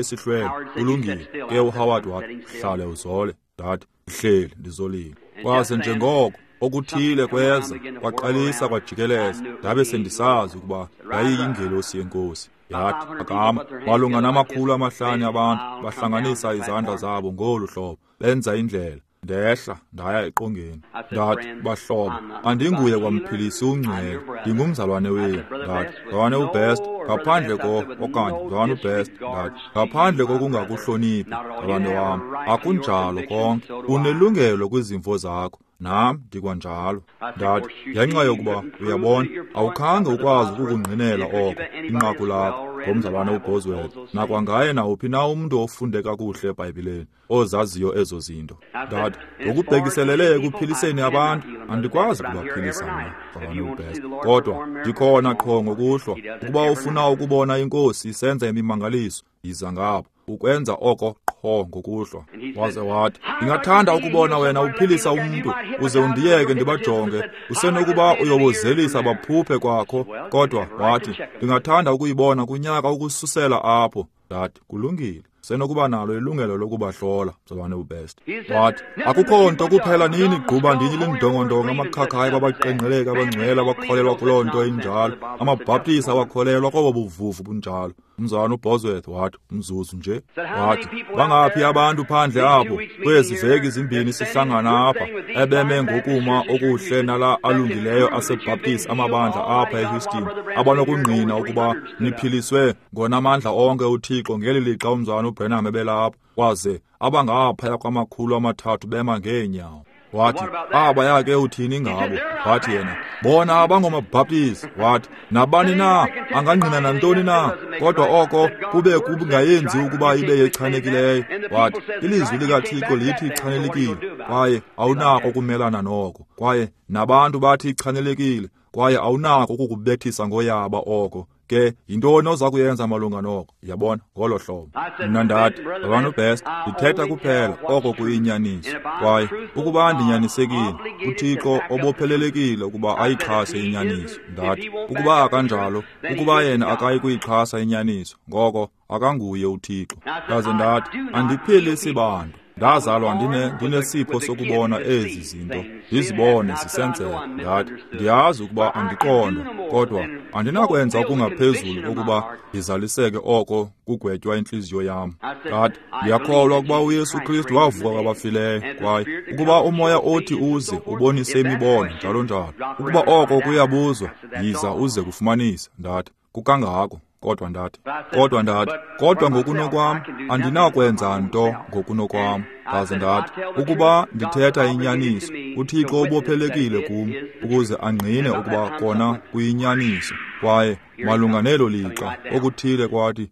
isihlwele, kulungile. Ke uHoward wathi, hlale uzole. Ndathi, ndihleli ndizolile. Kwaze njengoko okuthile kweza, kwaqalisa kwajikeleza, ndabe sendisazi ukuba yayiyingelosi yeNkosi. Yathi, phakama. Malunga namakhulu amahlanu abantu bahlanganisa izandla zabo ngolu hlobo, benza indlela. Ndehla ndaya eqongeni. Ndathi, bahlobo, andinguye kwamphilisi ungcwele, ndingumzalwane wenu. Ndathi, mzalwane uBest, ngaphandle ko okanye mzalwane uBest, ndathi, ngaphandle kokungakuhloniphi, mzalwane wam, akunjalo konke. Unelungelo kwizimvo zakho, nam ndikwanjalo. Ndathi, ngenxa yokuba uyabona, awukhange ukwazi ukukungqinela oko inqaku lakho ngomzalwane uBosworth, nakwangaye nawuphi na umntu ofunde kakuhle eBhayibhileni ozaziyo ezo zinto. Ndathi, ngokubhekiselele ekuphiliseni abantu, andikwazi ukubaphilisa mna, mzalwane uBest, kodwa ndikhona qho ngokuhlwa. Ukuba ufuna ukubona iNkosi isenza imimangaliso, yiza ngapha ukwenza oko qho ngokuhlwa. Waze wathi, ndingathanda ukubona wena uphilisa umntu, uze undiyeke ndibajonge. Usenokuba uyobozelisa baphuphe kwakho, kodwa wathi, ndingathanda ukuyibona kunyaka ukususela apho. Ndathi, kulungile, senokuba nalo ilungelo lokubahlola, mzalwane uBest. Wathi, akukho nto kuphela nini gquba ndini lindongondongo amakhakhayi babaqengqeleka abangcwele abakholelwa kuloo nto injalo, amaBhaptisi awakholelwa kobo buvuvu bunjalo. Umzalwane uBosworth wathi, umzuzu nje. Wathi, bangaphi abantu phandle apho kwezi veki zimbini sihlangana apha ebeme ngokuma okuhle nala alungileyo aseBhaptisi amabandla apha eHouston, abanokungqina ukuba niphiliswe ngonamandla onke uThixo ngeli lixa umzalwane uBranham ebelapha, kwaze abangaphaya kwamakhulu amathathu bema ngeenyawo. Wathi, abaya ke uthini ngabo? Wathi yena, bona abangomaBhaptisi. Wathi, nabani na angangqina nantoni na, kodwa oko kube kungayenzi ukuba ibe yechanekileyo. Wathi, ilizwi likaThixo lithi ichanelekile, kwaye awunako ukumelana noko. Kwaye nabantu bathi ichanelekile, kwaye awunako ukukubethisa ngoyaba oko. Ke yintoni oza kuyenza malunga noko? Yabona, ngolo hlobo. Mna ndathi, mzalwane uBest, ndithetha kuphela oko kuyinyaniso. Kwaye ukuba ndinyanisekile, uThixo obophelelekile ukuba ayixhase inyaniso. Ndathi, ukuba akanjalo, ukuba yena akayi kuyixhasa inyaniso, ngoko akanguye uThixo. Ndaze ndathi, andiphilisi bantu. Ndazalwa ndine ndinesipho sokubona ezi zinto, ndizibone zisenzeka. Ndathi, ndiyazi ukuba andiqondwa, kodwa andinakwenza okungaphezulu kokuba ndizaliseke oko kugwetywa intliziyo yam. Ndathi, ndiyakholwa ukuba uYesu Kristu wavuka kwabafileyo, kwaye ukuba umoya othi uze ubonise imibono njalo njalo, ukuba oko kuyabuzwa, yiza uze kufumanise. Ndathi, kukangako. Kodwa ndathi, kodwa ndathi, kodwa ngokunokwam andinakwenza nto ngokunokwam. Ndaze ndathi, ukuba ndithetha inyaniso, uThixo ubophelekile kum ukuze angqine ukuba kona kuyinyaniso. Kwaye malunga nelo lixa okuthile kwathi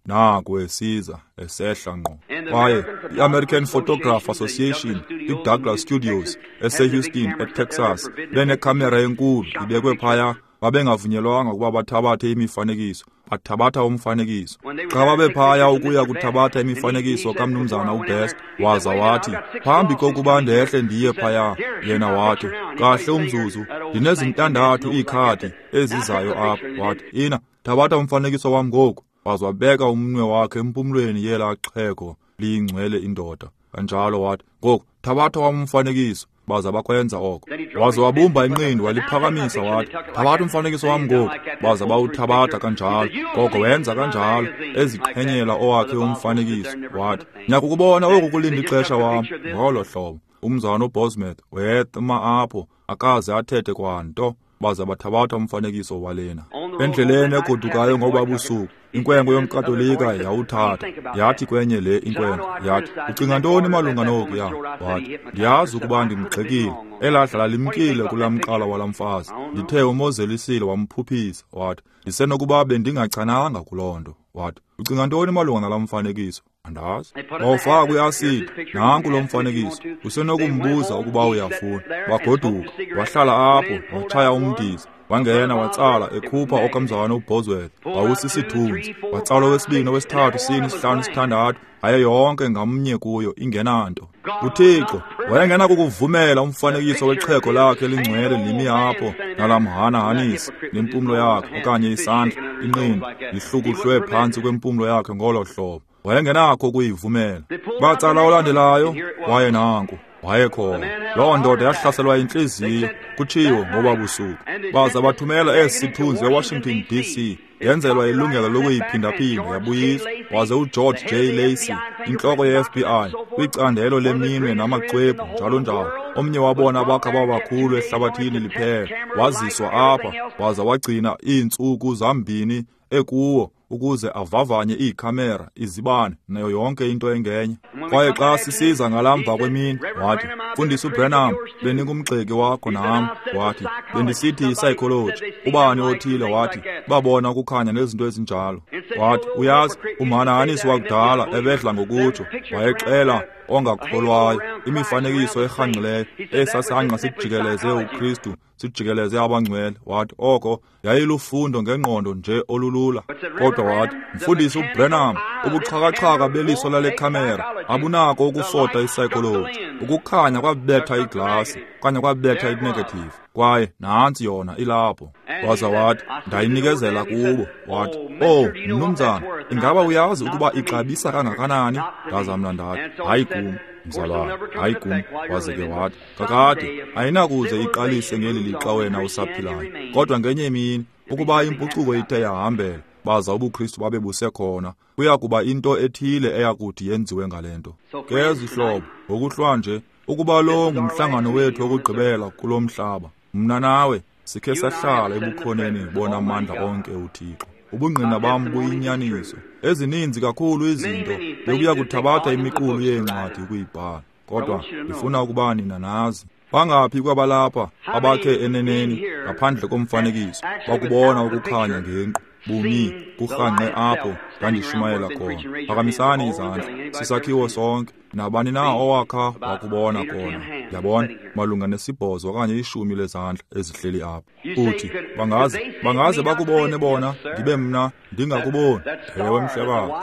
Naku esiza esehla ngqo. Kwaye i-American Photograph Association, i-Douglas Studios eseHouston, eTexas, benekhamera enkulu ibekwe phaya. Babengavunyelwanga ukuba bathabathe imifanekiso, bathabatha umfanekiso. Xa babephaya ukuya kuthabatha imifanekiso kamnumzana uBest, waza wathi, phambi kokuba ndehle ndiye phaya, yena wathi, kahle umzuzu, ndinezintandathu iikhadi ezizayo apha. Wathi, ina, thabatha umfanekiso wam ngoku. Waza wabeka umnwe wakhe empumlweni yelaa xhego liyingcwele indoda. Kanjalo wathi, ngoku, thabatha wam umfanekiso. Baza bakwenza oko. Waza wabumba inqindi waliphakamisa wathi, thabatha umfanekiso wam ngoku. Baza bawuthabatha kanjalo. Koko wenza kanjalo, eziqhenyela owakhe umfanekiso. Wathi, ndiyakukubona oku kulinda ixesha wam. Ngolo hlobo umzana uBosworth wema apho, akaze athethe kwanto. Baza bathabatha umfanekiso walena. Endleleni egodukayo ngoba busuku, inkwenkwe yomKatolika yawuthatha. Yathi kwenye le inkwenkwe, yathi, ucinga ntoni malunga noku? Ya wathi, ndiyazi ukuba ndimgxekile. Elaa dlala limkile kulaa mqala walaa mfazi. Ndithe umozelisile wamphuphisa. Wathi, ndisenokuba bendingachananga kuloo nto. Wathi, ucinga ntoni malunga nalaa mfanekiso? Andazi. Wawufaka kwi-asidi, nanku lo mfanekiso. Usenokumbuza ukuba uyafuna. Wagoduka, wahlala apho, watshaya umdiza. Wangena watsala ekhupha okamzana uBosworth. Wawusisithunzi. Watsala owesibini, owesithathu, sine, isihlanu, isithandathu. Aye yonke ngamnye kuyo ingenanto. UThixo wayengena kukuvumela umfanekiso wexhego lakhe elingcwele limi apho nalamhanahanisi nempumlo yakhe okanye isandla inqindi lihlukuhlwe phantsi kwempumlo yakhe ngolo hlobo. Wayengenakho ukuyivumela. Batsala olandelayo, waye nanku, wayekhona. Loo ndoda yahlaselwa yintliziyo, kutshiwo ngoba busuku. Baza bathumela esi sithunzi eWashington D C, yenzelwa ilungelo lokuyiphindaphinda yabuyiswa. Waze uGeorge J. Lacey, intloko ye-F B I, kwicandelo leminwe namaxwebhu njalo njalo, omnye wabona abakha babakhulu ehlabathini liphela, waziswa apha, waza wagcina iintsuku zambini ekuwo ukuze avavanye iikhamera, izibane, nayo yonke into engenye. Kwaye xa sisiza ngalamva kwemini, wathi, Mfundisi uBranham, bendingumgxeki wakho nam. Wathi, bendisithi i-psychology. Ubani othile wathi, babona ukukhanya nezinto ezinjalo. Wathi, uyazi, umhanahanisi wakudala ebedla ngokutsho, wayexela ongakholwayo, imifanekiso erhangqileyo, esasangqa sijikeleze uKristu, sijikeleze abangcwele. Wathi, oko yayilufundo ngengqondo nje olulula. Kodwa wathi, Mfundisi uBranham, ubuxhakaxhaka beliso lale khamera abunako ukufota i-psychology. Ukukhanya kwabetha iglasi, okanye kwabetha i-negative, kwaye nantsi yona ilapho. Waza wathi, ndayinikezela kubo. Wathi, oh, mnumzana, ingaba uyazi ukuba ixabisa kangakanani? Ndaza mna ndathi, hayi kum, mzalwane, hayi kum. Waze ke wathi, kakade ayinakuze iqalise ngeli lixa wena usaphilayo, kodwa ngenye imini ukuba impucuko ithe yahambela, baza ubuKristu babe busekhona, kuya kuba into ethile eyakuthi yenziwe ngale nto. Ke zihlobo, ngokuhlwa nje, ukuba lo ngumhlangano wethu wokugqibela kulo mhlaba, mna nawe sikhe sahlala ebukhoneni bona amandla onke uThixo. Ubungqina bam buyinyaniso. Ezininzi kakhulu izinto bekuya kuthabatha imiqulu yeencwadi ukuyibhala, kodwa ndifuna ukuba nina nazi. Bangaphi kwabalapha abakhe eneneni ngaphandle komfanekiso bakubona ukukhanya ngenqu bumi kurhanqe apho ndandishumayela khona? Phakamisani izandla. Sisakhiwo sonke. Nabani na owakha wakubona khona? Yabona, malunga nesibhozo okanye ishumi lezandla ezihleli apha. Uthi, bangaze bangaze bakubone bona, ndibe mna ndingakuboni. Ewe mhlekazi,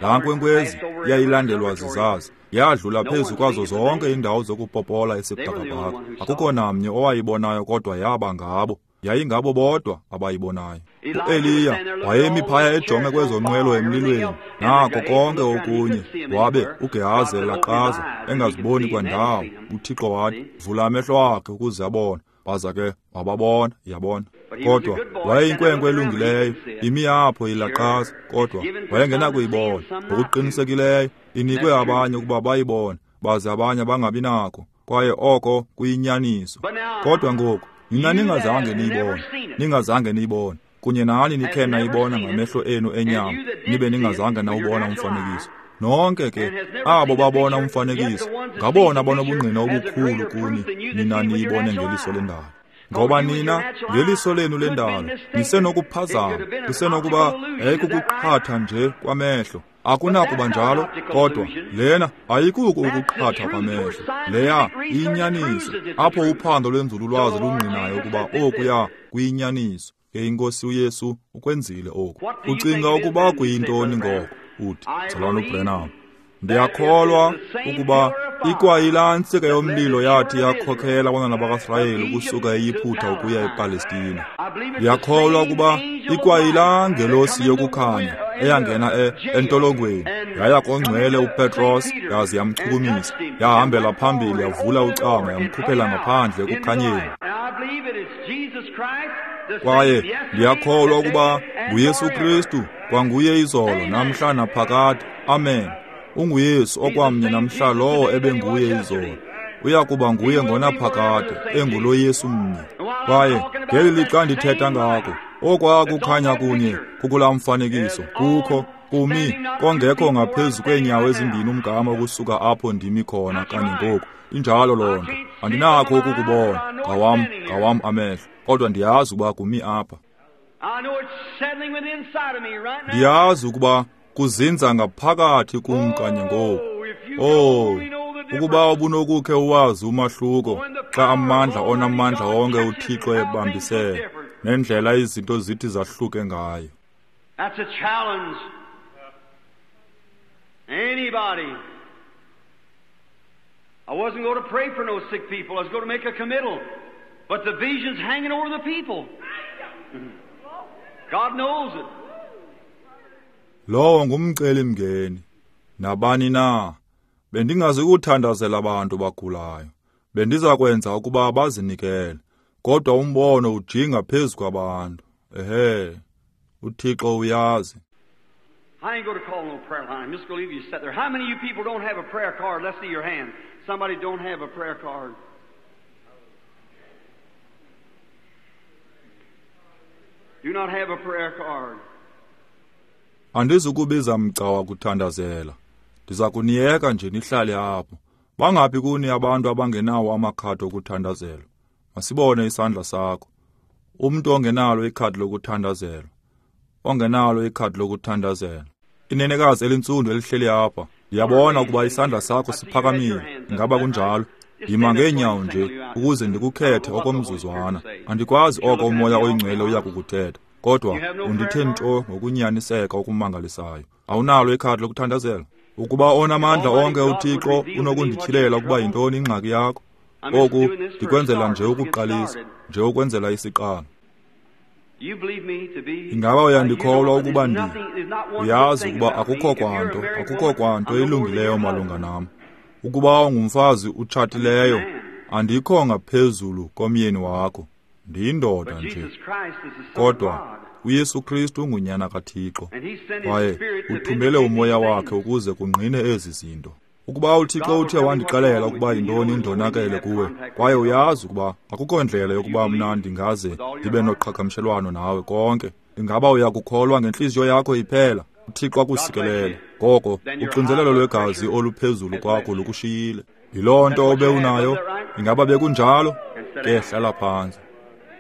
laa nkwenkwezi iyayilandelwa zizazi. Yadlula phezu kwazo zonke iindawo zokupopola esibhakabhaka. Akukho namnye owayibonayo, kodwa yaba ngabo. Yayingabo bodwa abayibonayo. U-Eliya wayemi phaya ejonge kwezo nqwelo emlilweni, nako konke okunye. Wabe uGehazi elaqaza engaziboni kwandawo. UThixo wathi, vula amehlo akhe ukuze abone. Baza ke wababona, yabona. Kodwa wayeyinkwenkwe elungileyo, imi apho ilaqaza, kodwa wayengenakuyibona. Ngokuqinisekileyo inikwe abanye ukuba bayibone, baze abanye bangabi nako, kwaye oko kuyinyaniso. Kodwa ngoku nina ningazange niyibone, ningazange niyibone, kunye nani nikhe nayibona ngamehlo enu enyama, nibe ningazange nawubona umfanekiso. Nonke ke abo babona umfanekiso ngabona banobungqina obukhulu kuni nina niyibone ngeliso lendalo. Ngoba nina ngeliso lenu lendalo nisenokuphazama, kusenokuba yayikukuqhatha nje kwamehlo. Akunakuba njalo, kodwa lena ayikuko ukuqhatha kwamehlo. Leya iyinyaniso, apho uphando lwenzululwazi lungqinayo ukuba okuya kuyinyaniso. Ke iNkosi uYesu ukwenzile oku. Ucinga ukuba kuyintoni ngoko? Uthi, Mzalwana uBranham, ndiyakholwa ukuba ikwayilaa ntsika yomlilo yathi yakhokhela abantwana bakaSirayeli ukusuka eYiphutha ukuya ePalestina. Ndiyakholwa ukuba ikwayilaa ngelosi yokukhanya eyangena e, entolongweni yaya kongcwele uPetros yaze yamchukumisa, yahambela phambili yavula ucango yamkhuphela ngaphandle ekukhanyeni. Kwaye ndiyakholwa ukuba nguYesu Kristu kwanguye izolo namhla naphakade. Amen. UnguYesu okwamnye namhla lowo ebenguye izolo, uya kuba nguye ngonaphakade, engulo Yesu mnye. Kwaye ngeli lixa ndithetha ngako, okwaa kukhanya kunye kukulaa mfanekiso kukho kumi kongekho ngaphezu kweenyawo ezimbini umgama ukusuka apho ndimi khona kanye ngoku. Injalo loo nto. Andinakho ukukubona ngawam ngawam amehlo, kodwa ndiyazi ukuba kumi apha. Ndiyazi ukuba kuzinza ngaphakathi kum kanye ngoku. Oh, ukuba ubunokukhe uwazi umahluko xa amandla onamandla wonke uThixo ebambisene nendlela izinto zithi zahluke ngayo. That's a challenge. Anybody. I wasn't going to pray for no sick people. I was going to make a committal. But the vision's hanging over the people. God knows it. Lowo ngumcelimngeni. Nabani na? Bendingazi ukuthandazela abantu bagulayo. Bendiza kwenza ukuba bazinikele. Kodwa umbono ujinga phezu kwabantu. Ehe. UThixo uyazi. I ain't going to call no prayer line. I'm just going to leave you sit there. How many of you people don't have a prayer card? Let's see your hand. Somebody don't have a prayer card. Do not have a prayer card. Andizukubiza mgca wakuthandazela. Ndiza kuniyeka nje nihlale apho. Bangaphi kuni abantu abangenawo amakhadi okuthandazela? Masibone isandla sakho. Umntu ongenalo ikhadi lokuthandazela. Ongenalo ikhadi lokuthandazela. Inenekazi elintsundu elihleli apha. Ndiyabona ukuba isandla sakho siphakamile. Ingaba kunjalo? Yima ngeenyawo nje ukuze ndikukhethe okomzuzwana. Andikwazi oko uMoya oyiNgcwele uya kukuthetha. Kodwa undithe nto ngokunyaniseka okumangalisayo. Awunalo ikhadi lokuthandazela? Ukuba onamandla onke uThixo unokundityhilela ukuba yintoni ingxaki yakho. Oku ndikwenzela nje ukuqalisa, nje ukwenzela isiqalo. Ingaba uyandikholwa ukuba ndi? Uyazi ukuba akukho kwanto, akukho kwanto ilungileyo malunga nam. Ukuba ungumfazi utshatileyo, andikho ngaphezulu komyeni wakho. Ndiyindoda nje. Kodwa uYesu Kristu ungunyana kaThixo, kwaye uthumele uMoya wakhe ukuze kungqine ezi zinto. Ukuba uThixo uthe wandixelela ukuba yintoni indonakele kuwe, kwaye uyazi ukuba akukho ndlela yokuba mna ndingaze ndibe noqhagamshelwano nawe konke, ingaba uyakukholwa ngentliziyo yakho iphela? uThixo akusikelele. Ngoko uxinzelelo lwegazi oluphezulu kwakho lukushiyile. Yiloo nto obe unayo. Ingaba bekunjalo? Ke hlala phantsi.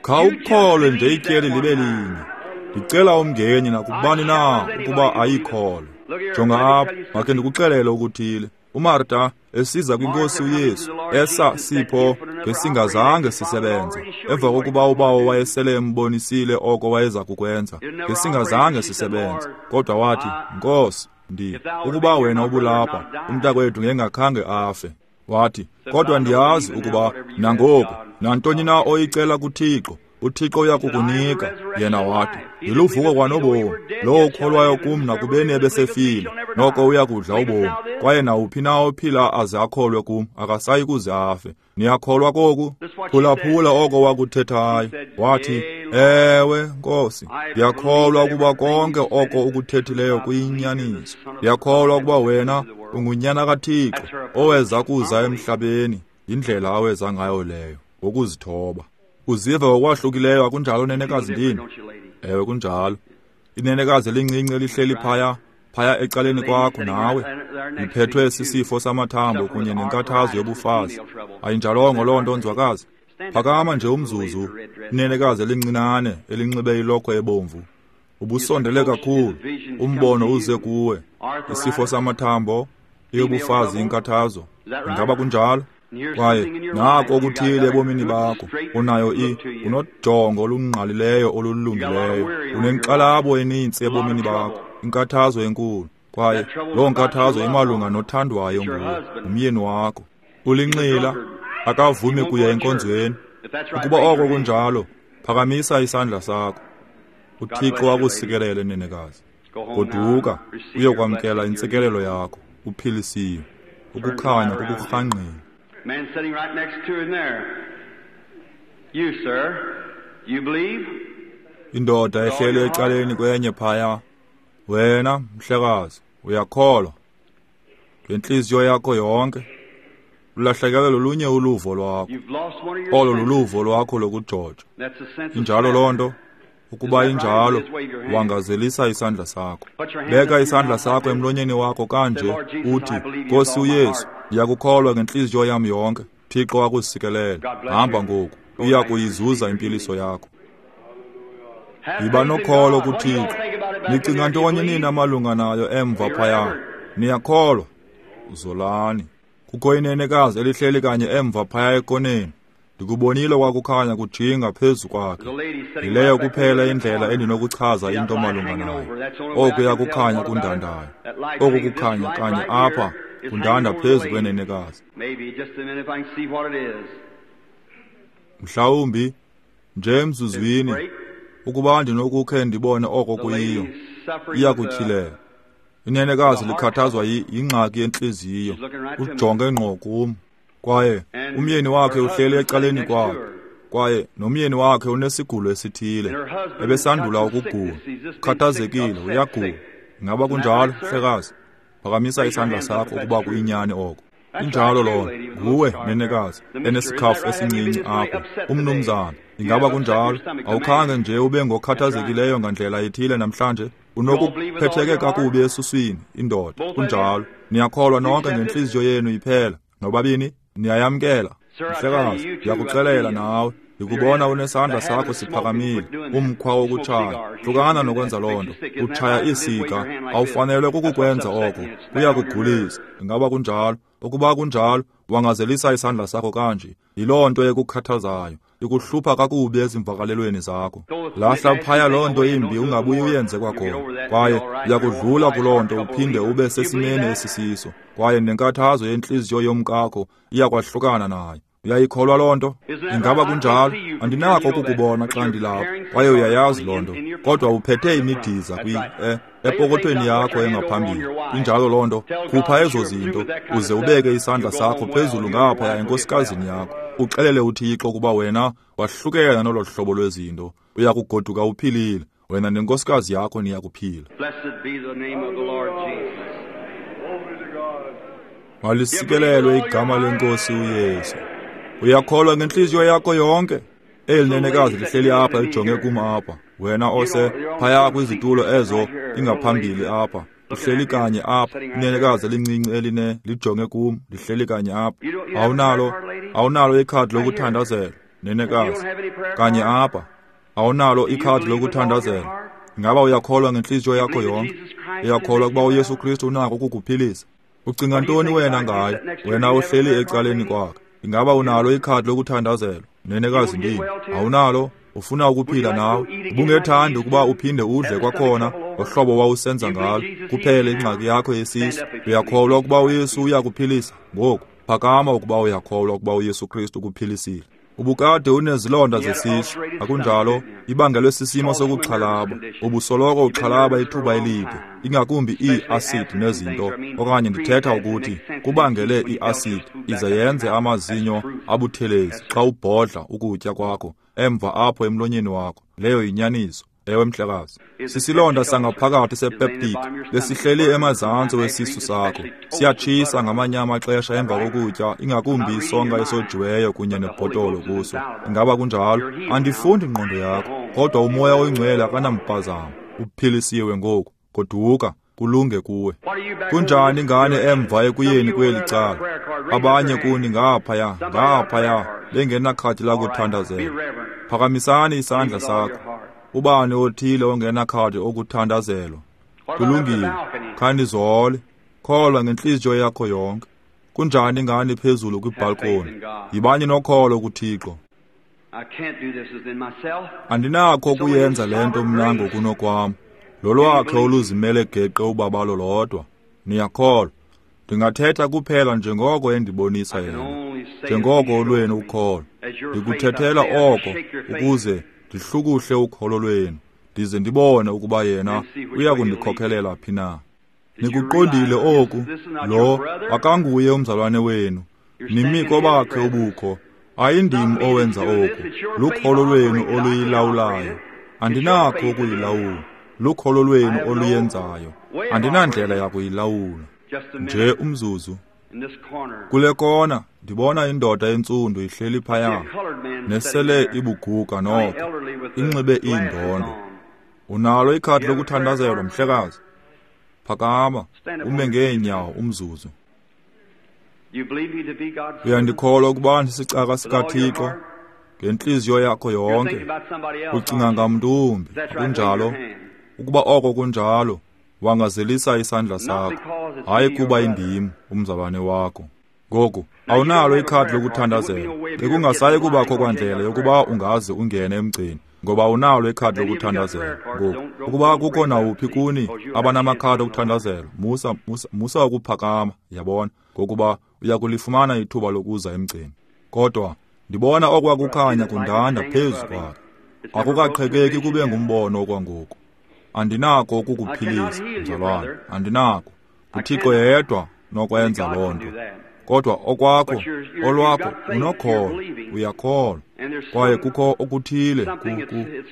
Khawukholwe nje ityeli libe linye. Ndicela umngeni nakubani na ukuba ayikholwe. Jonga apha, makhe ndikuxelele okuthile. uMarta esiza kwinkosi uYesu, esa sipho ngesingazange sisebenze. Emva kokuba ubawo wayesele embonisile oko wayeza kukwenza, ngesingazange sisebenze. Kodwa wathi, Nkosi, ndi ukuba wena ubulapha, umntakwethu ngengakhange afe. Wathi, kodwa ndiyazi ukuba nangoku nantoni na oyicela kuThixo, uThixo uyakukunika. Yena wathi, ndiluvuko kwanobomi. Lowo ukholwayo kum nakubeni ebesefile, noko uyakudla ubomi. Kwaye nawuphi na ophila aze akholwe kum, akasayi kuze afe. Niyakholwa koku? Phulaphula oko wakuthethayo. Wathi, ewe, Nkosi, ndiyakholwa ukuba konke oko ukuthethileyo kuyinyaniso. Ndiyakholwa ukuba wena ungunyana kaThixo oweza kuza emhlabeni. Yindlela aweza ngayo leyo, ngokuzithoba. Uziva ngokwahlukileyo, akunjalo nenekazi ndini? Ewe, kunjalo. Inenekazi elincinci elihleli phaya, phaya ecaleni kwakho nawe, liphethwe sisifo samathambo kunye nenkathazo yobufazi. Ayinjalongo loo nto, nzwakazi? Phakama nje umzuzu, inenekazi elincinane elinxibe ilokhwe ebomvu. Ubusondele kakhulu, umbono uze kuwe. Isifo samathambo, iyobufazi inkathazo. Ingaba kunjalo? Kwaye nako okuthile ebomini bakho, unayo i unojongo olungqalileyo olulungileyo, unenkxalabo enintsi ebomini bakho, inkathazo enkulu. Kwaye loo nkathazo imalunga nothandwayo nguwe, umyeni wakho. Ulinxila, akavumi kuya enkonzweni. Ukuba oko kunjalo, phakamisa isandla sakho. UThixo akusikelele, nenekazi. Goduka uyokwamkela intsikelelo yakho, uphilisiwe. Ukukhanya kukurhangqile. Man sitting right next to him there. You, sir, you believe? Indoda ehleli ecaleni kwenye phaya. Wena, mhlekazi, uyakholwa ngentliziyo yakho yonke. Ulahlekelwe lolunye uluvo lwakho. Olo luluvo lwakho lokujoja. Injalo loo nto? Ukuba injalo, wangazelisa isandla sakho. Beka isandla sakho emlonyeni wakho kanje, uthi, Nkosi uYesu, ndiyakukholwa ngentliziyo yam yonke. Thixo akusikelele. Hamba ngoku, uya kuyizuza impiliso yakho. Yiba nokholo kuThixo. Nicinga ntoni nina malunga nayo emva phaya? Niyakholwa? Uzolani. Kukho inenekazi elihleli kanye emva phaya ekoneni. Ndikubonile kwakukhanya kujinga phezu kwakhe. Yileyo kuphela indlela endinokuchaza into malunga nayo. Okuya kukhanya kundandayo. Oku kukhanya kanye apha kundanda phezu kwenenekazi. Mhlawumbi nje emzuzwini, ukuba ndinokukhe ndibone oko kuyiyo, iyakutyhilela. Inenekazi likhathazwa yingxaki yentliziyo. Ujonge ngqo kum. Kwaye umyeni wakhe uhleli ecaleni kwakhe. Kwaye nomyeni wakhe unesigulo esithile. Ebesandula ukugula. Ukhathazekile, uyagula. Ingaba kunjalo, mhlekazi? Phakamisa isandla sakho ukuba kuyinyani oko. Injalo loo nto. Nguwe, nenekazi, enesikhafu esincinci apho. Umnumzana, ingaba kunjalo? Awukhange nje ube ngokhathazekileyo ngandlela ethile namhlanje? Unokuphetheke kakubi esuswini, indoda. Kunjalo. Niyakholwa nonke ngentliziyo yenu iphela. Nobabini, niyayamkela. Mhlekazi, ndiyakuxelela nawe. Ndikubona unesandla sakho siphakamile, umkhwa wokutshaya. Hlukana nokwenza loo nto. Utshaya isika, awufanelwe kukukwenza oko. Kuyakugulisa. Ingaba kunjalo? Ukuba kunjalo, wangazelisa isandla sakho kanje. Yiloo nto ekukhathazayo. Ikuhlupha kakubi ezimvakalelweni zakho. Lahla phaya loo nto imbi, ungabuyi uyenze kwakhona. Kwaye uyakudlula kuloo nto uphinde ube sesimeni esisiso. Kwaye nenkathazo yentliziyo yomkakho iyakwahlukana nayo. Uyayikholwa loo nto? Ingaba kunjalo? Andinako ukukubona xa ndilapha. Kwaye uyayazi loo nto. Kodwa uphethe imidiza kwi eh, epokothweni yakho engaphambili. Injalo loo nto. Khupha ezo zinto uze ubeke isandla sakho phezulu ngaphaya enkosikazini yakho. Uxelele uThixo ukuba wena wahlukene nolo hlobo lwezinto. Uyakugoduka uphilile. Wena nenkosikazi yakho niyakuphila. Malisikelelwe igama lenkosi uYesu. Uyakholwa ngentliziyo yakho yonke? Eli nenekazi lihleli apha lijonge kum apha. Wena ose phaya kwizitulo ezo ingaphambili apha. Uhleli kanye apha. Inenekazi elincinci eline lijonge kum, lihleli kanye apha. Awunalo, awunalo ikhadi lokuthandazela, nenekazi. Kanye apha. Awunalo ikhadi lokuthandazela. Ingaba uyakholwa ngentliziyo yakho yonke? Uyakholwa ukuba uYesu Kristu unako ukukuphilisa? Ucinga ntoni wena ngayo? Wena uhleli ecaleni kwakhe. Ingaba unalo ikhadi lokuthandazela? Nenekazi ndini. Awunalo? Ufuna ukuphila nawe? Ubungethandi ukuba uphinde udle kwakhona ngohlobo wawusenza ngalo? Kuphele ingxaki yakho yesisu. Uyakholwa ukuba uYesu uyakuphilisa? Ngoku phakama ukuba uyakholwa ukuba uYesu Kristu ukuphilisile. Ubukade unezilonda zesisu, akunjalo? Ibangelwe sisimo sokuxhalaba. Ubusoloko uxhalaba ithuba elide, ingakumbi ii-acid nezinto, okanye ndithetha ukuthi kubangele ii-acid ize yenze amazinyo abuthelezi xa ubhodla ukutya kwakho emva apho emlonyeni wakho. Leyo yinyaniso. Ewe, mhlekazi. Sisilonda sangaphakathi sepeptic besihleli emazantsi wesisu sakho. Siyatshisa ngamanye amaxesha emva kokutya, ingakumbi isonka esojiweyo kunye nebhotolo kuso. Ingaba kunjalo? Andifundi ingqondo yakho, kodwa uMoya oyiNgcwele akanampazamo. Uphilisiwe ngoku. Goduka Kulunge kuwe. Kunjani ngane emva ekuyeni kweli cala? Abanye kuni ngaphaya, ngaphaya, bengenakhadi lakuthandazela. Phakamisani isandla sakho. Ubani othile ongenakhadi okuthandazelwa? Kulungile, khanizole. Kholwa ngentliziyo yakho yonke. Kunjani ngani phezulu kwibhalkoni? Yibani nokholo kuThixo. Andinakho ukuyenza le nto mna ngokunokwam. Lolwakhe oluzimele geqe ubabalo lodwa. Niyakholwa. Ndingathetha kuphela njengoko endibonisa yena, njengoko olwenu ukholo. Ndikuthethela oko ukuze ndihlukuhle ukholo lwenu, ndize ndibone ukuba yena uya kundikhokelela phi na. Nikuqondile oku, lo akanguye umzalwane wenu, nimi kobakhe ubukho. Ayindim owenza oku, lukholo lwenu oluyilawulayo. Andinakho ukuyilawula, lukholo lwenu oluyenzayo. Andinandlela yakuyilawula. Nje umzuzu. Kule kona ndibona indoda entsundu ihleli phaya, nesele ibuguga noko, inxibe iindondo. Unalo ikhadi lokuthandazelwa, mhlekazi? Phakama, ume ngeenyawo umzuzu. Uyandikholwa ukuba ndisicaka sikaThixo ngentliziyo yakho yonke? Ucinga ngamntu wumbi, akunjalo? Ukuba oko kunjalo, wangazelisa isandla sakho. Hayi kuba indim umzalwane wakho. Ngoku awunalo ikhadi lokuthandazela. Bekungasayi kubakho kwandlela yokuba ungaze ungene emgceni, ngoba unalo ikhadi lokuthandazela. Ngoku ukuba kukho nawuphi kuni abanamakhadi okuthandazela, musa musa musa ukuphakama, yabona, ngokuba uyakulifumana ithuba lokuza emgceni. Kodwa ndibona okwakukhanya kundanda phezu kwakhe. Akukaqhekeki kube ngumbono okwangoku. Andinako ukukuphilisa, mzalwane, andinako. UThixo yedwa nokwenza loo nto. Kodwa okwakho, olwakho, unokholo, uyakholwa. Kwaye kukho okuthile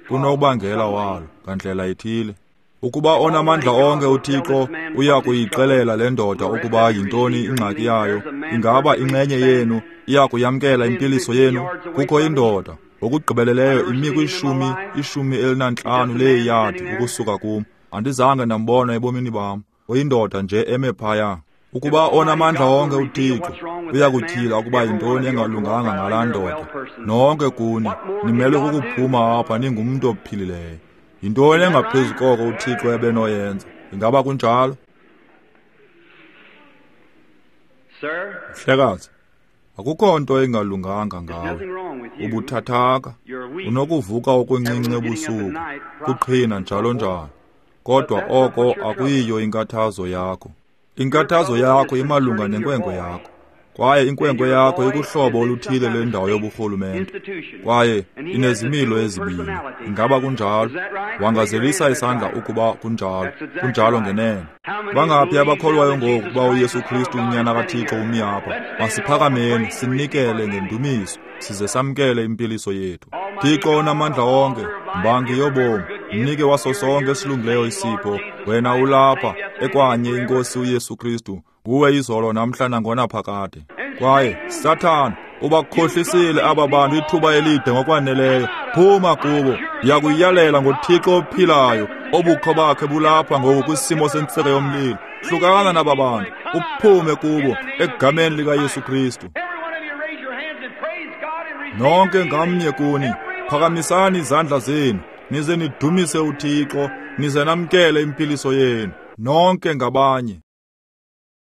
kunobangela walo ngandlela ithile. Ukuba onamandla onke uThixo uya kuyixelela le ndoda ukuba yintoni ingxaki yayo, ingaba inxenye yenu iya kuyamkela impiliso yenu? Kukho indoda ngokugqibeleleyo imi kwishumi ishumi elinantlanu leeyadi ukusuka kum. Andizange ndambona ebomini bam. Uyindoda nje eme phaya. Ukuba onamandla onke uThixo uya kutyhila ukuba yintoni engalunganga ngalaa ndoda, nonke kuni nimelwe kukuphuma apha ningumntu ophilileyo. Yintoni engaphezu koko uThixo ebenoyenza? Ingaba kunjalo? Mhlekazi, akukho nto engalunganga ngawe. Ubuthathaka, unokuvuka okuncinci ebusuku, kuqhina njalo njalo. Kodwa oko akuyiyo inkathazo yakho. Inkathazo yakho imalunga nenkwenkwe yakho. Kwaye inkwenkwe yakho ikuhlobo oluthile lwendawo yoburhulumente, kwaye inezimilo ezibini. Ingaba kunjalo? Wangazelisa isandla ukuba kunjalo. Kunjalo ngenene. Bangaphi abakholwayo ngoku ukuba uYesu Kristu unyana kaThixo umi apha? Masiphakameni sinikele ngendumiso, size samkele impiliso yethu. Thixo onamandla onke, mbangi yobomi, mnike waso sonke esilungileyo isipho. Wena ulapha ekwanye iNkosi uYesu Kristu, nguwe izolo namhla nangonaphakade. Kwaye Sathana, ubakhohlisile aba bantu ithuba elide ngokwaneleyo. Phuma kubo. Ndiyakuyalela ngoThixo ophilayo, obukho bakhe bulapha ngoku kwisimo sentsika yomlilo. Hlukana naba bantu, uphume kubo egameni likaYesu Kristu. Nonke ngamnye kuni, phakamisani izandla zenu, nize nidumise uThixo, nize namkele impiliso yenu. Nonke ngabanye.